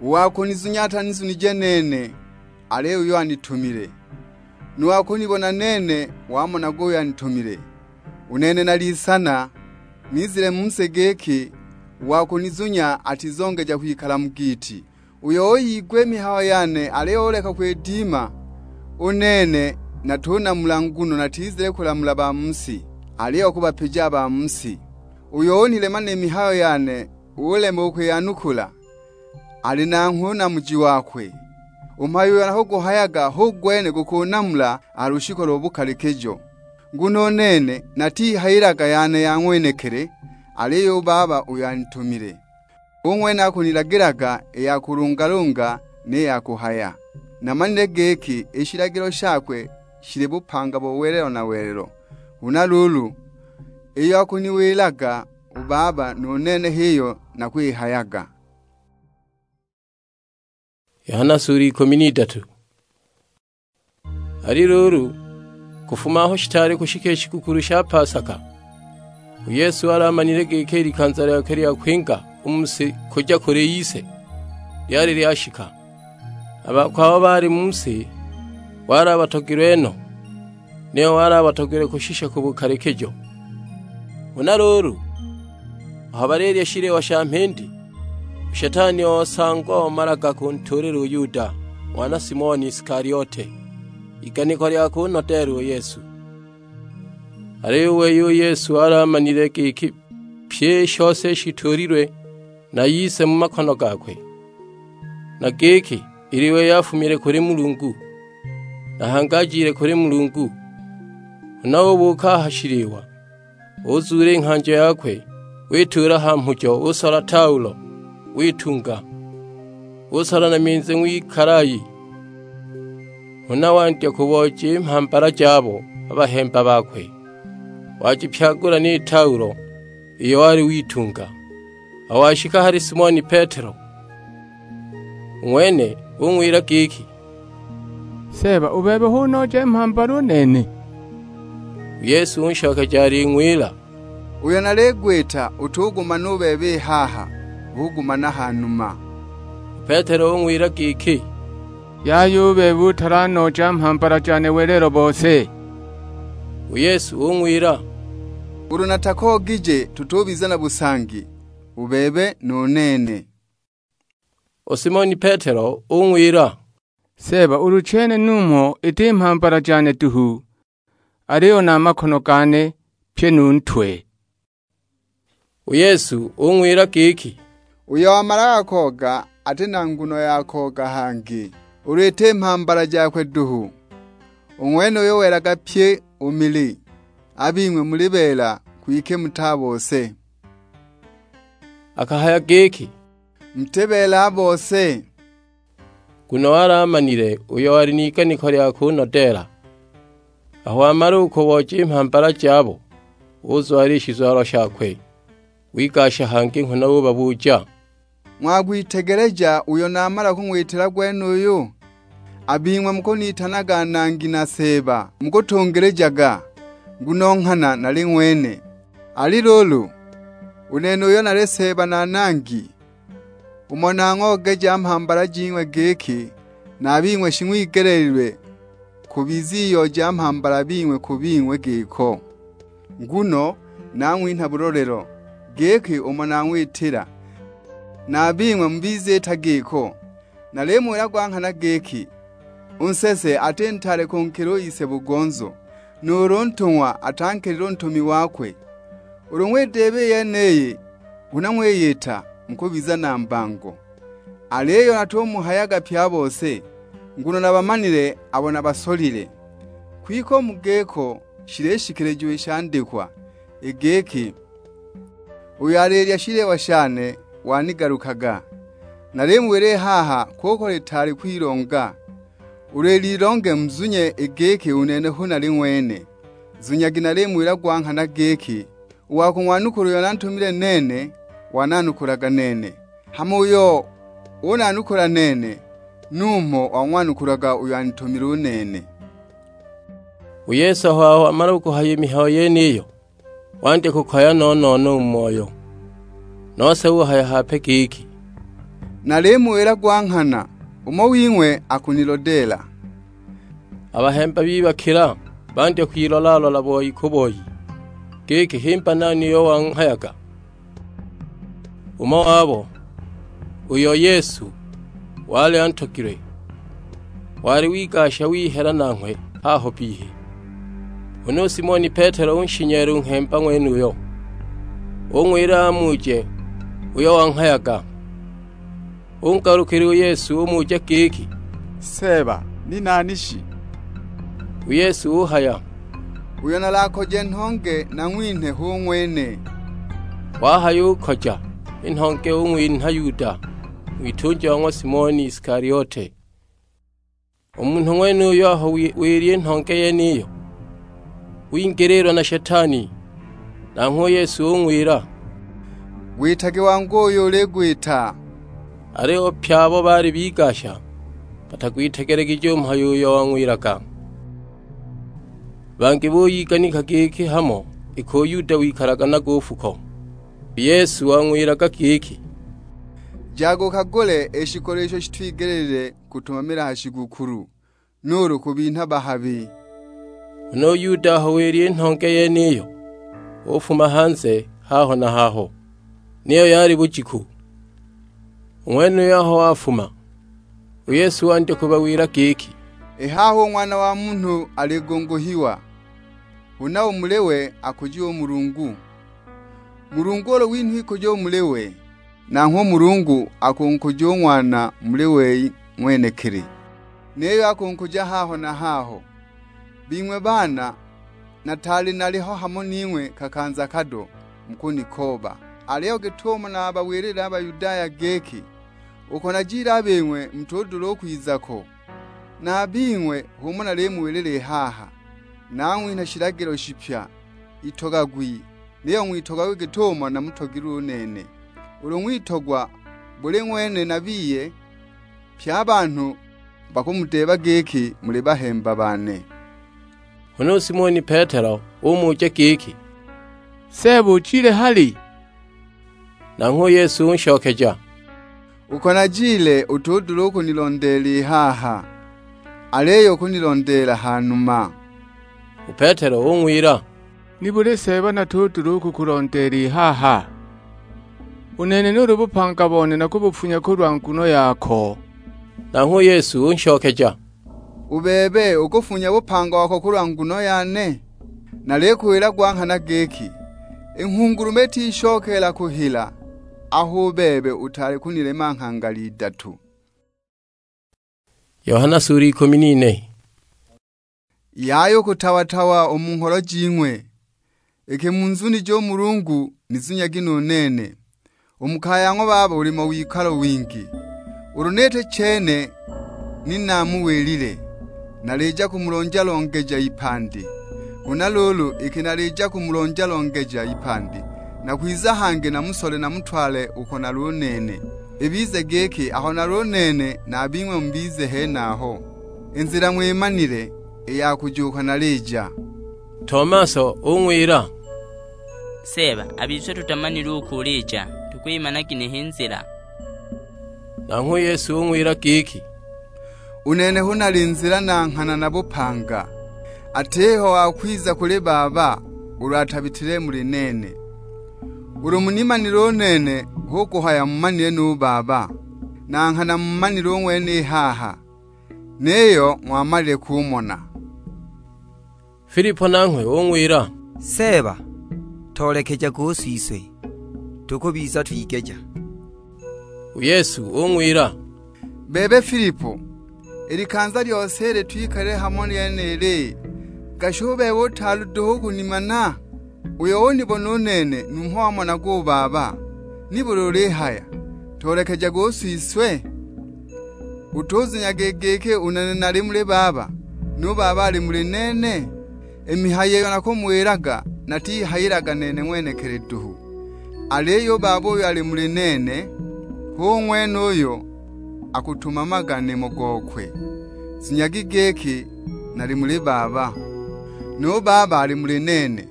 "U wa kunizunya atanizunije nene, aliyo uyo anitumile. Nu wa kunibona nene wamonaga uyo anitumile. U nene nalisana, nizile mu si giki, u wa kunizunya atizongeja kwikala mu giiti. Uyo uyigwa i mihayo yane aliyo uleka kwidima, u nene natunamula, nguno natizile kulamula ba mu si, aliyo kubapija a ba mu si. Uyo unilema ni mihayo yane, ulema u kwiyanukula, ali nanghwe u namuji wakwe. U mhayo uyo nakuguhayaga hu gwene gukunamula a ha lushiku lo bukalikijo. Nguno u nene natihayilaga yane ya ng'wenekili, aliyo u Baba uyo anitumile, u ng'wene akunilagilaga i ya kulungalunga ni ya kuhaya. Namanile giki i shilagilo shakwe shili bupanga bo welelo na welelo. Huna luulu, iyo akuniwilaga u Baba, nu nene h'iyo nakwihayaga." Yohana sura ikumi n'idatu. Ali luulu, kufuma aho shitaali kushika i shigukulu sha Pasaka, u Yesu wali amanile giki i likanza lyakwe lya kwinga u mu si kuja kuli Ise lyali lyashika. A bakwe abo baali mu si wali abatogilwe no, niyo wali abatogilwe kushisha ku bukalikijo. Huna luulu, aho balilya shiliwa sha mhindi, u Shetani osangwa omalaga kuntuulila u Yuda, ng'wana Simoni Isikaliote, iganiko lya kunodeela u Yesu. Aliyo u wei u Yesu wali amanile giki pyi i shose shituulilwe na Ise mu makono gakwe, na giki ili wei afumile kuli Mulungu, na hangi ajile kuli Mulungu. Huna ubuuka a ha shiliwa, uzuula i nghanjo yakwe, wituula ha mhujo, usola taulo, witunga, usola na minzi ng'wikalayi. Huna wandya kubooja i mhambala jabo a bahemba bakwe, wajipyagula ni taulo iyo wali witunga. Aho washika hali Simoni Petelo, u ng'wene ung'wila giki, "Seeba, u bebe hu nooja i mhambala u nene?" U Yesu unshokeja aling'wila, "Uyo naligwita utugumana u bebe i haha, ugumana ha numa." U Petelo ung'wila giki, "Yaya u bebe utalanooja mhambala jane welelo bose." U Yesu ung'wila, "Ulu natakoogije tutubiza na busangi, u bebe nu nene." U Simoni Petelo ung'wila, Seeba, ulu chene numho iti mhambala jane duhu, aliyo na a makono gane pye nu ntwe." U Yesu ung'wila giki, "Uyo wamalaga kooga ati na nguno ya kooga hangi, ulu iti mhambala jakwe duhu. U ng'wenuyo welaga pyi u mili, a bing'we muli beela, kwike muti a bose." Akahaya giki, "Muti beela a bose." Nguno wali amanile uyo wali n'iganiko lya kunodeela. Aho wamala u kubooja i mhambala jabo, uzwala i shizwalo shakwe, wigasha hangi nghana ubabuja, "Ng'wagwitegeleja uyo namala kung'witila gwenuyu? A bing'we mukunitanaga Nangi na Seeba, mukutungilijaga, nguno nghana nali ng'wene. Ali luulu, u nene uyo nali Seeba na Nangi, umo nang'oogeja mhambala jing'we giki, na a bing'we shing'wigeleelilwe kubiza iyo ja mhambala bing'we ku bing'we giko. Nguno nang'winha bulolelo, giki umo nang'witila, na a bing'we mubiziita giko. Nalimuwila gwa nghana giki, u nsese ati ntaale kunkila u ise bugonzo, nuulu u ntung'wa atankilile u ntumi wakwe. Ulu ng'widiiba i yeniyi, huna ng'wiyita, mukubiza na mbango. Aliyo natumuhayaga pye a bose, nguno nabamanile abo nabasolile. Kwike u mu giko shilishikilijiwa i shandikwa, i giki, 'Uyo alilya shiliwa shane wanigalukaga.' Nalimuwila i haha, kuko litaali kwilonga. Ulu ililonge muzunye i giki u nene hu nali ng'wene. Zunyagi nalimuwila gwa nghana giki, u wa kung'wanukula uyo nantumile nene, wananukulaga nene. Hama uyo unanukula nene, numho wang'wanukulaga uyo anitumile u nene." U Yesu aho wamala u kuhaya i mihayo yeniyo, wandya kukoya no-no-no u mu moyo. Nose uhaya hape giki, "Nalimuwila gwa nghana, umo wing'we akunilodeela." A bahemba bibakila, bandya kwilola-lola boi ku boi, giki himba nani uyo wanghayaga. Umo wabo, uyo Yesu wali antogilwe, wali wigasha wihela nanghwe haho bbihi. Huna u Simoni Petelo unshinyeela u nghemba ng'wenuyo, ung'wila amuuje uyo wanghayaga. Ungalukila u Yesu umuja giki, "Seeba, ni nani shi?" U Yesu uhaya, "Uyo nalakoje nhonge nang'winhe hu ng'wene." Wahayukoja i nhonge ung'winha Yuda, ng'witunja wa ng'wa Simoni Isikaliote. U munhu ng'wenuyo aho wi-, wilya i nhonge yeniyo, wingililwa na Shetani. Nanghwe u Yesu ung'wila, "Gwitage wangu uyo uligwita." Aliyo pye abo baali bigasha batagwitegelegije u mhayo uyo wang'wilaga. Bangi buyiganika giki hamo iki u Yuda wikalaga nago u fuko. U Yesu wang'wilaga giki, "Jaga ukagule i shikolo isho shitwigelile kutumamila ha shigukulu, nuulu kubinha bahabi." Huna u Yuda aho wilya i nhonge yeniyo, ufuma hanze haho na haho, niyo yali bujiku. U ng'wenuyo aho wafuma, u Yesu wandya kubawila giki, "I haha u Ng'wana wa Munhu aligunguhiwa, huna u muli we akujiwe u Mulungu. Mulungu ulu winhwa ikujo u muli we, nanghwe u Mulungu akunkuja u Ng'wana muli wei ng'wenekili, niyo akunkuja haho na haho. Bing'we baana, nataali naliho hamo ning'we kakanza kado, mukunikooba. Aliyo git'umo nabawilile a Bayudaya giki, uko najile a bing'we mutudula u kwiza ko, na a bing'we h'umo nalimuwilila i haha. Nang'winha shilagilo shipya, itogagwi, niyo ng'witogagwe git'umo namutogilwe u nene. Ulu ng'witogwa buli ng'wene na biye, pye a banhu bakumudeeba giki muli bahemba bane." Huna u Simoni Petelo umuja giki, "Seeba, ujile hali?" Nanghwe u Yesu unshokeja, "Uko najile utudula u kunilondeela i haha, aliyo ukunilondeela ha numa." U Petelo ung'wila, "Nibuli Seeba natudula u kukulondeela i haha? U nene nuulu bupanga bone nakubufunya kulwa nguno yako." Nanghwe u Yesu unshokeja, "U bebe ukufunya bupanga wako kulwa nguno yane? Nalikuwila gwa nghana giki, i nghungulume itishokeela kuhila aho u bebe utaali kunilema nghangala idatu." Yohana sura ikumi n'ine. Yaya u kutawa-tawa u mu ngholo jing'we. Iki munzunije u Mulungu, nizunyagi nu nene. U mu kaya ya ng'wa Baba uli mo wikalo wingi. Ulu niti chene ni namuwilile, nalija kumulonja-longeja ipandi. Huna luulu, iki nalija kumulonja-longeja ipandi, nakwiza hangi namusole namutwale uko nali u nene. Ibize giki aho nali u nene, na a bing'we mubize henaho. I nzila ng'wimanile, i ya kujuuka nalija." Tomaso ung'wila, "Seeba, a bise tutamanile uko ulija, tukwimana ginehe i nzila?" Nanghwe u Yesu ung'wila giki, "U nene hu nali nzila na nghana na bupanga. Atiho wa kwiza kuli Baba ulu atabitile muli nene. Ulu munimanile u nene, hu kuhaya mumanile nu Baba, na nghana mumanile u ng'wene i haha, niyo ng'wamalile kumona." Filipo nanghwe ung'wila, "Seeba, toolekejaga u Siswe, tukubiza twigeja." U Yesu ung'wila, "Bebe Filipo, i likanza lyose ili twikalile hamo nyenili, gashi u bebe utaali duhu u kunimana? Uyo unibona u nene numho wamonaga u Baba. Nibuli ulihaya, 'Toolekejaga u Siswe'? Utuzunyaga i giki u nene nali muli Baba, nu Baba ali muli nene? I mihayo iyo nakumuwilaga natiyihayilaga nene ng'wenekili duhu, aliyo u Baba uyo ali muli nene, hu ng'wene uyo akutumamaga nimo gokwe. Zunyagi giki nali muli Baba, nu Baba ali muli nene.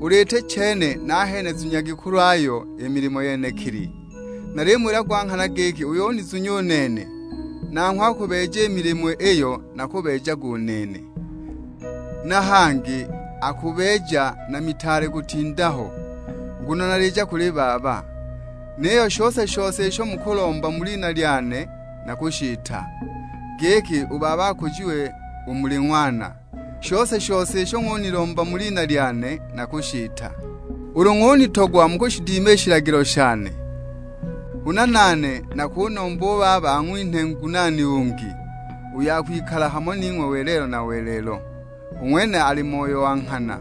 Ulu iti chene, nahene zunyagi kulwayo i milimo yenekili. Nalimuwila gwa nghana giki, uyo unizunya u nene, nanghwe akubeeja i milimo iyo nakubeejaga u nene. Na hangi akubeeja na mitaale kutinda ho, nguno nalija kuli Baba. Niyo shose-shose isho mukulomba mu lina lyane nakushiita, giki u Baba akujiwe u muli Ng'wana. Shose-shose isho ng'unilomba mu lina lyane nakushiita. Ulu ng'unitogwa mukushidima i shilagilo shane, huna nane nakunomba u Baba ang'winhe Ngunaani ungi, uyo akwikala hamo ning'we welelo na welelo. U ng'wene ali Moyo wa nghana,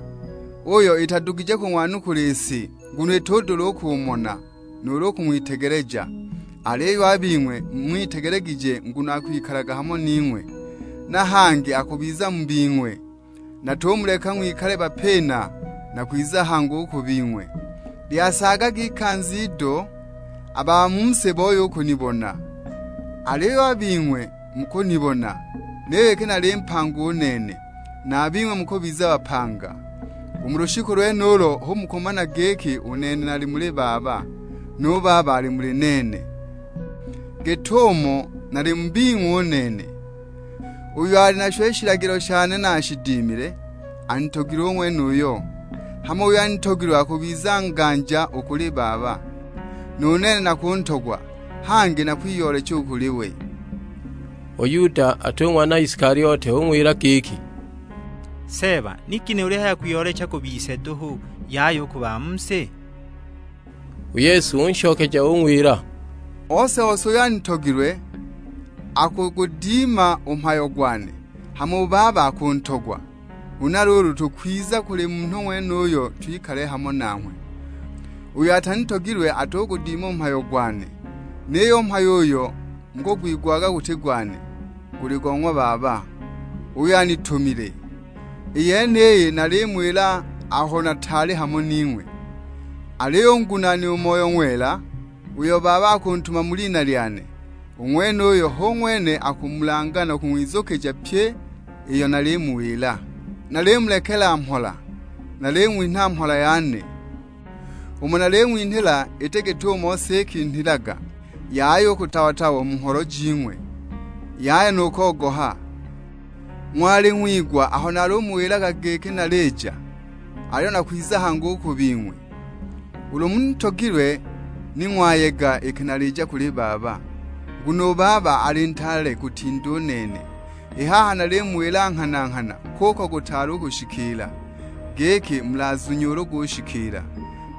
uyo itadugije kung'wanukula i si, nguno itudula u kumona, nuulu u kung'witegeleja. Aliyo a bing'we mung'witegelegije, nguno akwikalaga hamo ning'we, na hangi akubiza mu bing'we. Natumuleka ng'wikale bapina, nakwiza hangu u ku bing'we. Lyasaagaga ikanza ido, a ba mu si booye u kunibona, aliyo a bing'we mukunibona, niyo iki nali mpanga u nene, na a bing'we mukubiza bapanga. U mu lushiku lwenulo hu mukumana giki u nene nali muli Baba, nu Baba ali muli nene, git'umo nali mu bing'we u nene. Uyo ali nasho i shilagilo shane na ashidimile, anitogilwe u ng'wenuyo. Hama uyo anitogilwe akubiza nganja u kuli Baba, nu nene nakuntogwa, hangi nakwiyoolecha u kuli we." U Yuda, ati u ng'wana Isikaliote, ung'wila giki, "Seeba, ni ginehe ulihaya kwiyoolecha ku bise duhu, yaya u ku ba mu si?" U Yesu unshokeja ung'wila, "Ose-ose uyo anitogilwe akugudima u mhayo gwane, hama u Baba akuntogwa. Huna luulu tukwiza kuli munhu ng'wenuyo twikale hamo nanghwe. Uyo atanitogilwe atugudima u mhayo gwane, niyo u mhayo uyo mukugwigwaga guti gwane, guli go ng'wa Baba, uyo anitumile. I yeniyi nalimuwila aho nataali hamo ning'we. Aliyo u Ngunaani, u Moyo Ng'wela, uyo Baba akuntuma mu lina lyane, u ng'wenuyo hu ng'wene akumulanga na kung'wizukija pyi iyo nalimuwila. Nalimulekela mhola, naling'winha mhola yane. Umo naling'winhila iti git'umo si ikinhilaga, yaya u kutawa-tawa u mu ngholo jing'we, yaya nu kogoha. Ng'wali ng'wigwa aho nalumuwilaga giki nalija, aliyo nakwiza hangi u ku bing'we. Ulu munitogilwe, ni ng'wayega iki nalija kuli Baba, Nguno u Baba ali ntaale kutinda u nene. I haha nalimuwila nghana-nghana, kuko gutaali u kushikiila, giki mulazunye ulu gushikiila.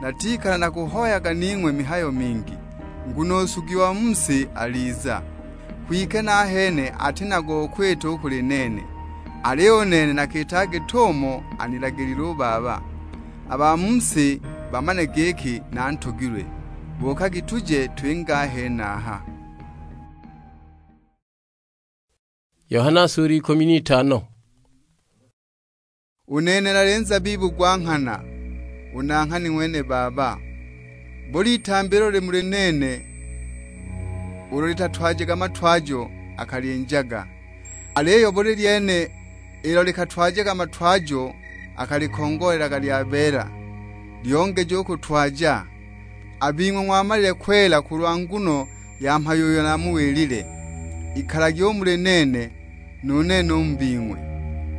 Natikala nakuhoyaga ning'we mihayo mingi, nguno u nsugi wa mu si aliza. Kwike nahene ati na go kwita u kuli nene, aliyo u nene nakita git'umo anilagilile u Baba. A ba mu si bamane giki nantogilwe. Buukagi tuje twinge a henaha. Yohana sura ikumi n'itano. U nene nali nzabibu gwa nghana, u nanghani ng'wene Baba. Buli itambi ilo lili muli nene, ulo litatwajaga matwajo, akalinjaga. Aliyo buli lyene ilo likatwajaga matwajo, akalikongoolelaga lyabeela, lyongeje u kutwaja. A bing'we ng'wamalile kwela kulwa nguno ya mhayo uyo namuwilile. Ikalagi u muli nene, nu nene u mu bing'we.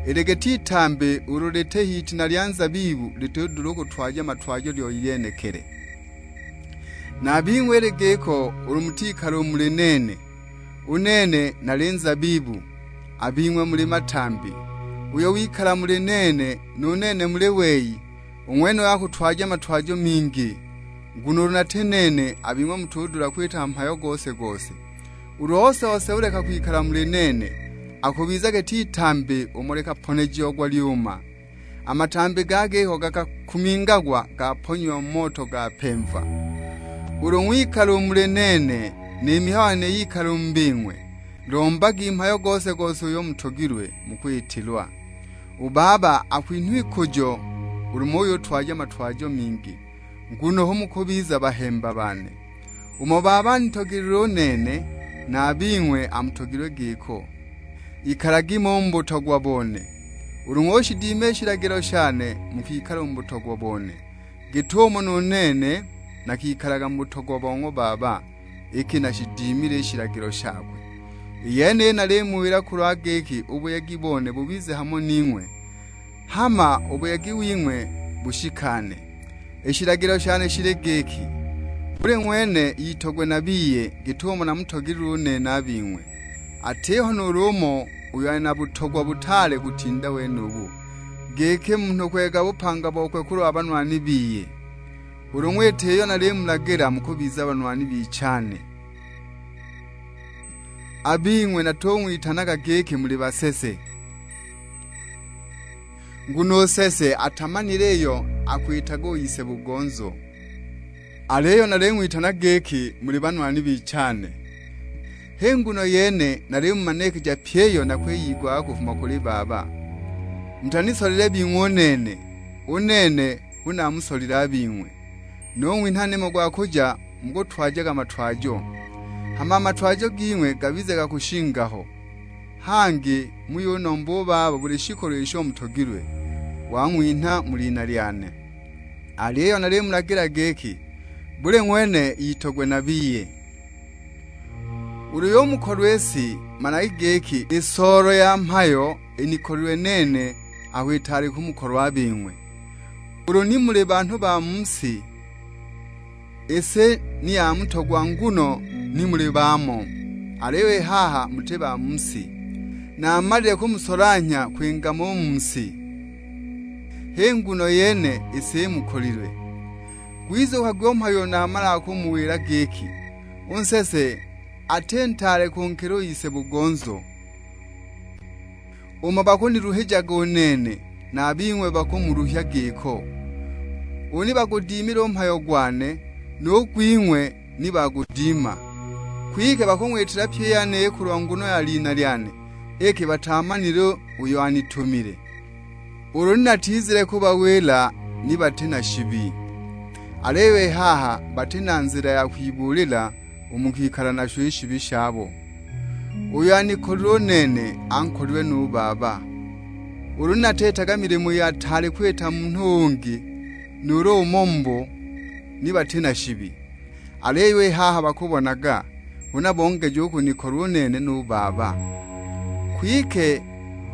Ili giti itambi ulu liti h'itina lya nzabibu litudula u kutwaja matwajo lyo lyenekele. Na a bing'we ili giko ulu mutikala u muli nene, u nene nali nzabibu, a bing'we muli matambi. Uyo wikala muli nene, nu nene muli wei, u ng'wenuyo akutwaja matwajo mingi, nguno ulu nati nene, a bing'we mutudula kwita mhayo gose-gose. Ulu ose-ose uleka kwikala muli nene, akubiza giti itambi umo likaponejiagwa lyuma. A matambi ga giko gakakumingagwa gaponyiwa mu moto gapemva. Ulu ng'wikala u muli nene, ni mihayo yane yikala u mu bing'we, lombagi mhayo gose-gose uyo mutogilwe, mukwitilwa. U Baba akwinhwa ikujo ulu muyutwaja matwajo mingi, nguno hu mukubiza bahemba bane. Umo Baba anitogelilwe u nene, na a bing'we amutogilwe giko. Ikalagi mo u mu butogwa bone. Ulu ng'ushidima i shilagilo shane, mukwikala u mu butogwa bone, git'umo nu nene nakikalaga mu butogwa bo ng'wa Baba, iki nashidimile i shilagilo shakwe. I yeniyi nalimuwila kulwa giki u buyegi bone bubize hamo ning'we, hama u buyegi wing'we bushikane. I shilagilo shane shili giki, buli ng'wene itogwe na biye git'umo namutogilwe u nene a bing'we. Atiho nuulu umo uyo ali na butogwa butaale kutinda wenubu, giki munhu kwega bupanga bokwe kulwa banwani biye. Ulu ng'wita iyo nalimulagila mukubiza banwani bichane. A bing'we natung'witanaga giki muli basese, nguno u sese atamanile iyo akwitaga u ise bugonzo. Aliyo naling'witana giki muli banwani bichane. H'i nguno yene nalimumanikija pyi iyo nakwiyigwaga kufuma kuli Baba. Mutanisolile bing'we u nene, u nene hu namusolile a bing'we. Nung'winha nimo gwa kuja mukutwajaga matwajo, hama a matwajo ging'we gabize ga kushinga ho. Hangi muyunomba u Baba buli shikolo isho mutogilwe, wang'winha mu lina lyane. Aliyo nalimulagila giki, buli ng'wene itogwe na biye. Ulu yumukolwa i si, managi giki i soolo ya mhayo inikolilwe nene aho itaali kumukolwa a bing'we. Ulu ni muli banhu ba mu si, i si ni yamutogwa nguno ni muli bamo, aliyo i haha muti ba mu si. Namalile kumusolanhya kwinga mo u mu si, h'i nguno yene i si imukolilwe. Gwizukagwi u mhayo uyo namalaga kumuwila giki, u nsese ati ntaale kunkila u ise bugonzo. Umo bakuniluhijaga u nene, na a bing'we bakumuluhya giko. Ulu ni bagudimile u mhayo gwane, nu gwing'we ni bagudima. Kwike bakung'witila pyi i yeniyi kulwa nguno ya lina lyane, iki batamanile uyo anitumile. Ulu ni natizile kubawila ni bati na shibi, aliyo i haha bati na nzila ya kwibuulila u mu kwikala nasho i shibi shabo. Uyo anikolilwe u nene ankolilwe nu Baba. Ulu ni nateetaga milimo iyo ataali kwita munhu ungi nuulu umo mubo, ni bati na shibi. Aliyo i haha bakubonaga, huna bongeja u kunikolwa u nene nu Baba. Kwike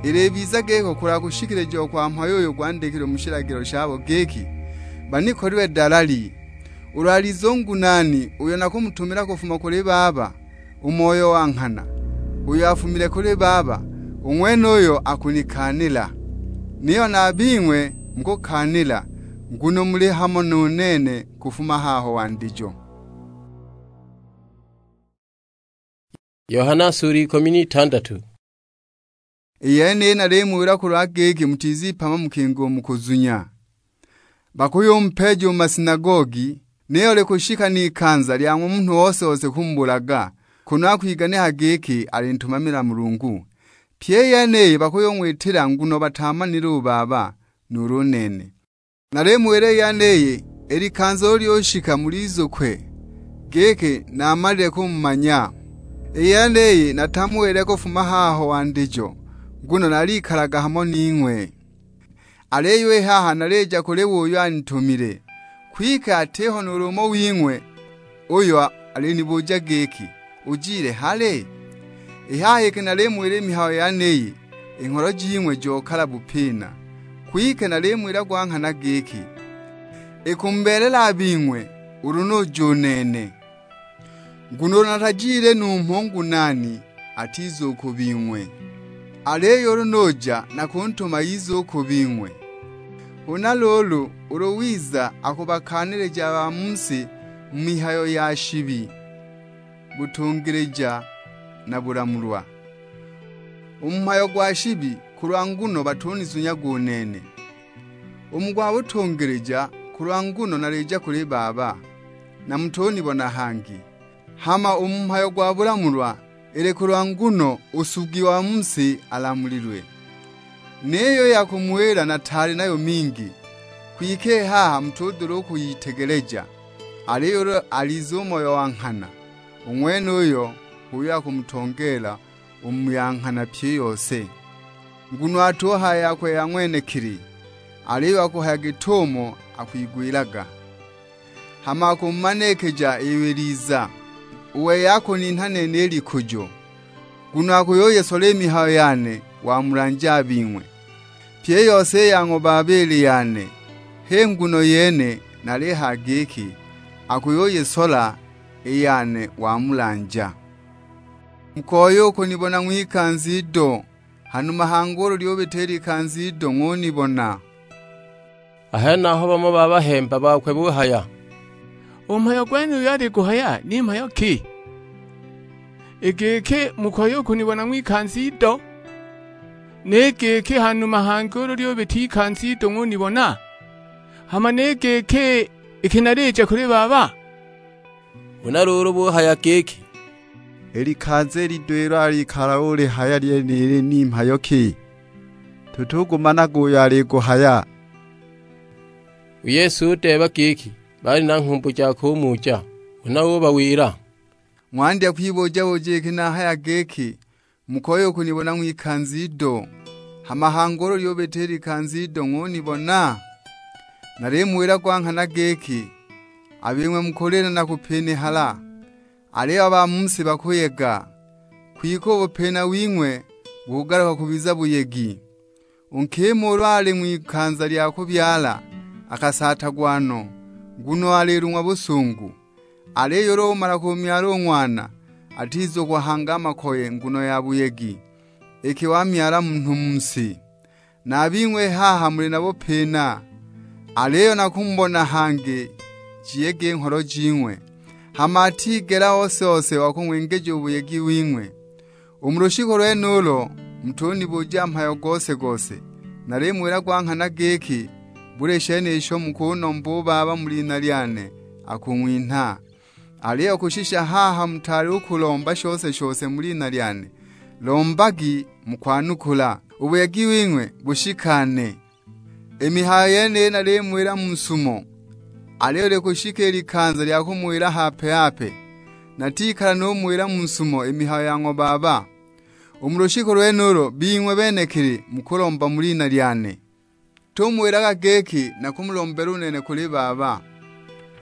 ilibiza giko kulwa kushikilijiwa kwa mhayo uyo gwandikilwe mu shilagilo shabo giki, banikolilwe dalali. Ulu aliza u ngunaani uyo nakumutumila kufuma kuli Baba, U Moyo wa nghana, uyo afumile kuli Baba, u ng'wenuyo akunikaanila. Niyo na a bing'we mukukaanila, nguno muli hamo nu nene kufuma haho wandijo." Yohana sura ikumi n'itandatu. I yeniyi nalimuwila kulwa giki mutizipama mukinga u mu kuzunya. Bakuyumpeeja u mu masinagogi, niyo likushika n'ikanza lya ng'wa munhu ose-ose kumubulaga, kunu akwiganikaga giki alintumamila Mulungu. Pyi i yeniyi bakuyung'witila nguno bataamanile u Baba, nuulu u nene. Nalimuwila i yeniyi, i likanza ulu lyushika mulizukwe, giki naamalile kumumanya. I yeniyi natamuwile kufuma haho wandijo, nguno nalikalaga hamo ning'we. Aliyo i haha nalija kuli wei uyo anitumile, kwike atiho nuulu umo wing'we uyo alinibuja giki, "Ujile hali?" I haha iki nalimuwila i mihayo yeniyi, i ngholo jing'we jokala bupina. Kwike nalimuwila gwa nghana giki, ikumubeelela a bing'we ulu nuja u nene. Nguno ulu natajile numho ngunaani atiza u ku bing'we, aliyo ulu nuja nakuntuma ize u ku bing'we. Huna luulu ulu wiza akubakaanilija a ba mu si mu mihayo ya shibi, butungilija na bulamulwa. U mu mhayo gwa shibi kulwa nguno batunizunyaga u nene. U mu gwa butungilija kulwa nguno nalija kuli Baba, na mutunibona hangi. Hama u mu mhayo gwa bulamulwa, ili kulwa nguno u nsugi wa mu si alamulilwe. Niyo i ya kumuwila nataali nayo mingi, kwike i haha mutudula u kuyitegeleja. Aliyo ulu aliza u Moyo wa nghana, u ng'wenuyo h'uyo akumutongeela u mu ya nghana pyi i yose. Nguno atuhaya yakwe ya ng'wenekili, aliyo akuhaya git'umo akwigwilaga. Hama akumumanikija iyo iliza, u wei akuninha nene i likujo, nguno akuyuyisola i mihayo yane wamulanja a bing'we. Pyi i yose i ya ng'wa Baba ili yane, h'i nguno yene nalihaya giki, akuyuyisola i yane wamulanja. Mukoya u kunibona ng'wikanza ido, hanuma hangi ulu lyubita i likanza ido ng'unibona. A henaho bamo ba bahemba bakwe buhaya, "U mhayo gwenuyu ali kuhaya ni mhayo ki? I giki, 'Mukoya u kunibona ng'wikanza ido,' ni giki, 'Hanuma hangi ulu lyubita ikanza ido ng'unibona'? Hama ni giki, 'Iki nalija kuli Baba'?" Huna luulu buhaya giki, "I likanza i lido ilo alikala ulihaya lyenili ni mhayo ki? Tutugumanaga uyo aliguhaya." U Yesu udeeba giki baali na nghumbu ja kumuja, huna ubawila, "Ng'wandya kwibuja-buja iki nahaya giki, 'Mukoya u kunibona ng'wikanza ido, hama hangi ulu lyubita i likanza ido ng'unibona?' Nalimuwila gwa nghana giki, a bing'we mukulila na kupinihala, aliyo a ba mu si bakuyega, kwike u bupina wing'we bukugaluka kubiza buyegi. U nkima ulu ali ng'wikanza lya kubyala, akasaatagwa no, nguno alilung'wa busungu. Aliyo ulu umala kumyala u ng'wana, atizukwa hangi a makoye nguno ya buyegi, iki wamyala munhu mu si. Na a bing'we i haha muli na bupina, aliyo nakumubona hangi jiyege i ngholo jing'we, hama atigela ose-ose wa kung'wengeja u buyegi wing'we. U mu lushiku lwenulo mutunibuja mhayo gose-gose. Nalimuwila gwa nghana giki, buli shenisho mukunomba u Baba mu lina lyane, akung'winha. Aliyo kushisha haha mutaali u kulomba shose-shose mu lina lyane. Lombagi, mukwanukula, u buyegi wing'we bushikane. I mihayo yeniyi nalimuwila mu sumo, aliyo likushika i likanza lya kumuwila hape-hape, natikala numuwila mu sumo i mihayo ya ng'wa Baba. U mu lushiku lwenulo bing'we benekili mukulomba mu lina lyane. Tumuwilaga giki, nakumulombela u nene kuli Baba.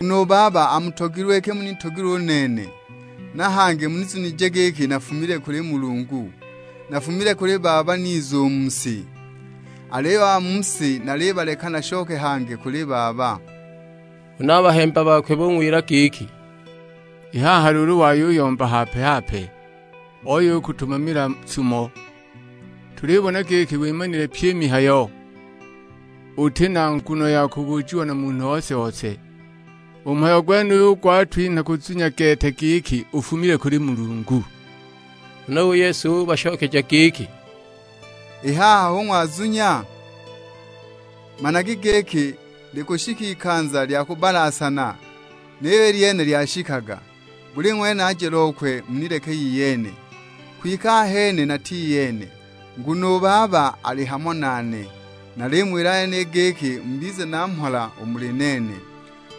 Nguno u Baba amutogilwe iki munitogilwe u nene, na hangi munizunije giki nafumile kuli Mulungu. Nafumile kuli Baba niza u mu si, aliyo a ba mu si nalibaleka nashoke hangi kuli Baba." Huna a bahemba bakwe bung'wila giki, I haha luulu wayuyomba hape-hape, oya u kutumamila sumo. Tulibona giki wimanile pyi i mihayo, uti na nguno ya kubujiwa na munhu ose-ose. U mhayo gwenuyu gwatwinha kuzunya gete giki ufumile kuli Mulungu." Huna u Yesu ubashokeja giki, "I haha hu ng'wazunya? Managi giki likushika ikanza lya kubbalasana, niyo i lyene lyashikaga. Buli ng'wene aje lokwe munileke iyene. Kwike ahene nati iyene, nguno u Baba ali hamo nane. Nalimuwila yeniyi giki mubize na mhola u muli nene.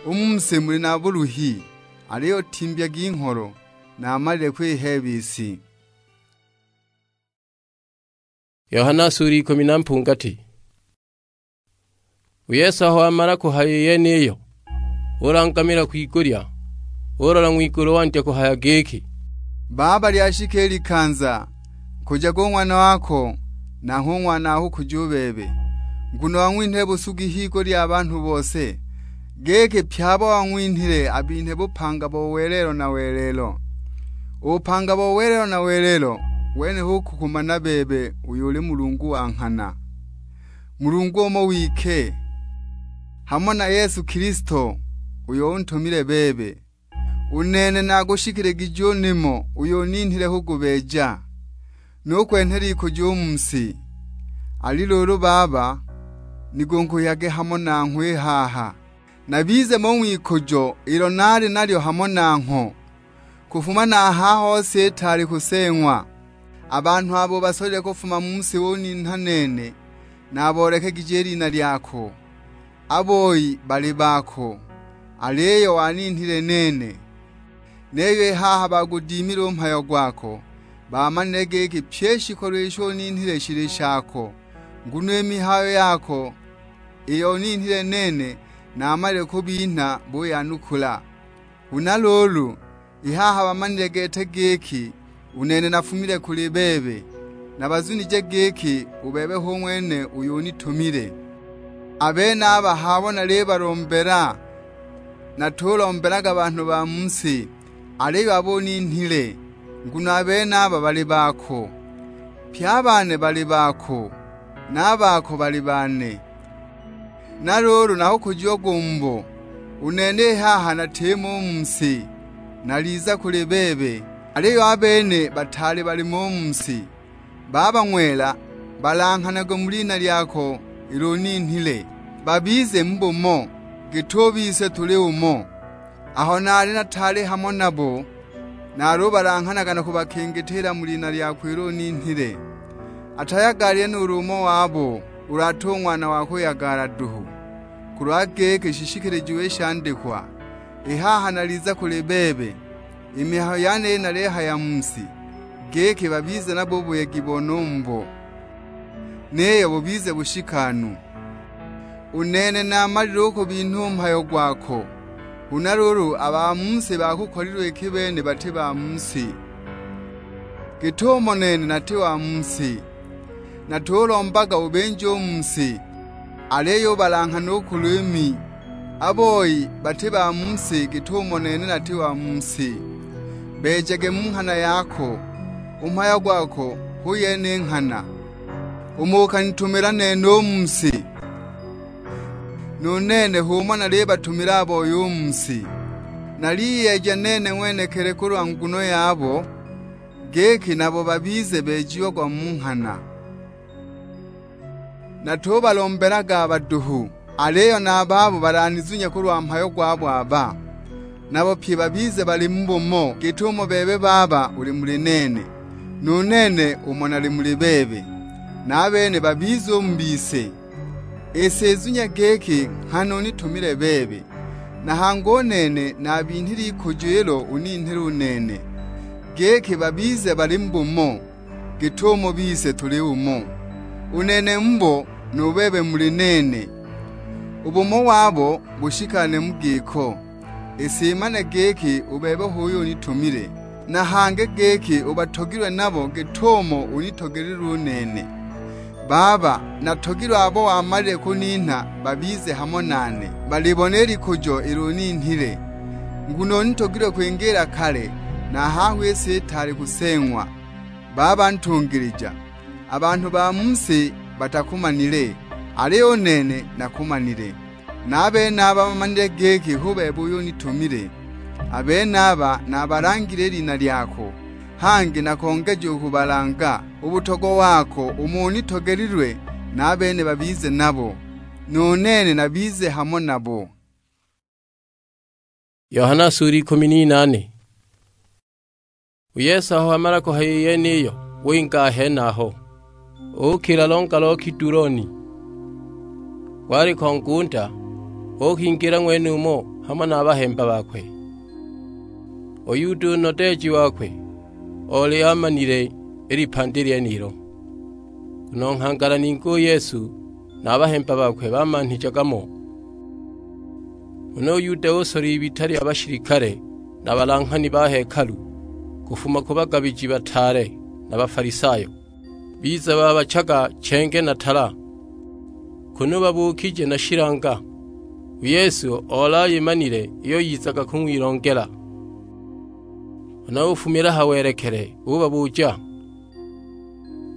U mu si muli na buluhi, aliyo timbyagi ngholo, namalile kwiheeba i si." Yohana sura ikumi na mpungati. U Yesu aho wamala kuhaya i yeniyo, ulangamila kwigulya, ulola ng'wigulu wandya kuhaya giki, "Baba, lyashika i likanza, nkujaga u Ng'wana wako, nanghwe u Ng'wana akukuja u bebe, nguno wang'winhile busugi h'igulu lya banhu bose, giki pye abo wang'winhile abinhe bupanga bo welelo na welelo. U bupanga bo welelo na welelo, wene hu kukumana bebe uyo uli Mulungu wa nghana, Mulungu umo wike, hamo na Yesu Kilisto, uyo untumile bebe. U nene nagushikiligije u nimo uyo uninhile kugubeeja, nukwenhela ikujo u mu si. Ali luulu Baba, nigunkuhyage hamo nanghwe i haha, nabize mo ng'wikujo ilo naali nalyo hamo nangho, kufuma na a haha hose itaali kuseeng'wa. A banhu abo basolile kufuma mu si uninha nene, naboolekegije i lina lyako. A boi bali bako, aliyo waninhile nene. Niyo i haha bagudimile u mhayo gwako, bamanile giki pyi i shikolo isho uninhile shili shako, nguno i mihayo yako iyo uninhile nene namalile kubinha buyanukula. Huna luulu, i haha bamanile gete giki u nene nafumile kuli bebe, nabazunije giki u bebe hu ng'wene uyo unitumile. A benaba h'abo nalibalombela, natulombelaga banhu ba mu si, aliyo abo uninhile, nguno a benaba bali bako. Pye a bane bali bako, na a bako bali bane. Na luulu nakukujiagwa u mubo, u nene i haha natimo u mu si, naliza kuli bebe, aliyo a bene bataali balimo u mu si. Baba ng'wela, balanghanagwe mu lina lyako ilo uninhile, babize mu bumo, git'u bise tuli umo. Aho naali nataali hamo nabo, nalubalanghanaga na kubakingitiila mu lina lyako ilo uninhile. Atayagaalile nuulu umo wabo ulu ati u ng'wana wa kuyagaala duhu, kulwa giki shishikilijiwe i shandikwa, "I haha naliza kuli bebe." I mihayo yeniyi nalihaya mu si, giki babize nabo u buyegi bone u mubo, niyo bubize bushikanu. U nene namalile u kubinha u mhayo gwako, huna luulu a ba mu si bakukolilwe iki bene bati ba mu si, git'umo nene nati wa mu si. Natulombaga ubinje u mu si, aliyo ubalanghane u ku liimi. A boi bati ba mu si git'umo nene nati wa mu si. Beejage mu nghana yako, u mhayo gwako hu yene i nghana. Umo ukanitumila nene u mu si, nu nene h'umo nalibatumila a boi u mu si. Naliyeeja nene ng'wenekili kulwa nguno yabo, giki nabo babize beejiagwa mu nghana. Natubalombelaga a baduhu, aliyo na a babo balanizunya kulwa mhayo gwabo aba, nabo pye babize bali mu bumo, git'umo bebe Baba uli muli nene, nu nene umo nali muli bebe, na a bene babize u mu bise. I si izunya giki nghana unitumile bebe, na hangi u nene nabinhile ikujo ilo uninhile u nene, giki babize bali mu bumo, git'umo bise tuli umo. U nene mubo, nu bebe muli nene, u bumo wabo bushikane mu giko. I si imane giki u bebe h'uyo unitumile, na hangi giki ubatogilwe nabo git'umo unitogelilwe u nene. Baba, natogilwe abo wamalile kuninha babize hamo nane, balibone i likujo ilo uninhile, Nguno unitogilwe kwingiila kale, na a haho i si itaali kuseeng'wa. Baba ntungilija, a banhu ba mu si batakumanile, aliyo u nene nakumanile. Na a benaba bamanile giki hu bebe uyo unitumile. A benaba nabalangile i lina lyako, hangi nakongeja u kubalanga u butogwa wako umo unitogelilwe, na a bene babize nabo, nu nene nabize hamo nabo. Yohana sura ikumi n'inaane. U Yesu aho wamala kuhaya i yeniyo, winga a henaho, uukila longa lo Kiduloni. Gwaliko ngunda, uukingila ng'wenumo hamo na a bahemba bakwe. U Yuda u nodeeji wakwe oli amanile i lipandi lyenilo, nguno nghangala ningi u Yesu na a bahemba bakwe bamanhijaga mo. Huna u Yuda usola ibita lya bashilikale na balanghani ba hekalu, kufuma ku bagabiji bataale na Bafalisayo, biza babachaga chenge na tala, kunu babuukije na shilanga. U Yesu oli ayimanile iyo yizaga kung'wilongela. Huna ufumila ha welekele, ubabuja,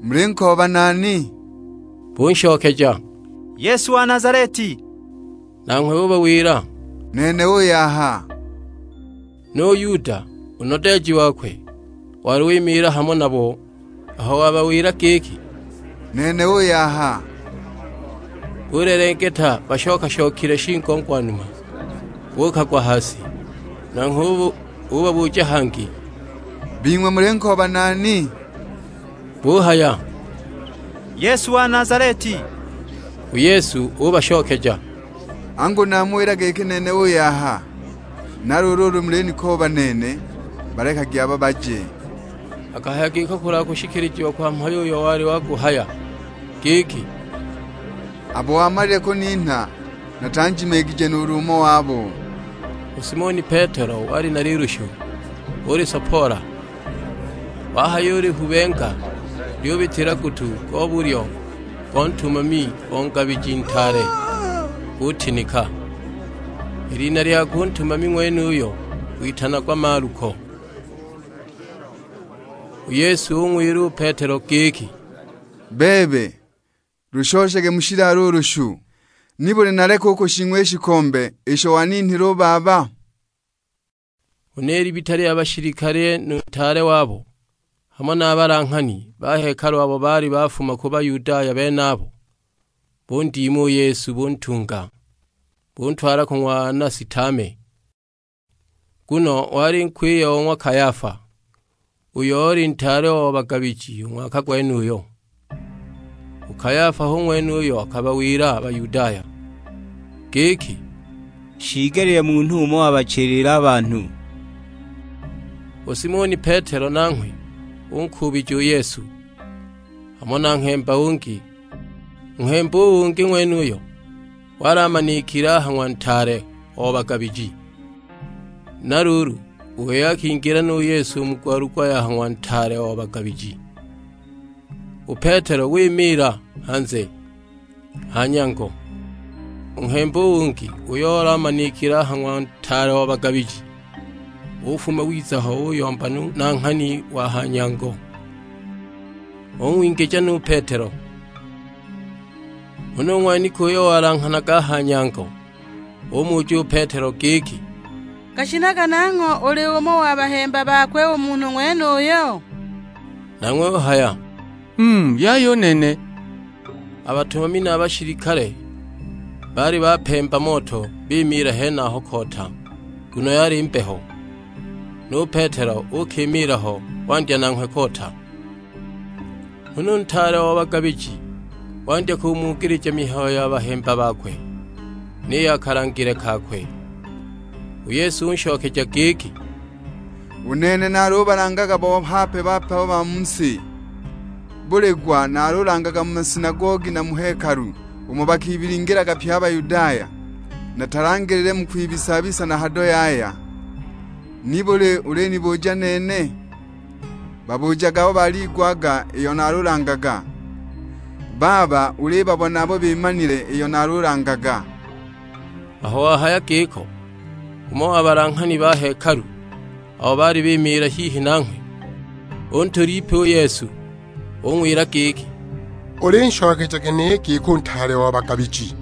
"Mulinkooba nani?" Bunshokeja, "Yesu wa Nazaleti." Nanghwe ubawila, "Nene uyu aha." Nu Yuda, u nodeeji wakwe, wali wimiila hamo nabo, aho wabawila giki, "Nene uyu aha." Bulelengeta bashoka-shokile shingo ngwa numa, buukagwa ha si. Nanghwe ubu-, ubabuja hangi, "Bing'we mulinkooba nani?" Buhaya, "Yesu wa Nazaleti." U Yesu ubashokeja, "Angu namuwila giki nene uyu aha? Na luulu ulu mulinikooba nene, balekagi aba baje." Akahaya giko kulwa kushikilijiwa kwa mhayo uyo wali waguhaya, giki, "Abo wamalile kuninha, natanjimigije nuulu umo wabo." U Simoni Petelo wali na lilushu, ulisopoola, wahayulihubenga, lyubitila gutu go bulyo go ntumami o ngabiji ntaale, gutinika. I lina lyakwe u ntumami ng'wenuyo witanagwa Maluko. U Yesu ung'wila u Petelo giki, "Bebe, lushoshage mu shilaala u lushu. Nibuli naleka u kushing'wa i shikombe isho waninhile u Baba?" Huna i libita lya bashilikale nu ntaale wabo, hamo na a balanghani ba hekalu abo baali bafuma ku Bayudaya benabo, bundiima u Yesu, buntunga, buntwala ku ng'wa Anasi Tame. Nguno wali nkwiye o ng'wa Kayafa, uyo oli ntaale o bagabiji u ng'waka gwenuyo. U Kayafa hu ng'wene uyo akabawila a Bayudaya giki, "Shiigelile munhu umo wabachilile a banhu." U Simoni Petelo nanghwe unkuubija u Yesu, hamo na nghemba ungi. U nghemba u ungi ng'wenuyo wali amanikile a ha ng'wa ntaale o bagabiji. Na luulu, u wei akingila nu Yesu mu gwalugwa ya ha ng'wa ntaale o bagabiji. U Petelo wimiila hanze ha nyango. U nghemba u ungi, uyo oli amanikile a ha ng'wa ntaale o bagabiji, ufuma wiza ho uyomba nu nanghani wa ha nyango, ung'wingija nu Petelo. Huna u ng'wanika uyo walanghanaga a ha nyango umuja u Petelo giki, "Gashinaga nangho uli umo wa bahemba bakwe u munhu ng'wenuyo?" Nanghwe uhaya, "Mm, yaya u nene." A batumami na a bashilikale baali bapemba moto bimiila henaho koota, nguno yali mbeho. Nu Petelo uukimiila ho wandya nanghwe koota. Huna u ntaale o bagabiji wandya kumugilija mihayo ya bahemba bakwe, ni ya kalangile kakwe. U Yesu unshokeja giki, "U nene nalubalangaga bo hape-bape abo ba mu si. Buli gwa nalulangaga mu masinagogi na mu hekalu, umo bakibilingilaga pye a Bayudaya. Natalangilile mu kwibisa-bisa na hado yaya. Nibuli ulinibuja nene?" Babujaga abo baliigwaga iyo nalulangaga. Baba ulibabona abo bimanile iyo nalulangaga. Aho wahaya giko, Umo wa balanghani ba hekalu abo baali bimiila hihi nanghwe, untula ipi u Yesu, ung'wila giki, "Ulinshokeja gene giki u ntaale wa bagabiji!"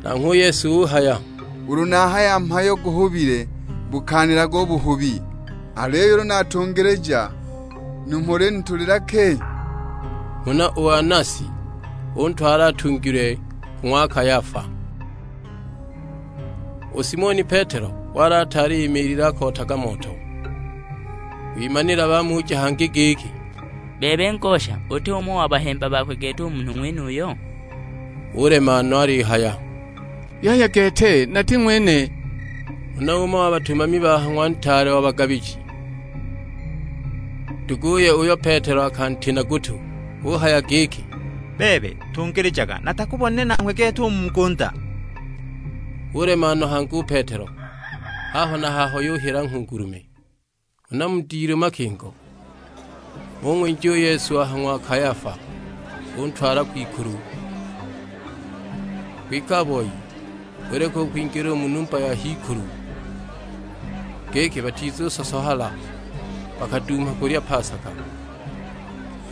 Nanghwe u Yesu uhaya, "Ulu nahaya mhayo guhubile, bukaanilaga u buhubi; aliyo ulu natungilija, numho ulinitulila ki?" Huna u Anasi untwala atungilwe ku ng'wa Kayafa. U Simoni Petelo wali ataali imiilile akootaga moto. Wimanila bamuja hangi giki, "Bebe ngosha, uti umo wa bahemba bakwe gete u munhu ng'wenuyo?" Ulema no alihaya, "Yaya gete, nati ng'wene." Huna umo wa batumami ba ha ng'wa ntaale wa bagabiji, nduguye uyo Petelo akantina gutu, uhaya giki, "Bebe tungilijaga natakubonile nanghwe gete u mu ngunda." Ulema no hangi u Petelo, haho na haho yuhila nghungulume. Huna mu dilu makingo, ung'winja u Yesu a ha ng'wa Kayafa, untwala kwikulu. Kwike a boi buleka u kwingila u mu numba ya h'ikulu, giki batizusosohala bakadumha kulya pasaka.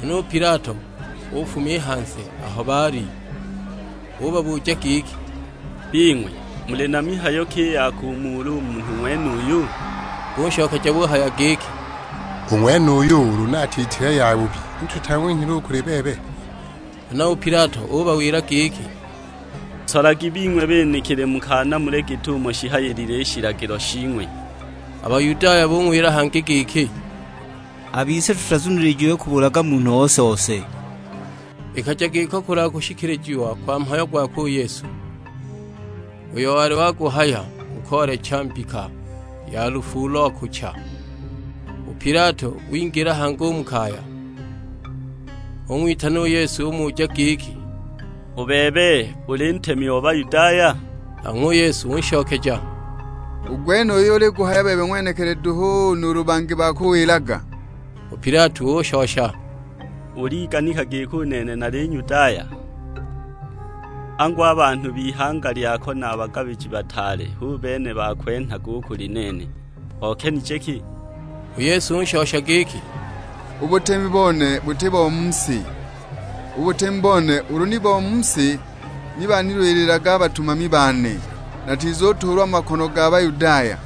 Huna u Pilato ufuma i hanze aho baali, ubabuja giki, "Bing'we muli na mihayo ki i ya kumuula u munhu ng'wenuyu?" Bunshokeja buhaya giki, "U ng'wenuyu ulu natiitile yabubi, ni tutang'winhile u kuli bebe." Huna u Pilato ubawila giki, "Solagi bing'we benekili mukaanamule git'umo shihayilile i shilagilo shing'we." A Bayudaya bung'wila hangi giki, "A bise tutazunilijiwe kubulaga munhu ose-ose." Ikaja giko kulwa kushikilijiwa kwa mhayo gwakwe u Yesu, uyo wali waguhaya mu koolecha mbika ya lufu lo kucha. U Pilato wingila hangi u mu kaya, ung'witana u Yesu umuja giki, "U bebe uli ntemi o Bayudaya?" Nanghwe u Yesu unshokeja, "U gwenuyu uli guhaya bebe ng'wenekili duhu nuulu bangi bakuwilaga?" U Pilato ushosha, "Uliganika giki u nene nali Nyudaya? Angu a banhu b'ihanga lyako na a bagabiji bataale hu bene bakwenhaga u kuli nene. Okenije ki?" U Yesu unshosha giki, "U butemi bone buti bo mu si. U butemi bone ulu ni bo mu si, ni banilwililaga a batumami bane, natizutuulwa mu makono ga Bayudaya.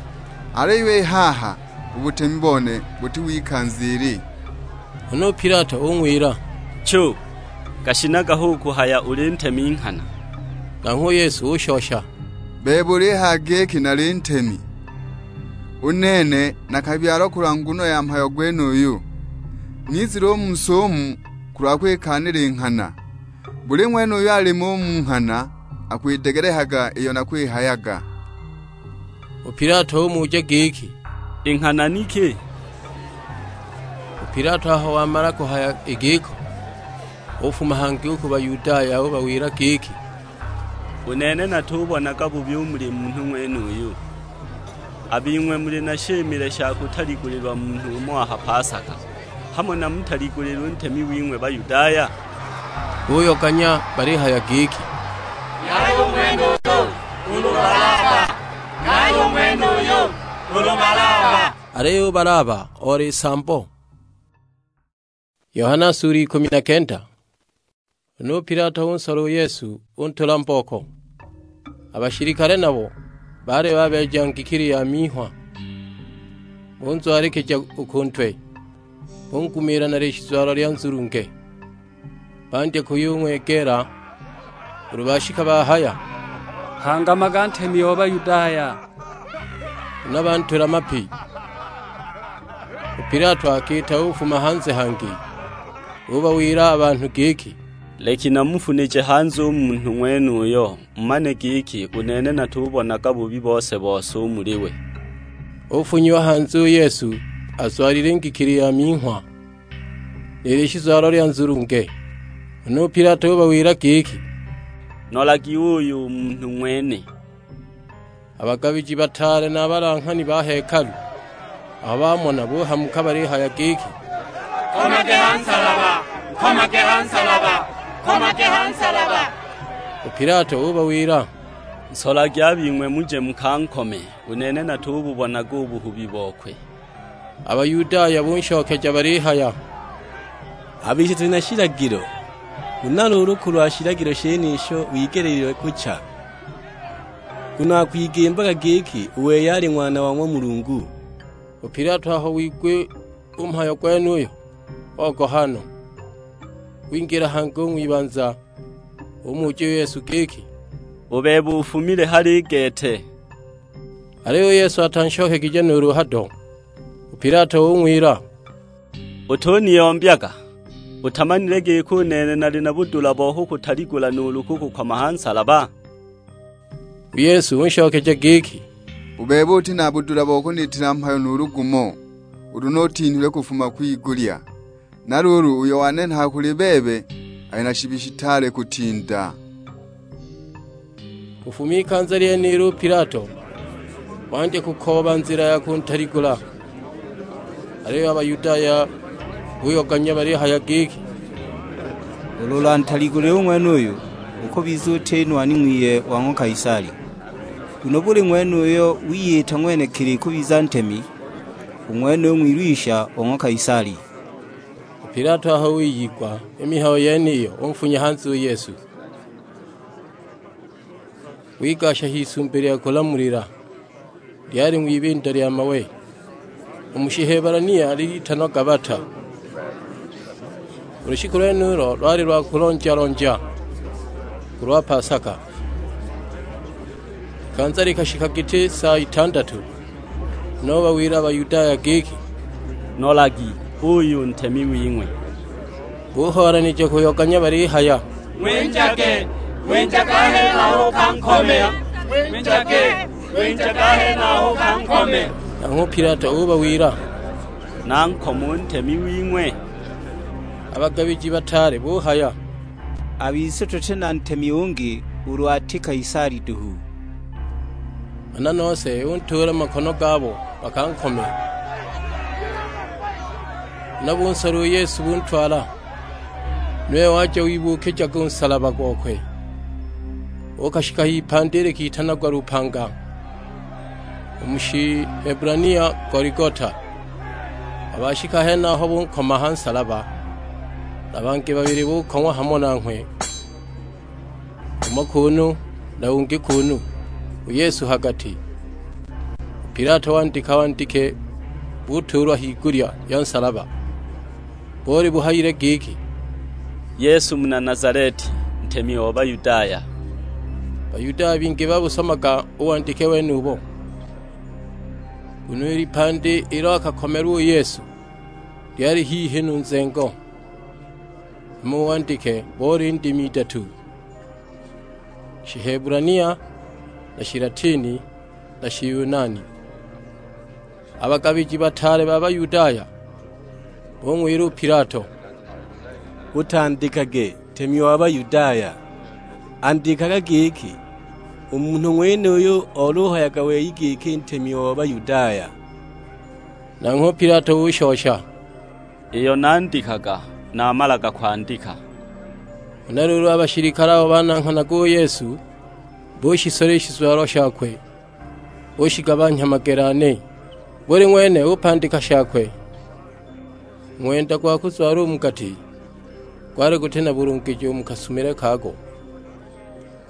Aliyo i haha u butemi bone buti w'ikanza ili." Huna u Pilato ung'wila, "Chu, gashinaga hu kuhaya uli ntemi nghana?" Nanghwe u Yesu ushosha, "Bebe ulihaya giki nali ntemi. U nene nakabyalwa kulwa nguno ya mhayo gwenuyu, nizile u mu si umu kulwa kwikaanila i nghana. Buli ng'wene uyo alimo u mu nghana akwidegelehaga iyo nakwihayaga." U Pilato umuja giki, "I nghana ni ki?" U Pilato aho wamala kuhaya i giko, ufuma hangi u ku Bayudaya ubawila giki, "U nene natubonaga bubi u muli munhu ng'wenuyu. A bing'we muli na shimile sha kutaligulilwa munhu umo a ha pasaka, hamo namutaligulile u ntemi wing'we Bayudaya?" Buyoganya balihaya giki, "Yaya u ng'wenuyu ulu Balaba! Yaya u ng'wenuyu ulu Balaba!" Aliyo u Balaba oli nsambo. Yohana sura ikumi na kenda. Huna u Pilato unsola u Yesu, untula mbooko. A bashilikale nabo baali babeeja ngikili ya minghwa, bunzwalikija u ku ntwe, bungumiila na lishizwalo lya nzulunge. Bandya kuyung'wegeela ulu bashika bahaya, "Hangamaga ntemi o Bayudaya!" Huna bantula mapi. U Pilato akiita ufuma hanze hangi, ubawila a banhu giki, "Leki namufunije hanze u munhu ng'wenuyo, mumane giki u nene natubonaga bubi bose-bose u muli we." Ufunyiwa hanze u Yesu azwalile ngikili ya minghwa, ni lishizwalo lya nzulunge. Huna u Pilato ubawila giki, "Nolagi uyu u munhu ng'wene." A bagabiji bataale na a balanghani ba hekalu aho bamona buhamuka balihaya giki, "Nkomage ha nsalaba! Nkomage ha nsalaba! Nkomage ha nsalaba!" U Pilato ubawila, Nsolagi a bing'we muje mukankome, u nene natububonaga u buhubi bokwe." A Bayudaya bunshokeja balihaya, "A bise tuli na shilagilo, huna luulu kulwa shilagilo shenisho wigeleelilwe kucha, nguno akwigimbaga giki u wei ali Ng'wana wa ng'wa Mulungu." U Pilato aho wigwa u mhayo gwenuyo, ogoha no. Wingila hangi u ng'wibanza, umuja u Yesu giki, "U bebe ufumile hali i gete?" Aliyo u Yesu atanshokegije nuulu hado. U Pilato ung'wila, "Utuniyombyaga? Utamanile giki u nene nali na budula bo kukutaligula nuulu kukukoma ha nsalaba?" U Yesu unshokeja giki, "U bebe uti na budula bo kuniitila mhayo nuulu gumo, ulu nutinhilwe kufuma kwigulya. Na luulu, uyo wanenhaga kuli bebe ali na shibi shitaale kutinda." Kufuma ikanza lyenilo u Pilato wandya kukooba nzila ya kuntaligula. Aliyo a Bayudaya buyoganya balihaya giki, "Ulu ulantaligulile u ng'wenuyu, ukubiza uti nwani ng'wiye wa ng'wa Kaisali. Nguno buli ng'wene uyo wiyita ng'wenekili kubiza ntemi, u ng'wene u ng'wilwisha o ng'wa Kaisali." U Pilato aho wiyigwa i mihayo yeniyo, unfunya hanze u Yesu. Wigasha h'isumbi lya kulamulila, lyali ng'wibinda lya mawe, u mu Shiheburania lilitanwa Gabata. U lushiku lwenulo lwali lwa kulonja-lonja, kulwa pasaka. Ikanza likashika giti saa itandatu, huna ubawila a Bayudaya giki, "Nolagi, uyu ntemi wing'we!" Buhoolanija kuyoganya balihaya, "Ng'winjage, ng'winjage a henaho ukankome! Ng'winjage, ng'winjage a henaho ukankome!" Nanghwe u Pilato ubawila, "Nankome u ntemi wing'we?" A bagabiji bataale buhaya, "A bise tuti na ntemi ungi ulu ati Kaisali duhu." Nghana nose untuula mu makono gabo bakankome. Huna bunsola u Yesu buntwala, nuwe waja wibuukijaga u nsalaba gokwe, uukashika h'ipandi likitanagwa Lupanga, u mu Shiheburania Goligota. A bashika henaho bunkoma ha nsalaba, na bangi babili bukong'wa hamo nanghwe, umo kuunu, na ungi kuunu, u Yesu ha gati. U Pilato wandika wandike, butuulwa higulya ya nsalaba, boli buhayile giki, "Yesu muna Nazaleti, ntemi o Bayudaya." Bayudaya bingi babusomaga u wandike wenubo, nguno i lipandi ilo akakomelwa u Yesu lyali hihi nu nzengo, hama u wandike boli ndimi idatu, Shiheburania, na Shilatini, na Shiyunani. A bagabiji bataale ba Bayudaya bung'wila u Pilato, "Utandikage, 'Ntemi wa Bayudaya.' Andikaga giki, 'U munhu ng'wenuyu oluhayaga wei giki Ntemi wa Bayudaya.'" Nanghwe u Pilato ushosha, "Iyo nandikaga, namalaga kwandika." Huna luulu a bashilikale abo bananghanaga u Yesu bushisola i shizwalo shakwe, bushigabanhya magele ane. Buli ng'wene upandika shakwe. U ng'wenda gwa kuzwala u mu gati gwali guti na bulungiji u mu kasumile kago,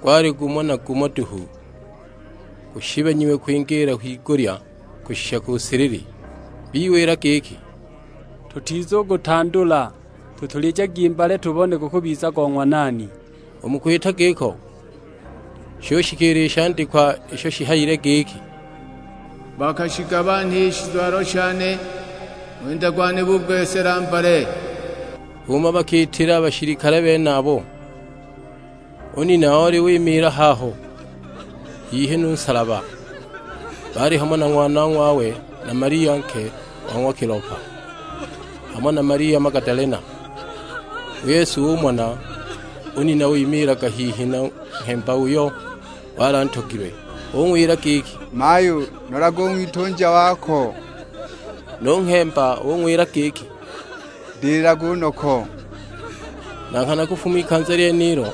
gwali gumo na gumo duhu, gushibanyiwe kwingiila kwigulya kushisha ku silili. Biwila giki, "Tutizugutandula, tutulijagi mbale tubone gukubiza go ng'wa nani." U mu kwita giko, shushikila i shandikwa isho shihayile giki, "Bakashigabanha i shizwalo shane, ng'wenda gwane bugwesela mbale." H'umo bakiitila a bashilikale benabo. U nina oli wimiila haho, hihi nu nsalaba, baali hamo na ng'wanong'wawe na Maria nke wa ng'wa Kilopa, hamo na Maria Magadalena. U Yesu umona u nina wimiilaga hihi na nghemba uyo wali antogilwe, ung'wila giki, "Mayu, nolaga u ng'witunja wako." Nu nghemba ung'wila giki, "Ndililaga u noko." Na nghana kufuma ikanza lyenilo,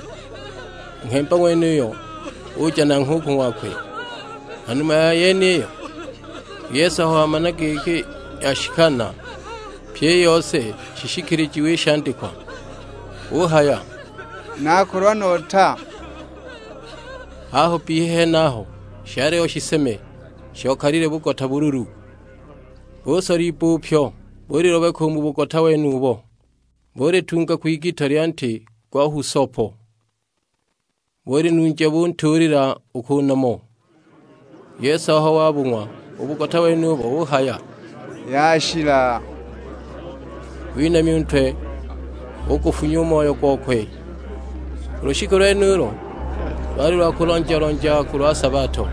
u nghemba ng'wenuyo uja nanghwe u ku ng'wakwe. Ha numa ya yeniyo, u Yesu aho wamana giki yashikana pyi i yose shishikilijiwe i shandikwa, uhaya, "Nakolwa nota." Haho bbihi henaho shaliho shiseme shokalile bugota bululu, busola ibbupyo, bulilobeka u mu bugota wenubo, bulitunga kwigita lya nti gwa husopo, bulinunja buntuulila u ku nomo. U Yesu aho wabung'wa u bugota wenubo uhaya, "Yashila." Winamya u ntwe, ugufunya u moyo gokwe. U lushiku lwenulo lwali lwa kulonja-lonja kulwa sabato.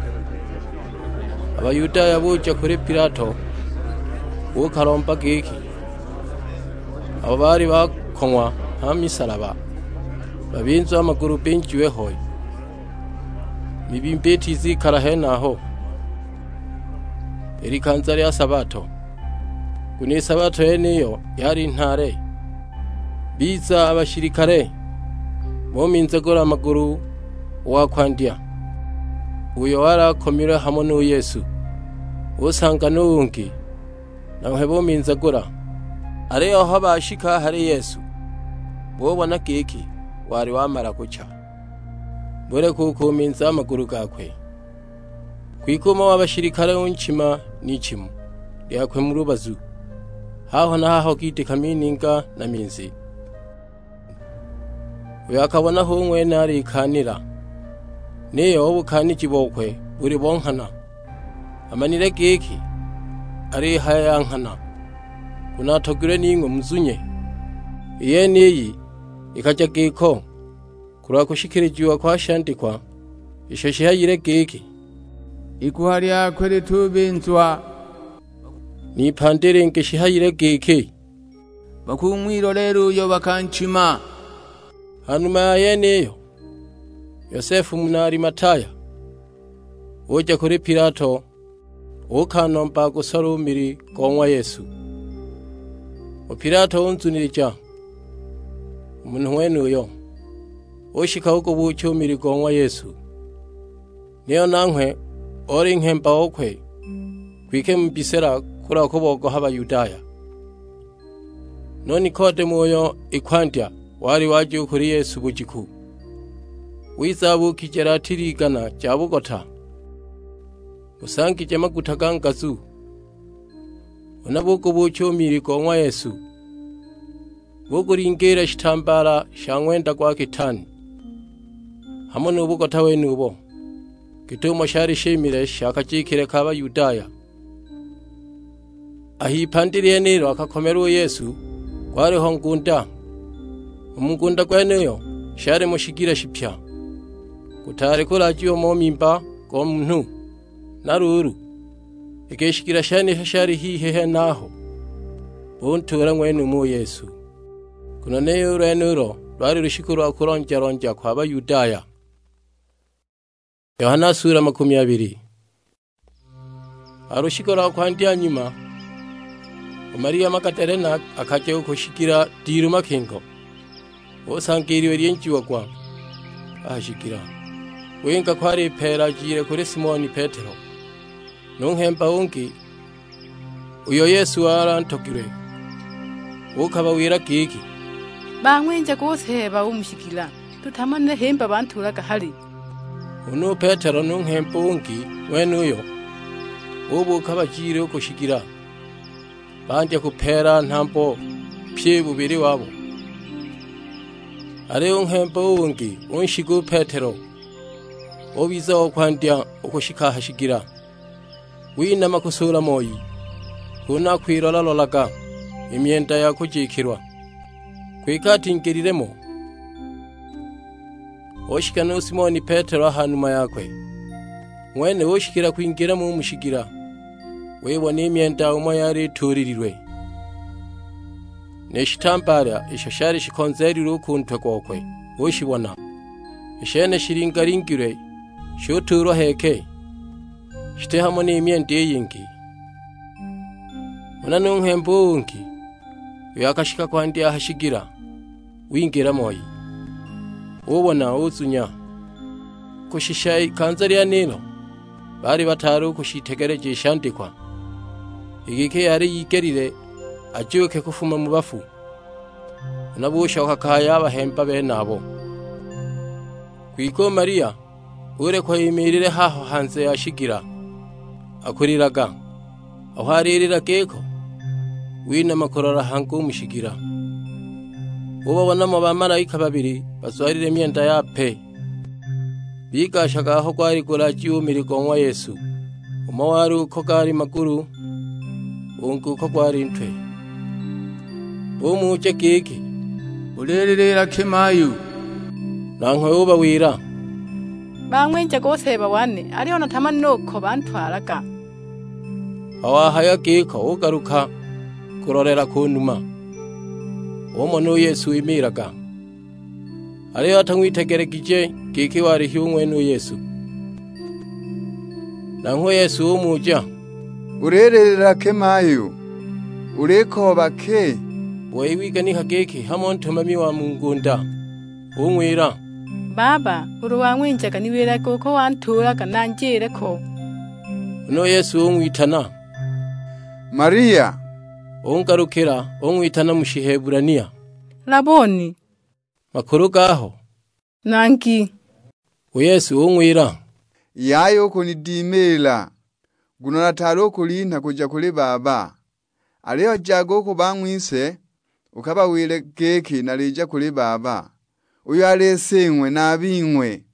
A Bayudaya buja kuli Pilato, buukalomba giki, abo baali bakong'wa ha misalaba babinzwe a magulu binjiwe hoi, mibimba itizikala henaho i likanza lya sabato, nguno i sabato yeniyo yali nhaale. Biza a bashilikale, buminzagula magulu u wa kwandya, uyo wali akomilwe hamo nu Yesu; usanga nu ungi, nanghwe buminzagula. Aliyo aho bashika a hali Yesu, bubona giki wali wamala kucha, buleka u kuminza a magulu gakwe. Kwike umo wa bashilikale unchima n'ichimu lyakwe mu lubazu, haho na haho giitika mininga na minzi. Uyo akabona hu ng'wene alikaanila, niyo u bukaaniji bokwe buli bo nghana. Amanile giki alihaya ya nghana, nguno atogilwe ning'we muzunye. I yeniyi ikaja giko kulwa kushikilijiwa kwa shandikwa isho shihayile giki, "Iguha lyakwe litubinzwa." N'ipandi lingi shihayile giki, "Bakung'wiloleela uyo bakanchima." Ha numa ya yeniyo, Yosefu muna Alimataya uja kuli Pilato, uukanomba agusola u mili go ng'wa Yesu. U Pilato unzunilija u munhu ng'wenuyo, ushika ugubuucha u mili go ng'wa Yesu. Niyo nanghwe oli nghemba okwe kwike mu bisela kulwa kubogoha Bayudaya. Nu Nikodemo uyo i kwandya wali waja u kuli Yesu bujiku, wiza abuukije latili igana ja bugota, busangije maguta ga ngazu. Huna bugubuucha u mili go ng'wa Yesu, bugulingiila shitambaala sha ng'wenda gwa kitani, hamo nu bugota wenubo, git'umo shali shimile sha kajikile ka Bayudaya. A h'ipandi lyenilo akakomelwa u Yesu, gwaliho ngunda. U mu ngunda gwenuyo shalimo shigila shipya, gutaali kulaajiwa mo mimba go munhu. Na luulu, iki i shigila shenisho shali hihi henaho, buntuula ng'wenumo u Yesu, nguno niyo u lwenulo lwali lushiku lwa kulonja-lonja kwa Bayudaya. Yohana sula makumi abili. Ha lushiku lwa kwandya nyuma, u Malia Magadalena akaja u ku shigila dilu makingo, usanga i liwe lyinjiagwa a ha shigila, winga kwali ipeela ajile kuli Simoni Petelo. Nu nghemba ungi uyo Yesu wali antogilwe, uukabawila giki, "Bang'winjaga u Seeba u mu shigila, tutamanile himba bantuulaga hali." Huna u Petelo nu nghemba ungi ng'wenuyo bubuuka bajile u ku shigila, bandya kupeela nhambo pyi bubili wabo. Aliyo u nghemba u ungi unshiga u Petelo, ubiza o kwandya u kushika a ha shigila. Winama kusuula moi, kunu akwilola-lolaga i myenda ya kujikilwa, kwike atingelile mo. Ushika nu Simoni Petelo a ha numa yakwe, ng'wene ushikila kwingila mo u mu shigila, wibona i myenda umo yali ituulililwe, ni shitambaala isho shali shikonzeelilwe u ku ntwe gokwe, ushibona. I shene shilingalingilwe, shutuulwa heeke, shiti hamo ni myenda i yingi. Huna nu nghemba u ungi, uyo akashika kwandya a ha shigila, wingila moi, ubona, uzunya. Kushisha ikanza lyenilo baali bataali u kushitegeleja i shandikwa, i giki yali yigelile ajuuke kufuma mu bafu. Huna bushoka kaya a bahemba benabo. Kwike u Malia ulekwa imiilile haho hanze ya shigila, akulilaga. Aho alilila giko, winama kulola hangi u mu shigila. Ubabona mo bamalaika babili bazwalile myenda yape, bigashaga aho gwali gulajiwa u mili go ng'wa Yesu. Umo wali uko gaali magulu, ungi uko gwali ntwe. Bumuja giki, "Ulililila ki mayu?" Nanghwe ubawila, "Bang'winjaga u Seeba wane, aliyo natamanile uko bantwalaga." Aho wahaya giko ugaluka kulolela ku numa, umona u Yesu wimiilaga, aliyo atang'witegelegije giki wali hi u ng'wene u Yesu. Nanghwe u Yesu umuja, "Ulililila ki mayu? Ulikooba ki?" U wei wiganika giki hamo ntumami wa mu ngunda, ung'wila, "Baba, ulu wang'winjaga niwilage uko wantuulaga nanjile ko." Huna u Yesu ung'witana, "Maria!" Ungalukila ung'witana mu Shihebulania, "Laboni!" Makulu gaho, "Nangi." U Yesu ung'wila, "Yaya u kunidimiila, nguno nataali u kulinha kuja kuli Baba. Aliyo jaga u ku bang'wise, ukabawile giki nalija kuli Baba, uyo ali Sing'we na a bing'we,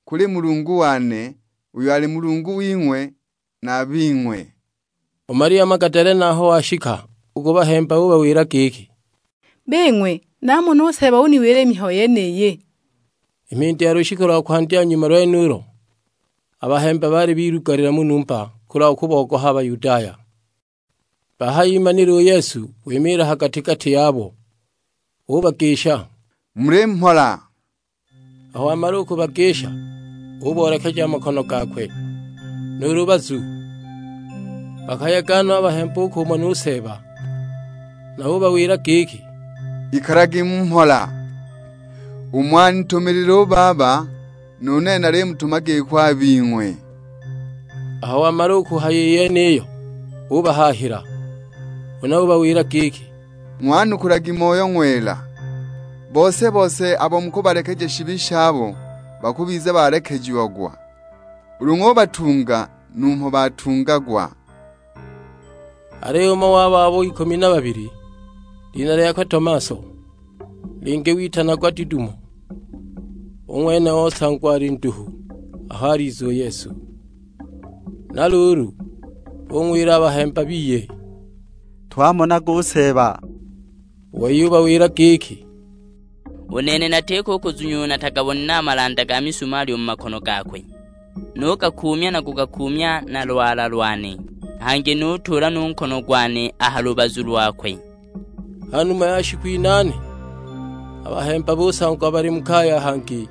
kuli Mulungu wane, uyo ali Mulungu wing'we na a bing'we." U Malia Magadalena aho washika u ku bahemba ubawila giki, "Bing'we, namona u Seeba uniwila i mihayo yeniyi." I mhindi ya lushiku lwa kwandya nyuma lwenulo, a bahemba baali bilugalila mu numba kulwa kubogoha a Bayudaya. Bahayimanile u Yesu wimiila ha gati-gati yabo, ubagisha, "Muli mhola!" Aho wamala u kubagisha, uboolekeja a makono gakwe, nu lubazu. Bakayega no a bahemba u kumona u Seeba, na ubawila giki, "Ikalagi mu mhola. Umo anitumilile u Baba, nu nene nalimutuma giko a bing'we." Aho wamala u kuhaya i yeniyo, ubahaahila. Huna ubawila giki, "Ng'wanukulagi Moyo Ng'wela. Bose-bose abo mukubalekeja shibi shabo bakubiza balekejiagwa, ulu ng'ubatunga numho batungagwa." Aliyo umo wabo abo ikumi na babili, lina lyakwe Tomaso, lingi witanagwa Didumo, u ng'wene osangwa ali nduhu aho aliza u Yesu. Na luulu, bung'wila a bahemba biye, "Twamonaga u Seeba!" U wei ubawila giki, "U nene natiko u kuzunya uyo natagabonile a malanda ga misumaali u mu makono gakwe, nugakuumya na kugakuumya na lwala lwane, hangi nutuula nu nkono gwane a ha lubazu lwakwe." Ha numa ya shiku inaane, a bahemba busangwa bali mu kaya hangi,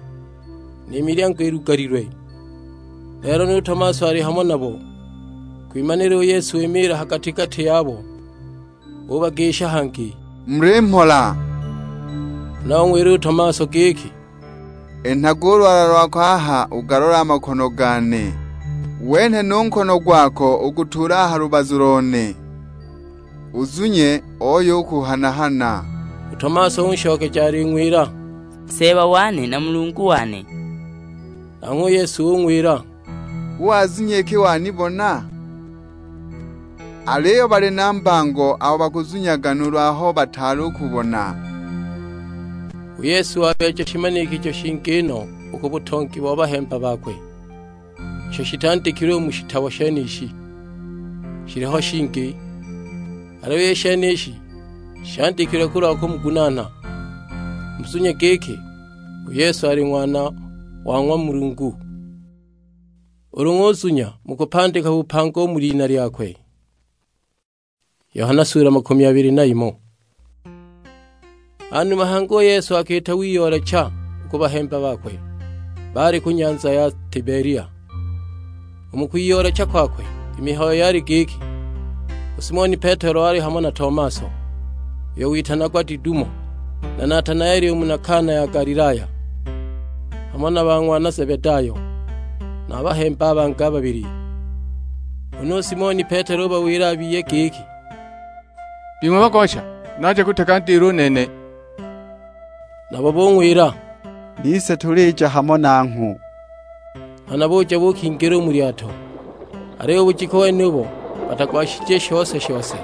ni milyango ilugalilwe. Lelo nu Tomaso ali hamo nabo. Kwimanila u Yesu wimiila ha gati-gati yabo, ubagisha hangi, "Muli mhola!" Huna ung'wila u Tomaso giki, "Enhaga u lwala lwako aha ugalole a makono gane, wenhe nu nkono gwako ugutuule a ha lubazu lone, uzunye oyo ukuhana-hana." U Tomaso unshokeja aling'wila, "Seeba wane na Mulungu wane!" Nanghwe u Yesu ung'wila, "Hu wazunye iki wanibona? Aliyo bali na mbango abo bakuzunyaga nuulu aho bataali u kubona." U Yesu wabeeja shimanikijo shingi no u ku butongi bo bahemba bakwe, isho shitandikilwe u mu shitabo shenishi. Shiliho shingi, aliyo i shenishi shandikilwe kulwa kumugunaana, muzunye giki u Yesu ali Ng'wana wa ng'wa Mulungu. Ulu ng'uzunya mukupandika bupanga u mu lina lyakwe. Yohana sula makumi abili na imo. Hanuma hangi u Yesu akiita wiyoolecha u ku bahemba bakwe, baali ku nyanza ya Tibelia. U mu kwiyoolecha kwakwe, i mihayo yali giki, u Simoni Petelo wali hamo na Tomaso, uyo witanagwa Didumo, na Natanaeli u muna Kana ya Galilaya, hamo na ba ng'wana Zebedayo. na a bahemba a bangi a babili. Huna u Simoni Petelo ubawila a biye giki, "Bing'we bagosha, naja kutega ndilo u nene." Nabo bung'wila, "Nise tulija hamo nangho." Nghana buja buukingila u mu lyato, aliyo u bujiku wenubo batagwashije shose-shose.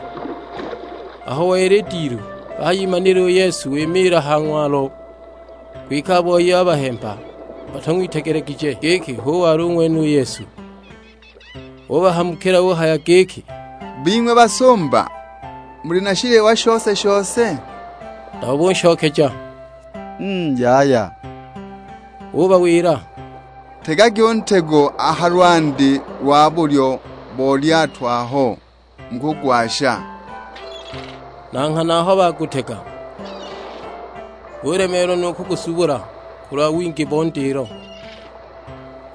Aho wela i dilu, bahayimanile u Yesu wimiila ha ng'walo, kwike a boi a bahemba batung'witegelegije giki hu wali u ng'wene u Yesu. Ubahamukila uhaya giki, "Bing'we basumba, muli na shiliwa shose-shose?" Nabo bunshokeja, "Mm, yaya." Ubawila, "Tegagi u ntego a ha lwandi lwa bulyo bo lyato aho mukugwasha." Na nghana aho bagutega, gulemeelwa nu kugusubula kulwa wingi bo ndilo.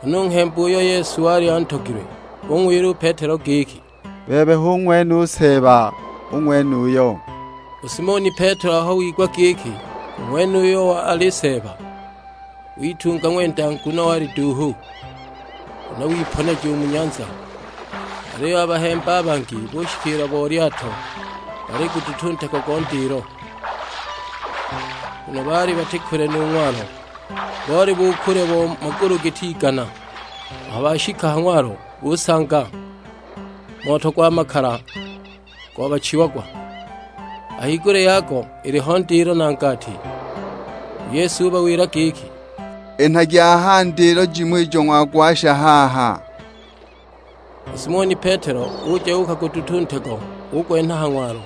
Huna u nghemba uyo Yesu wali antogilwe ung'wila u Petelo giki, "Bebe hu ng'wene u Seeba, u ng'wenuyo." U Simoni Petelo aho wigwa giki u ng'wenuyo ali Seeba, witunga ng'wenda nguno wali duuhu, huna wiponeja u mu nyanza. Aliyo a bahemba a bangi bushikiila bo lyato baliguduta u ntego go ndilo, nguno baali bati kule nu ng'walo, boli bukule bo magulu giti igana. Aho bashika ha ng'walo, busanga moto gwa makala gobachiagwa, a higulya yago iliho ndilo na ngati. U Yesu ubawila giki, "Enhagi aha ndilo jimo ijo ng'wagwasha haha." U Simoni Petelo uja uukaguduta u ntego, ugwenha ha ng'walo.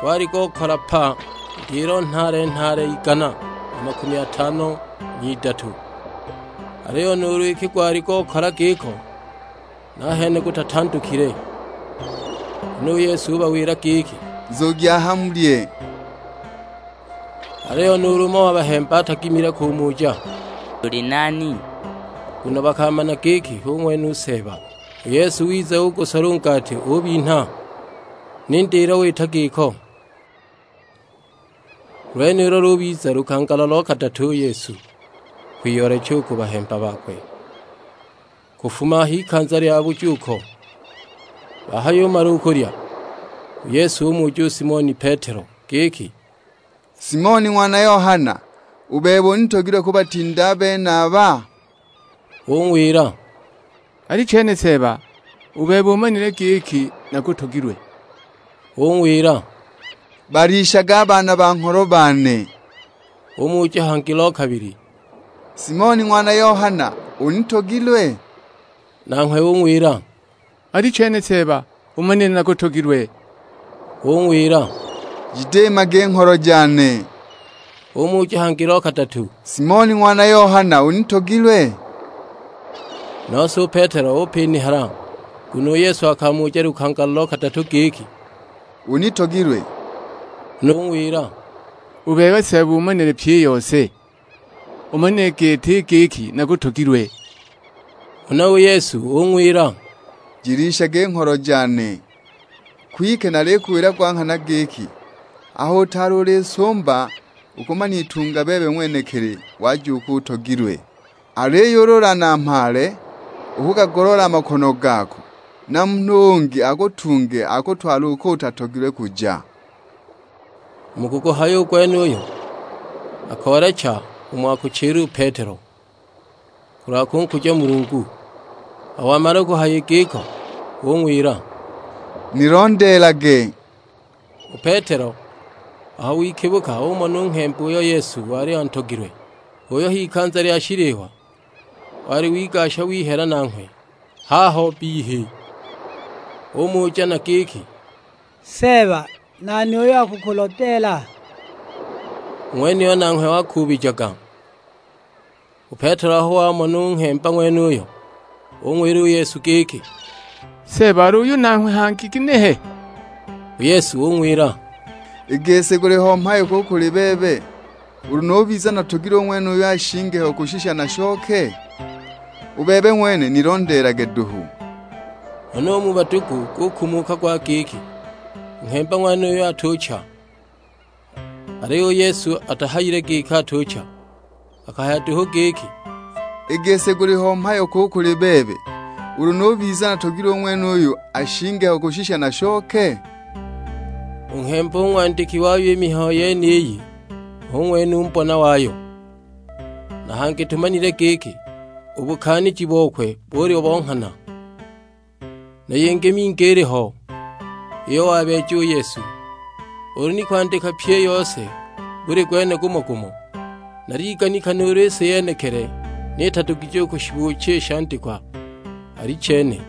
Gwali gokola pa ndilo nhaale-nhaale igana na makumi atano n'idatu, aliyo nuulu iki gwali gokola giko, nahene gutatandukile. Huna u Yesu ubawila giki, "Nzugi aha mulye." Aliyo nuulu umo wa bahemba atagimile kumuja, "Uli nani?" Nguno bakamana giki hu ng'wene u Seeba. U Yesu wiza ugusola u ngati ubinha, ni ndilo wita giko. Lwenilo lubiza lukangala lo kadatu u Yesu kwiyoolecha u ku bahemba bakwe. Kufuma h'ikanza lya bujuuko, bahayumala u kulya, u Yesu umuja u Simoni Petelo giki, "Simoni ng'wana Yohana, u bebe unitogilwe kubatinda a benaba?" Ung'wila, "Alichene Seeba, u bebe umanile giki nakutogilwe." Ung'wila, "Balishage a baana ba ngholo bane." Umuja hangi lo kabili, "Simoni ng'wana Yohana, unitogilwe?" Nanghwe ung'wila, "Alichene Seeba, umanile nakutogilwe." Ung'wila, "Jidimage ngholo jane." Umuja hangi lo kadatu, "Simoni ng'wana Yohana, unitogilwe?" Nose u Petelo upinihala, nguno u Yesu akamuja lukangala lo kadatu giki, "Unitogilwe?" Huna ung'wila, "U bebe Seeba umanile pyi i yose, umanile gete i giki nakutogilwe." Huna u Yesu ung'wila, "Jilishage i ngholo jane. Kwike nalikuwila gwa nghana giki, aho utaali ulisumba, ukuman'itunga bebe ng'wenekili wajuuka utogilwe. Aliyo ulu ulanamhaale, ukugagoloola a makono gako, na munhu ungi akutunge akutwale uko utatogilwe kuja." Mu kuguhaya u gwenuyo, akoolecha umo akuchila u Petelo, kulwa kunkuja Mulungu. Aho wamala kuhaya i giko, ung'wila, "Nilondeelage." U Petelo aho wikibuka umona u nghemba uyo Yesu wali antogilwe, uyo h'ikanza lya shiliwa wali wigasha wihela nanghwe haho bbihi. Umuja na giki, "Seeba, nani uyo akukulodeela?" U ng'wenuyo nanghwe wakuubijaga. U Petelo aho wamona u nghemba ng'wenuyo, ung'wila u Yesu giki, "Seeba, ali uyu nanghwe hangi ginehe?" U Yesu ung'wila, "I gisi guliho mhayo ki u kuli bebe, ulu nubiza natogilwe u ng'wenuyu ashinge ho kushisha nashoke? U bebe ng'wene nilondeelage duhu." Huna u mu badugu gukumuka gwa giki, u nghemba ng'wenuyo atucha. Aliyo u Yesu atahayile giki atucha, akahaya duhu giki, I gisi guliho mhayo ki u kuli bebe, ulu nubiza natogilwe u ng'wenuyu ashinge ho kushisha nashoke?" U nghemba u ng'wandiki wayo i mihayo yeniyi hu ng'wene u mbona wayo. Na hangi tumanile giki, u bukaaniji bokwe buli bo nghana. Na yingi mingi iliho, iyo wabeeja u Yesu. Ulu ni kwandika pyi i yose buli gwene gumo-gumo, naliganika nuulu i si yenekili ni itadugije u kushibuucha i shandikwa, alichene.